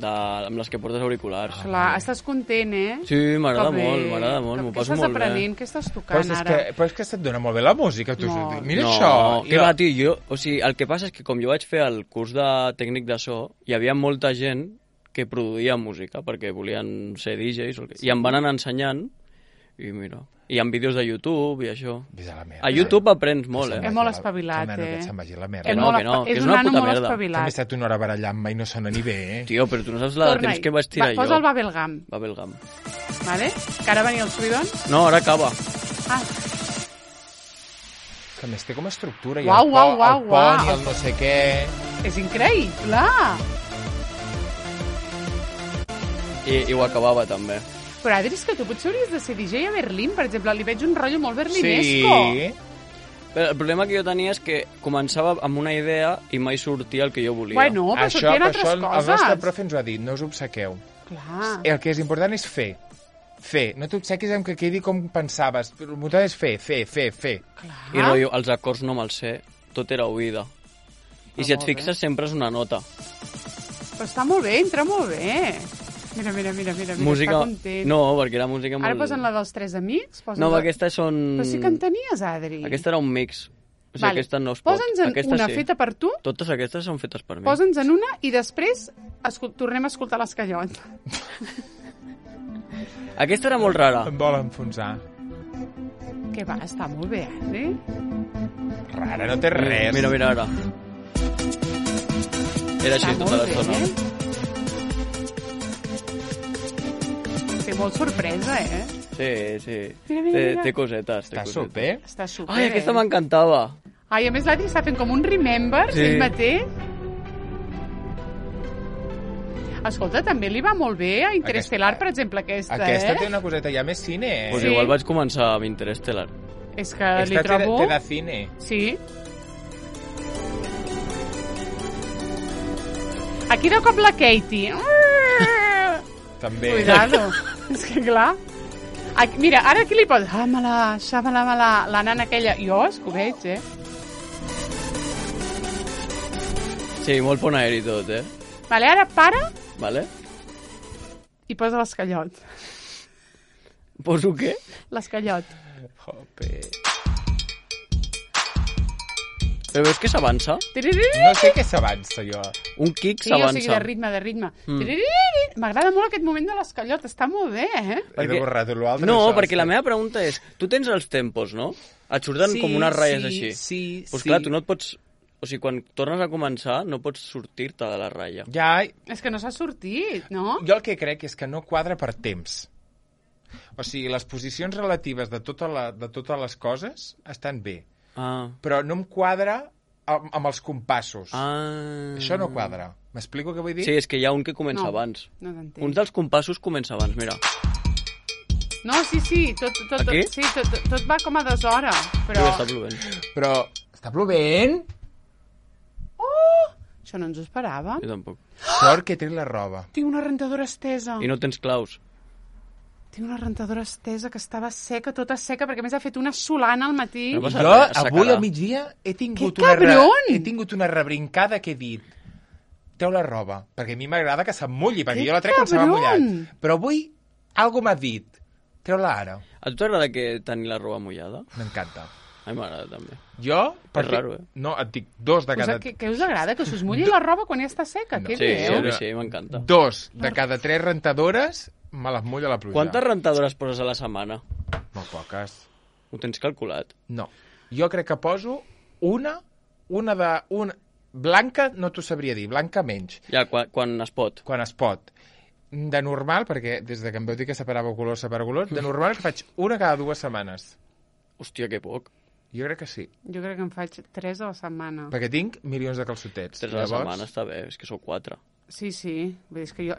amb les que portes auriculars. Clar, estàs content, eh? Sí, m'agrada molt, m'ho passo molt bé. Què estàs aprenent? Què estàs tocant ara? Però és que se't dona molt bé la música. Mira això. No, què va, tio? O sigui, el que passa és que com jo vaig fer el curs de tècnic de so, hi havia molta gent que produïa música perquè volien ser DJs i em van anar ensenyant i mira... I amb vídeos de YouTube i això. Ves a la merda. A YouTube aprens molt, És molt espavilat, Que se'n vagi a la merda. Que no, que és una puta merda. També he estat una hora barallant-me i no sona ni bé, Tio, però tu no saps la temps que vaig tirar jo. Posa el Bubblegum. Bubblegum. Vale? Que ara venia el subidon? No, ara acaba. Que més té com a estructura. Uau, el pont i el no sé què... És increïble! I ho acabava, també. Però, Adri, és que tu potser hauries de ser DJ a Berlín, per exemple. Li veig un rotllo molt berlinesco. Sí. Però el problema que jo tenia és que començava amb una idea i mai sortia el que jo volia. Bueno, però sortien altres coses. El nostre profe ens ho ha dit, no us obsequeu. Clar. El que és important és fer. No t'obsequis amb que quedi com pensaves. El important és fer. Clar. I rotllo, els acords no me'ls sé, tot era oïda. I si et fixes, sempre és una nota. Però està molt bé, entra molt bé. Mira, música... està content. No, perquè era música molt... Ara posen la dels 3 amics? No, aquestes són... Però sí que en tenies, Adri. Aquesta era un mix. O sigui, vale. aquesta no es pot. Posa'ns una feta per tu. Totes aquestes són fetes per mi. Posa'ns en una i després tornem a escoltar l'Escallot. Aquesta era molt rara. Em vol enfonsar. Que va, està molt bé, Adri. Rara, no té res. Mira, ara. Era així tota l'estona. Té molt sorpresa, Sí. Mira. Té cosetes. Està super. Està super. Ai, aquesta m'encantava. Ai, a més l'Adri està fent com un remember, ell mateix. Escolta, també li va molt bé a Interestelar, per exemple, Aquesta té una coseta ja més cine, Pues igual vaig començar amb Interestelar. És que li trobo... Té de cine. Sí. Aquí de cop la Katie. També. Cuidado. És que clar... Mira, ara aquí li posa... Xamala, la nana aquella. Jo és que ho veig, Sí, molt pon aeri tot, Vale, ara para... Vale. I posa l'Escallot. Poso què? L'Escallot. Jope. Però veus que s'avança? No sé què s'avança, jo. Un kick sí, s'avança. Sí, o sigui, de ritme. M'agrada molt aquest moment de l'Escallot, està molt bé, He de borrar-te l'altre. No, perquè la meva pregunta és, tu tens els tempos, no? Et surten com unes ratlles així. Sí. Pues clar, tu no et pots... O sigui, quan tornes a començar, no pots sortir-te de la ratlla. Ja... És que no s'ha sortit, no? Jo el que crec és que no quadra per temps. O sigui, les posicions relatives de totes les coses estan bé. Però no em quadra amb els compassos. Això no quadra. M'explico què vull dir? Sí, és que hi ha un que comença abans. No t'entenc. Un dels compassos comença abans, mira. No, sí, tot va com a 2 hores. Però... Està plovent. Però està plovent? Això no ens ho esperava. Jo tampoc. Sort que té la roba. Tinc una rentadora estesa. I no tens claus. Tinc una rentadora estesa que estava seca, tota seca, perquè a més ha fet una solana al matí. No Jo, avui al migdia, he tingut una rebrincada que he dit treu la roba, perquè a mi m'agrada que se'm mulli, perquè jo la trec quan se m'ha mullat. Però avui algú m'ha dit treu-la ara. A tu t'agrada tenir la roba mullada? M'encanta. A mi m'agrada també. Jo, és raro, no, et dic 2 de cada... Què us agrada? Que us mulli la roba quan ja està seca? No. Què dieu? Sí, m'encanta. 2 de cada 3 rentadores me les mulla la pluja. Quantes rentadores poses a la setmana? Molt poques. Ho tens calculat? No. Jo crec que poso una blanca, no t'ho sabria dir, blanca menys. Ja, quan es pot. Quan es pot. De normal, perquè des que em veu dir que separa colors, de normal que faig una cada 2 setmanes. Hòstia, que poc. Jo crec que sí. Jo crec que en faig 3 a la setmana. Perquè tinc milions de calçotets. 3 a la setmana està bé, és que sou 4. Sí. Vull dir, és que jo...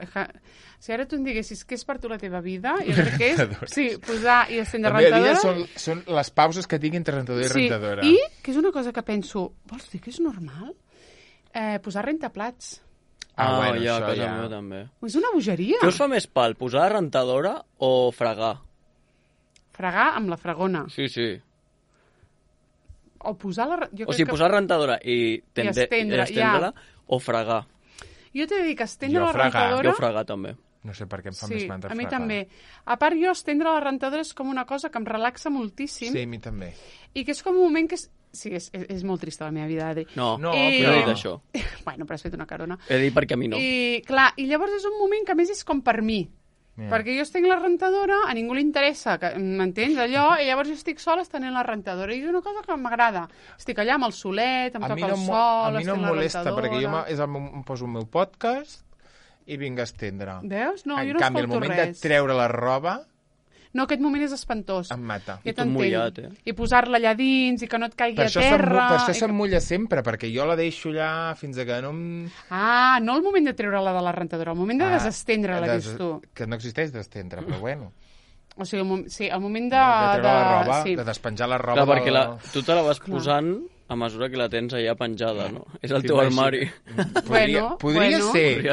Si ara tu em diguessis què és per tu la teva vida, jo crec que és... Sí, posar i estendre rentadora... També són les pauses que tinc entre rentadora i rentadora. I, que és una cosa que penso, vols dir que és normal? Posar rentaplats. Bueno, ja, a casa meva també. És una bogeria. Què us fa més pal, posar la rentadora o fregar? Fregar amb la fregona. Sí. O posar la... O sigui, posar rentadora i estendre-la o fregar. Jo t'he de dir que estendre la rentadora... Jo fregar també. No sé per què em fa més mandra fregar. Sí, a mi també. A part, jo estendre la rentadora és com una cosa que em relaxa moltíssim. Sí, a mi també. I que és com un moment que... Sí, és molt trista la meva vida, Adri. No, però he dit això. Bueno, però has fet una carona. He dit perquè a mi no. I, clar, i llavors és un moment que a més és com per mi. Perquè jo estenc la rentadora, a ningú li interessa, m'entens, allò, i llavors jo estic sola estenent la rentadora, i és una cosa que m'agrada. Estic allà amb el solet, em toca el sol, a mi no em molesta, perquè jo em poso el meu podcast i vinc a estendre. Veus? No, jo no escolto res. En canvi, el moment de treure la roba... No, aquest moment és espantós. Em mata. I tot mullat, I posar-la allà dins i que no et caigui a terra. Per això se'm mulla sempre, perquè jo la deixo allà fins a que no em... Ah, no el moment de treure-la de la rentadora, el moment de desestendre-la, dius tu. Que no existeix d'estendre, però bueno. O sigui, el moment de... De treure la roba, de despenjar la roba... Clar, perquè tu te la vas posant a mesura que la tens allà penjada, no? És el teu armari. Podria ser,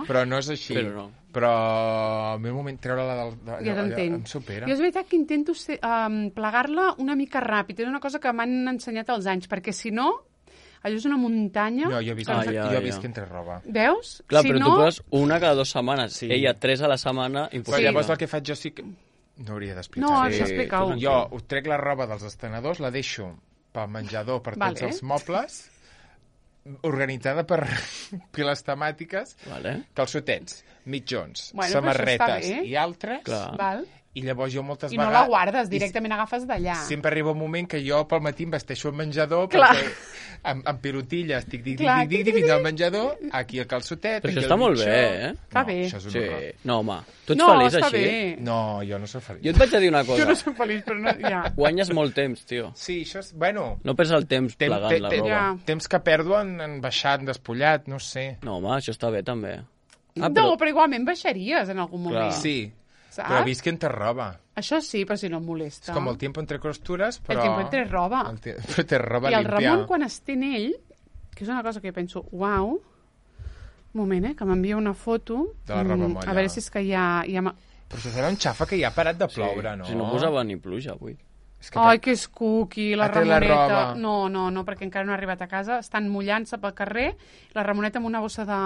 però no és així. Però no. Però al meu moment treure-la ja em supera. Jo és veritat que intento plegar-la una mica ràpid. És una cosa que m'han ensenyat als anys, perquè si no, allò és una muntanya... No, jo he vist que entre roba. Veus? Clar, però tu poses una cada 2 setmanes. Sí. Ella 3 a la setmana, impossible. Però llavors el que faig jo sí que... No hauria d'explicar. No, això explica-ho. Jo trec la roba dels estenedors, la deixo pel menjador, per tots els mobles, organitzada per piles temàtiques, calçotets, mitjons, samarretes i altres. I llavors jo moltes vegades... I no la guardes, directament agafes d'allà. Sempre arriba un moment que jo pel matí em vesteixo al menjador perquè amb pilotilles fins al menjador, aquí el calçotet... Però això està molt bé, eh? Està bé. No, home, tu ets feliç així? No, jo no soc feliç. Jo et vaig a dir una cosa. Jo no soc feliç, però no... Ja. Guanyes molt temps, tio. Sí, això és... Bueno... No perds el temps plegant la roba. Temps que perdo en baixar, en despullat, no sé. No, home, això està bé, també. No, però igualment baixaries en algun moment. Sí. Però visc entre roba. Això sí, però si no em molesta. És com el tiempo entre costures, però... El tiempo entre roba. Però té roba limpia. I el Ramon, quan estén ell, que és una cosa que jo penso, uau, un moment, que m'envia una foto. De la roba molla. A veure si és que hi ha... Però això serà un xafa que ja ha parat de ploure, no? Si no posava ni pluja avui. Ai, que és cuqui, la Ramoneta. No, perquè encara no ha arribat a casa. Estan mullant-se pel carrer. La Ramoneta amb una bossa de...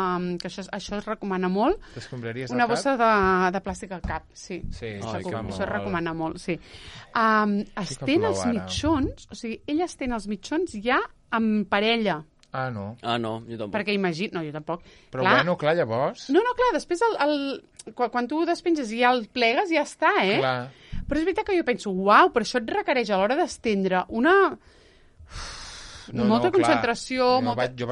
que això es recomana molt. T'escombraries una bossa de plàstic al cap, sí. Això es recomana molt, sí. Estén els mitjons, o sigui, ella estén els mitjons ja amb parella. Ah, no, jo tampoc. Perquè imagina... No, jo tampoc. Però clar, llavors... No, clar, després quan tu ho despenges i ja el plegues, ja està, eh? Clar. Però és veritat que jo penso, uau, però això et requereix a l'hora d'estendre molta concentració,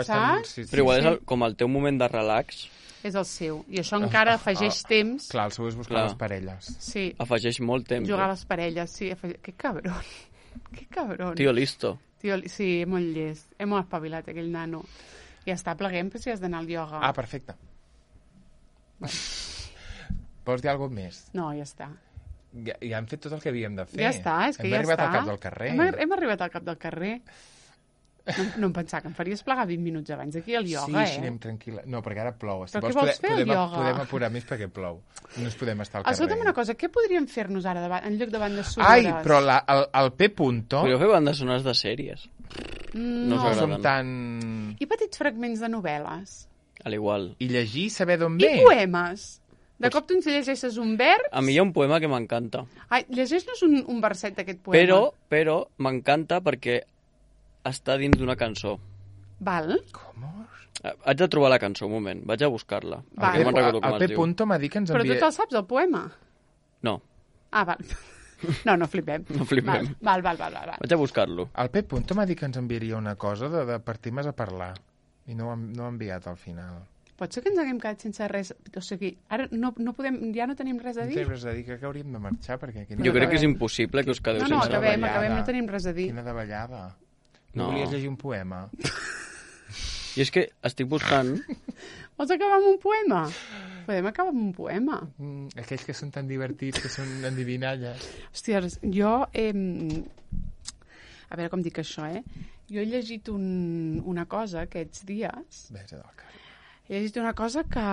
saps? Però igual és com el teu moment de relax. És el seu, i això encara afegeix temps. Clar, el seu és buscar les parelles. Sí. Afegeix molt temps. Jugar a les parelles, sí. Que cabron. Que cabron. Tio listo. Sí, molt llest. Molt espavilat, aquell nano. Ja està, pleguem, però si has d'anar al ioga. Ah, perfecte. Vols dir alguna cosa més? No, ja està. Ja hem fet tot el que havíem de fer. Ja està, és que ja està. Hem arribat al cap del carrer. Hem arribat al cap del carrer. No em pensava que em faries plegar 20 minuts abans aquí al ioga, Sí, anem tranquil·la. No, perquè ara plou. Però què vols fer al ioga? Podem apurar més perquè plou. No ens podem estar al carrer. Escolta'm una cosa, què podríem fer-nos ara en lloc de bandes sonores? Ai, però el P. Podríeu fer bandes sonores de sèries. No som tan... I petits fragments de novel·les? A l'igual. I llegir, saber d'on ve. I poemes? De cop tu ens llegeixes un vers... A mi hi ha un poema que m'encanta. Ai, llegeix-nos un verset d'aquest poema. Però m'encanta perquè està dins d'una cançó. Val. Com? Haig de trobar la cançó, un moment. Vaig a buscar-la. El P. m'ha dit que ens envia... Però tu te'l saps, el poema? No. Ah, val. No flipem. No flipem. Val. Vaig a buscar-lo. El P. m'ha dit que ens enviaria una cosa de partir més a parlar. I no ho ha enviat al final. Pot ser que ens haguem quedat sense res... O sigui, ara no podem... Ja no tenim res a dir? No tenim res a dir, crec que hauríem de marxar, perquè... Jo crec que és impossible que us quedeu sense res. No, acabem, no tenim res a dir. Quina davallada. No volies llegir un poema? I és que estic buscant... Vols acabar amb un poema? Podem acabar amb un poema. Aquells que són tan divertits, que són endivinalles. Hòstia, jo... A veure com dic això, Jo he llegit una cosa aquests dies... Besa del carrer. He llegit una cosa que...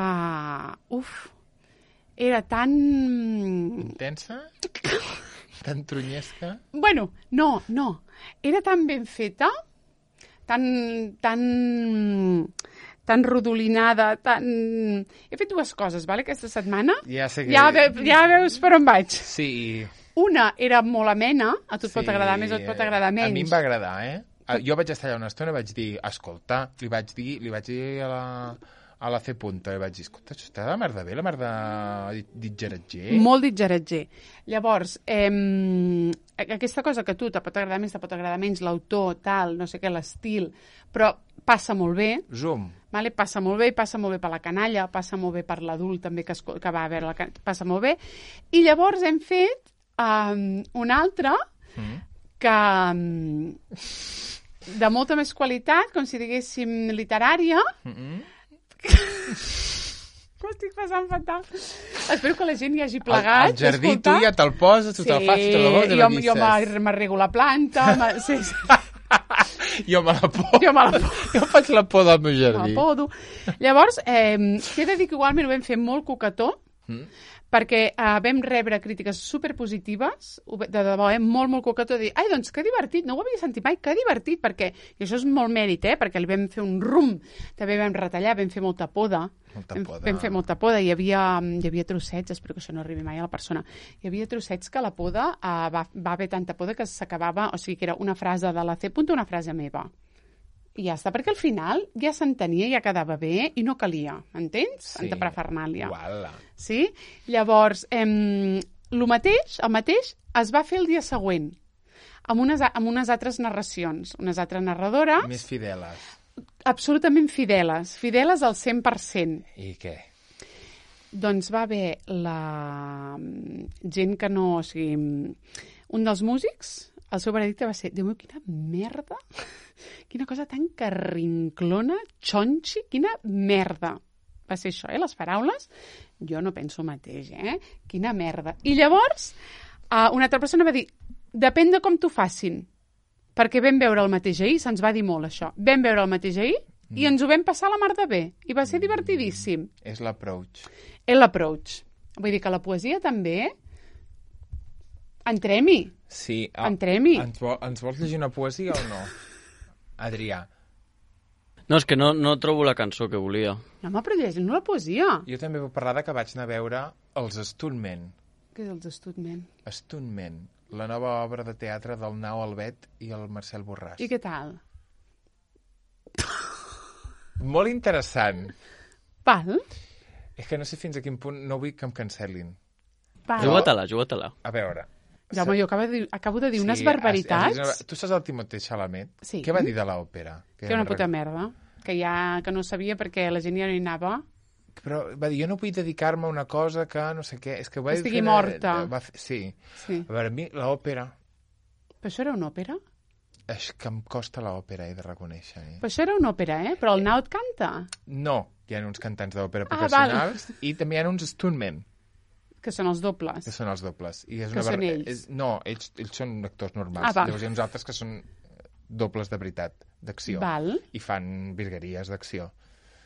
Era tan... Intensa? Tan trunyesca? Bueno, no. Era tan ben feta, tan rodolinada, He fet dues coses, vale, aquesta setmana. Ja sé que... Ja veus per on vaig. Sí. Una era molt amena, a tu et pot agradar més o et pot agradar menys. A mi em va agradar, Jo vaig estar allà una estona i vaig dir, escolta, li vaig dir a la C punta i vaig dir, escolta, això està la mar de bé, la mar de ditgeratger. Molt ditgeratger. Llavors, aquesta cosa que a tu te pot agradar més, te pot agradar menys, l'autor, tal, no sé què, l'estil, però passa molt bé. Zoom. Vale? Passa molt bé, passa molt bé per la canalla, passa molt bé per l'adult també que va a veure la canalla, passa molt bé. I llavors hem fet un altre que de molta més qualitat, com si diguéssim literària. M'ho estic passant fatal. Espero que la gent hi hagi plegat. Al jardí tu ja te'l poses, tu te'l fas, tu te'l vols, jo m'arrego la planta. Sí. Jo me la podo. Jo faig la por del meu jardí. Me la podo. Llavors, t'he de dir que igualment ho vam fer molt coquetó, perquè vam rebre crítiques superpositives, de debò, molt, molt coquetó, de dir, ai, doncs que divertit, no ho havia sentit mai, que divertit, perquè, i això és molt mèrit, perquè li vam fer un rum, també vam retallar, vam fer molta poda, vam fer molta poda, hi havia trossets, espero que això no arribi mai a la persona, hi havia trossets que la poda va haver tanta poda que s'acabava, o sigui que era una frase de la C. una frase meva. I ja està, perquè al final ja s'entenia, ja quedava bé i no calia, entens? Sí. Anta prefernàlia. Uala. Sí? Llavors, el mateix es va fer el dia següent, amb unes altres narracions, unes altres narradores... Més fideles. Absolutament fideles al 100%. I què? Doncs va haver la gent que no... O sigui, un dels músics, el seu veredicte va ser, Déu meu, quina merda, quina cosa tan carrinclona, xonxi, quina merda. Va ser això, les paraules. Jo no penso el mateix, Quina merda. I llavors, una altra persona va dir, depèn de com t'ho facin, perquè vam veure el mateix ahir, se'ns va dir molt això. Vam veure el mateix ahir i ens ho vam passar a la mar de bé. I va ser divertidíssim. És l'approach. És l'approach. Vull dir que la poesia també... Entrem-hi. Sí. Entrem-hi. Ens vols llegir una poesia o no? Adrià. No, és que no trobo la cançó que volia. No, home, però llegim la poesia. Jo també vull parlar de que vaig anar a veure els Stuntmen. Què és els Stuntmen? Stuntmen, la nova obra de teatre del Nau Albet i el Marcel Borràs. I què tal? Molt interessant. Val. És que no sé fins a quin punt no vull que em cancel·lin. Juga-te-la. A veure... Jaume, jo acabo de dir unes barbaritats. Tu saps el Timothée Chalamet? Sí. Què va dir de l'òpera? Que era una puta merda. Que no sabia perquè la gent ja no hi anava. Però va dir, jo no vull dedicar-me a una cosa que no sé què... És que va estigui morta. Sí. A veure, a mi l'òpera... Però això era una òpera? És que em costa l'òpera, he de reconèixer. Però això era una òpera, Però el Nau et canta? No, hi ha uns cantants d'òpera professionals i també hi ha uns stuntmen. Que són els dobles. I és que són ells. No, ells són actors normals. Llavors hi ha uns altres que són dobles de veritat, d'acció. I fan virgueries d'acció.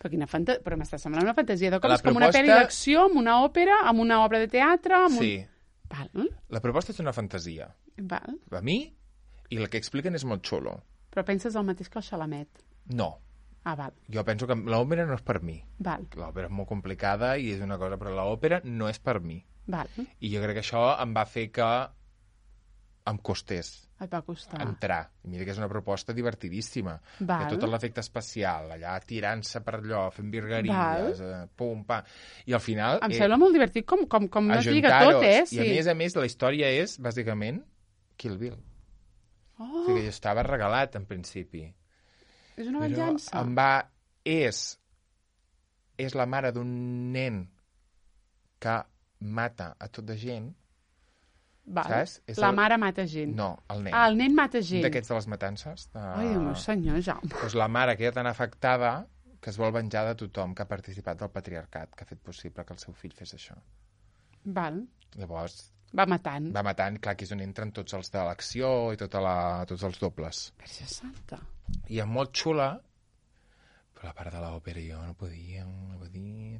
Però m'està semblant una fantasia de com una pel·li d'acció, amb una òpera, amb una obra de teatre... Sí. Val. La proposta és una fantasia. Val. A mi, i el que expliquen és molt xulo. Però penses el mateix que el Chalamet? No. Val. Jo penso que l'òpera no és per mi. Val. L'òpera és molt complicada i és una cosa, però l'òpera no és per mi. Val. I jo crec que això em va fer que em costés entrar. I mira que és una proposta divertidíssima. Val. Tot l'efecte especial, allà tirant-se per allò, fent virgueries, pum, pa. I al final... Em sembla molt divertit com es lliga tot, Sí. I a més, la història és, bàsicament, Kill Bill. O sigui que jo estava regalat, en principi. És una venjança. És la mare d'un nen que mata a tot de gent. Saps? La mare mata gent. No, el nen. El nen mata gent. D'aquests de les matances. Ai, Déu meu senyor, Jaume. Doncs la mare que era tan afectada que es vol venjar de tothom que ha participat del patriarcat, que ha fet possible que el seu fill fes això. Val. Llavors... Va matant. Clar, que és on entren tots els de l'acció i tots els dobles. Verge Santa. I és molt xula, però la part de l'òpera jo no podia,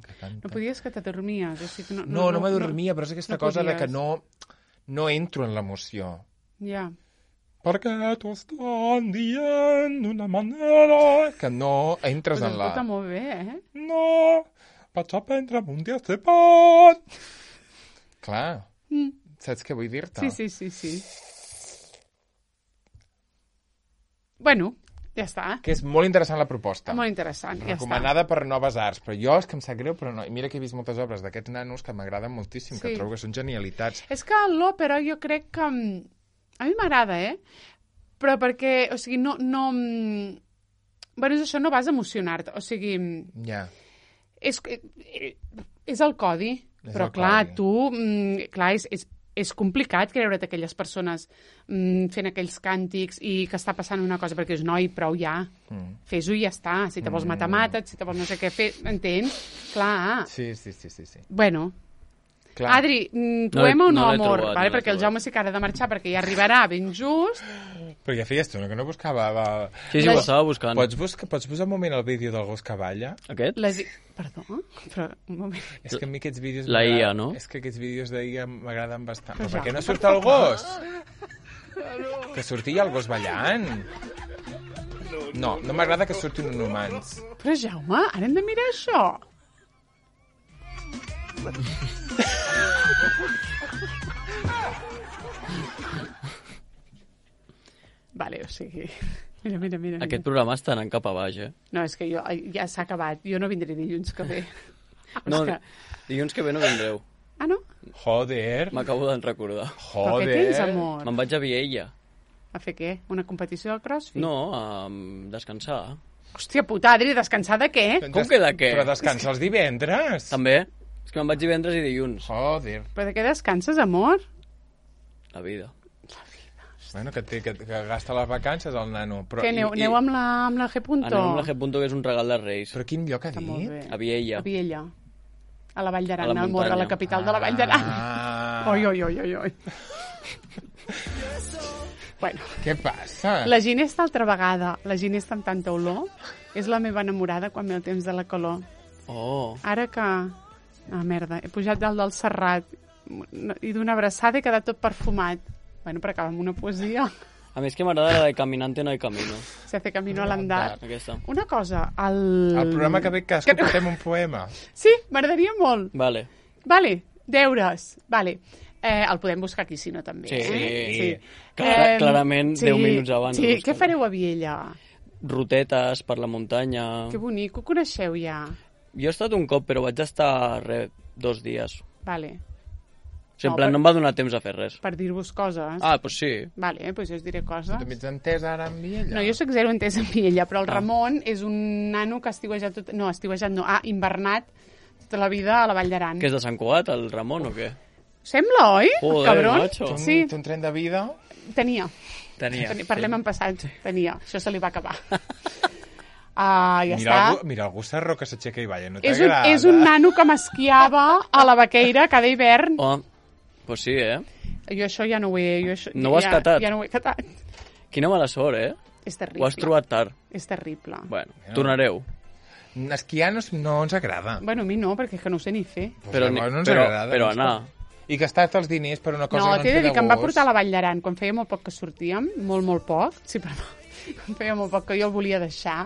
que canta... No podies que t'adormies, o sigui... No m'adormia, però és aquesta cosa de que no entro en l'emoció. Ja. Perquè t'ho estan dient d'una manera... Que no entres en la... Però escolta molt bé, No, vaig aprendre un dia de pan. Clar, saps què vull dir-te? Sí. Bueno, Ja està. Que és molt interessant la proposta. Molt interessant, ja està. Recomanada per Noves Arts, però jo és que em sap greu, però no. I mira que he vist moltes obres d'aquests nanos que m'agraden moltíssim, que trobo que són genialitats. És que l'òpera jo crec que... A mi m'agrada, però perquè, o sigui, no... Bueno, és això, no vas a emocionar-te, o sigui... Ja. És el codi, però clar, tu... Clar, és complicat creure't aquelles persones fent aquells càntics i que està passant una cosa, perquè és noi, prou ja. Fes-ho i ja està. Si te vols matar, mata't, si te vols no sé què fer, entens? Clar. Sí. Bueno... Clar. Adri, poema o no, amor? Vale, perquè el Jaume sí que ara ha de marxar, perquè ja arribarà ben just. Però ja feies tu, no? Que no buscava... Sí, ho estava buscant. Pots posar un moment el vídeo del gos que balla? Aquest? Perdó? Però, un moment. És que a mi aquests vídeos... La IA, no? És que aquests vídeos d'IA m'agraden bastant. Però per què no surt el gos? Que sortia el gos ballant. No m'agrada que surtin uns humans. Però, Jaume, ara hem de mirar això. Vale, o sigui... Mira. Aquest programa està anant cap a baix, No, és que ja s'ha acabat. Jo no vindré dilluns que ve. No, dilluns que ve no vindreu. Ah, no? Joder. M'acabo de recordar. Però què tens, amor? Me'n vaig a Viella. A fer què? Una competició de crossfit? No, a descansar. Hòstia puta, Adri, descansar de què? Com que de què? Però descansa els divendres. També. És que me'n vaig divendres i dilluns. Joder. Però de què descanses, amor? La vida. Bueno, que gasta les vacances el nano. Però, que aneu amb la G. Anem amb la G. Que és un regal de Reis. Però quin lloc ha dit? A Viella. A Viella. A la Vall d'Aran, al a la capital de la Vall d'Aran. Oi. Bueno. Què passa? La Ginesta altra vegada. La Ginesta amb tanta olor és la meva enamorada quan ve el temps de la calor. Oh. Ara que... Ah, merda, he pujat dalt del Serrat i d'una abraçada he quedat tot perfumat. Bueno, però acaba amb una poesia. A més que m'agrada la de Caminante no hay camino. Se hace camino al andar. Aquesta. Una cosa, El programa que ve que escoltem un poema. Sí, m'agradaria molt. Vale, deures. Vale. El podem buscar aquí, si no, també. Sí. Clarament, 10 minuts abans. Sí, què fareu a Viella? Rotetes per la muntanya. Que bonic, ho coneixeu ja? Jo he estat un cop, però vaig estar 2 dies. Vale. O sigui, en plan, no em va donar temps a fer res. Per dir-vos coses. Ah, doncs sí. Vale, doncs jo us diré coses. Tu t'ho ets entès ara en Viella? No, jo soc zero entès en Viella, però el Ramon és un nano que ha invernat tota la vida a la Vall d'Aran. Que és de Sant Cugat, el Ramon, o què? Sembla, oi? Joder, cabron. macho. Sí. Té un tren de vida? Tenia. Parlem en passat. Tenia. Això se li va acabar. Mira el Gussarro que s'aixeca i balla, no t'agrada? És un nano que m'esquiava a la Vaqueira cada hivern. Oh, pues sí, Jo això ja no ho he... No ho has catat? Ja no ho he catat. Quina mala sort, És terrible. Ho has trobat tard. És terrible. Bueno, tornareu. Esquiar no ens agrada. Bueno, a mi no, perquè és que no ho sé ni fer. Però anar... I gastar-te els diners per una cosa que no ens t'he ve de dir de que em va gust. portar a la Vall d'Aran quan feia molt poc que sortíem, molt poc, sí, perdó, feia molt poc que jo el volia deixar.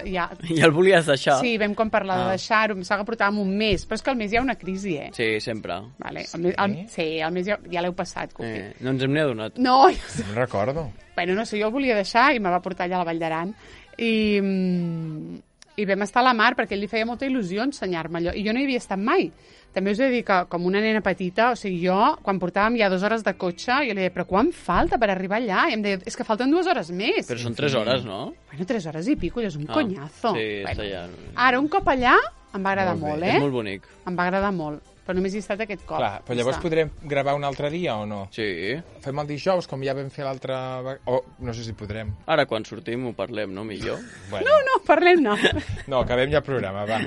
Ja el volies deixar? Sí, vam quan parlar de deixar-ho, em sembla que portàvem un mes, però és que al mes hi ha una crisi, Sí, sempre. Vale. El mes ja l'heu passat, Cuqui. No ens hem ni adonat. No, no recordo. Bueno, no sé, jo el volia deixar i me va portar allà a la Vall d'Aran i vam estar a la mar perquè ell li feia molta il·lusió ensenyar-me allò, i jo no hi havia estat mai. També us he de dir que, com una nena petita, o sigui, jo, quan portàvem ja 2 hores de cotxe, jo li deia, però quan falta per arribar allà? I em deia, és que falten 2 hores més. Però són 3 hores, no? Bueno, 3 hores i pico, és un conyazo. Sí, bueno, ja... Ara, un cop allà, em va agradar molt, És molt bonic. Em va agradar molt, però només hi he estat aquest cop. Clar, però llavors podrem gravar un altre dia o no? Sí. Fem el dijous, com ja vam fer l'altre... O no sé si podrem. Ara, quan sortim, ho parlem, no? Millor. Bueno. No, parlem-ne. No, acabem ja el programa, va.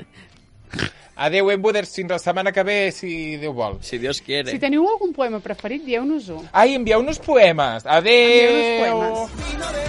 Adéu, Embuders, fins la setmana que ve, si Déu vol. Si Dios quiere. Si teniu algun poema preferit, dieu-nos-ho. Ai, envieu-nos poemes. Adéu! Envieu-nos poemes.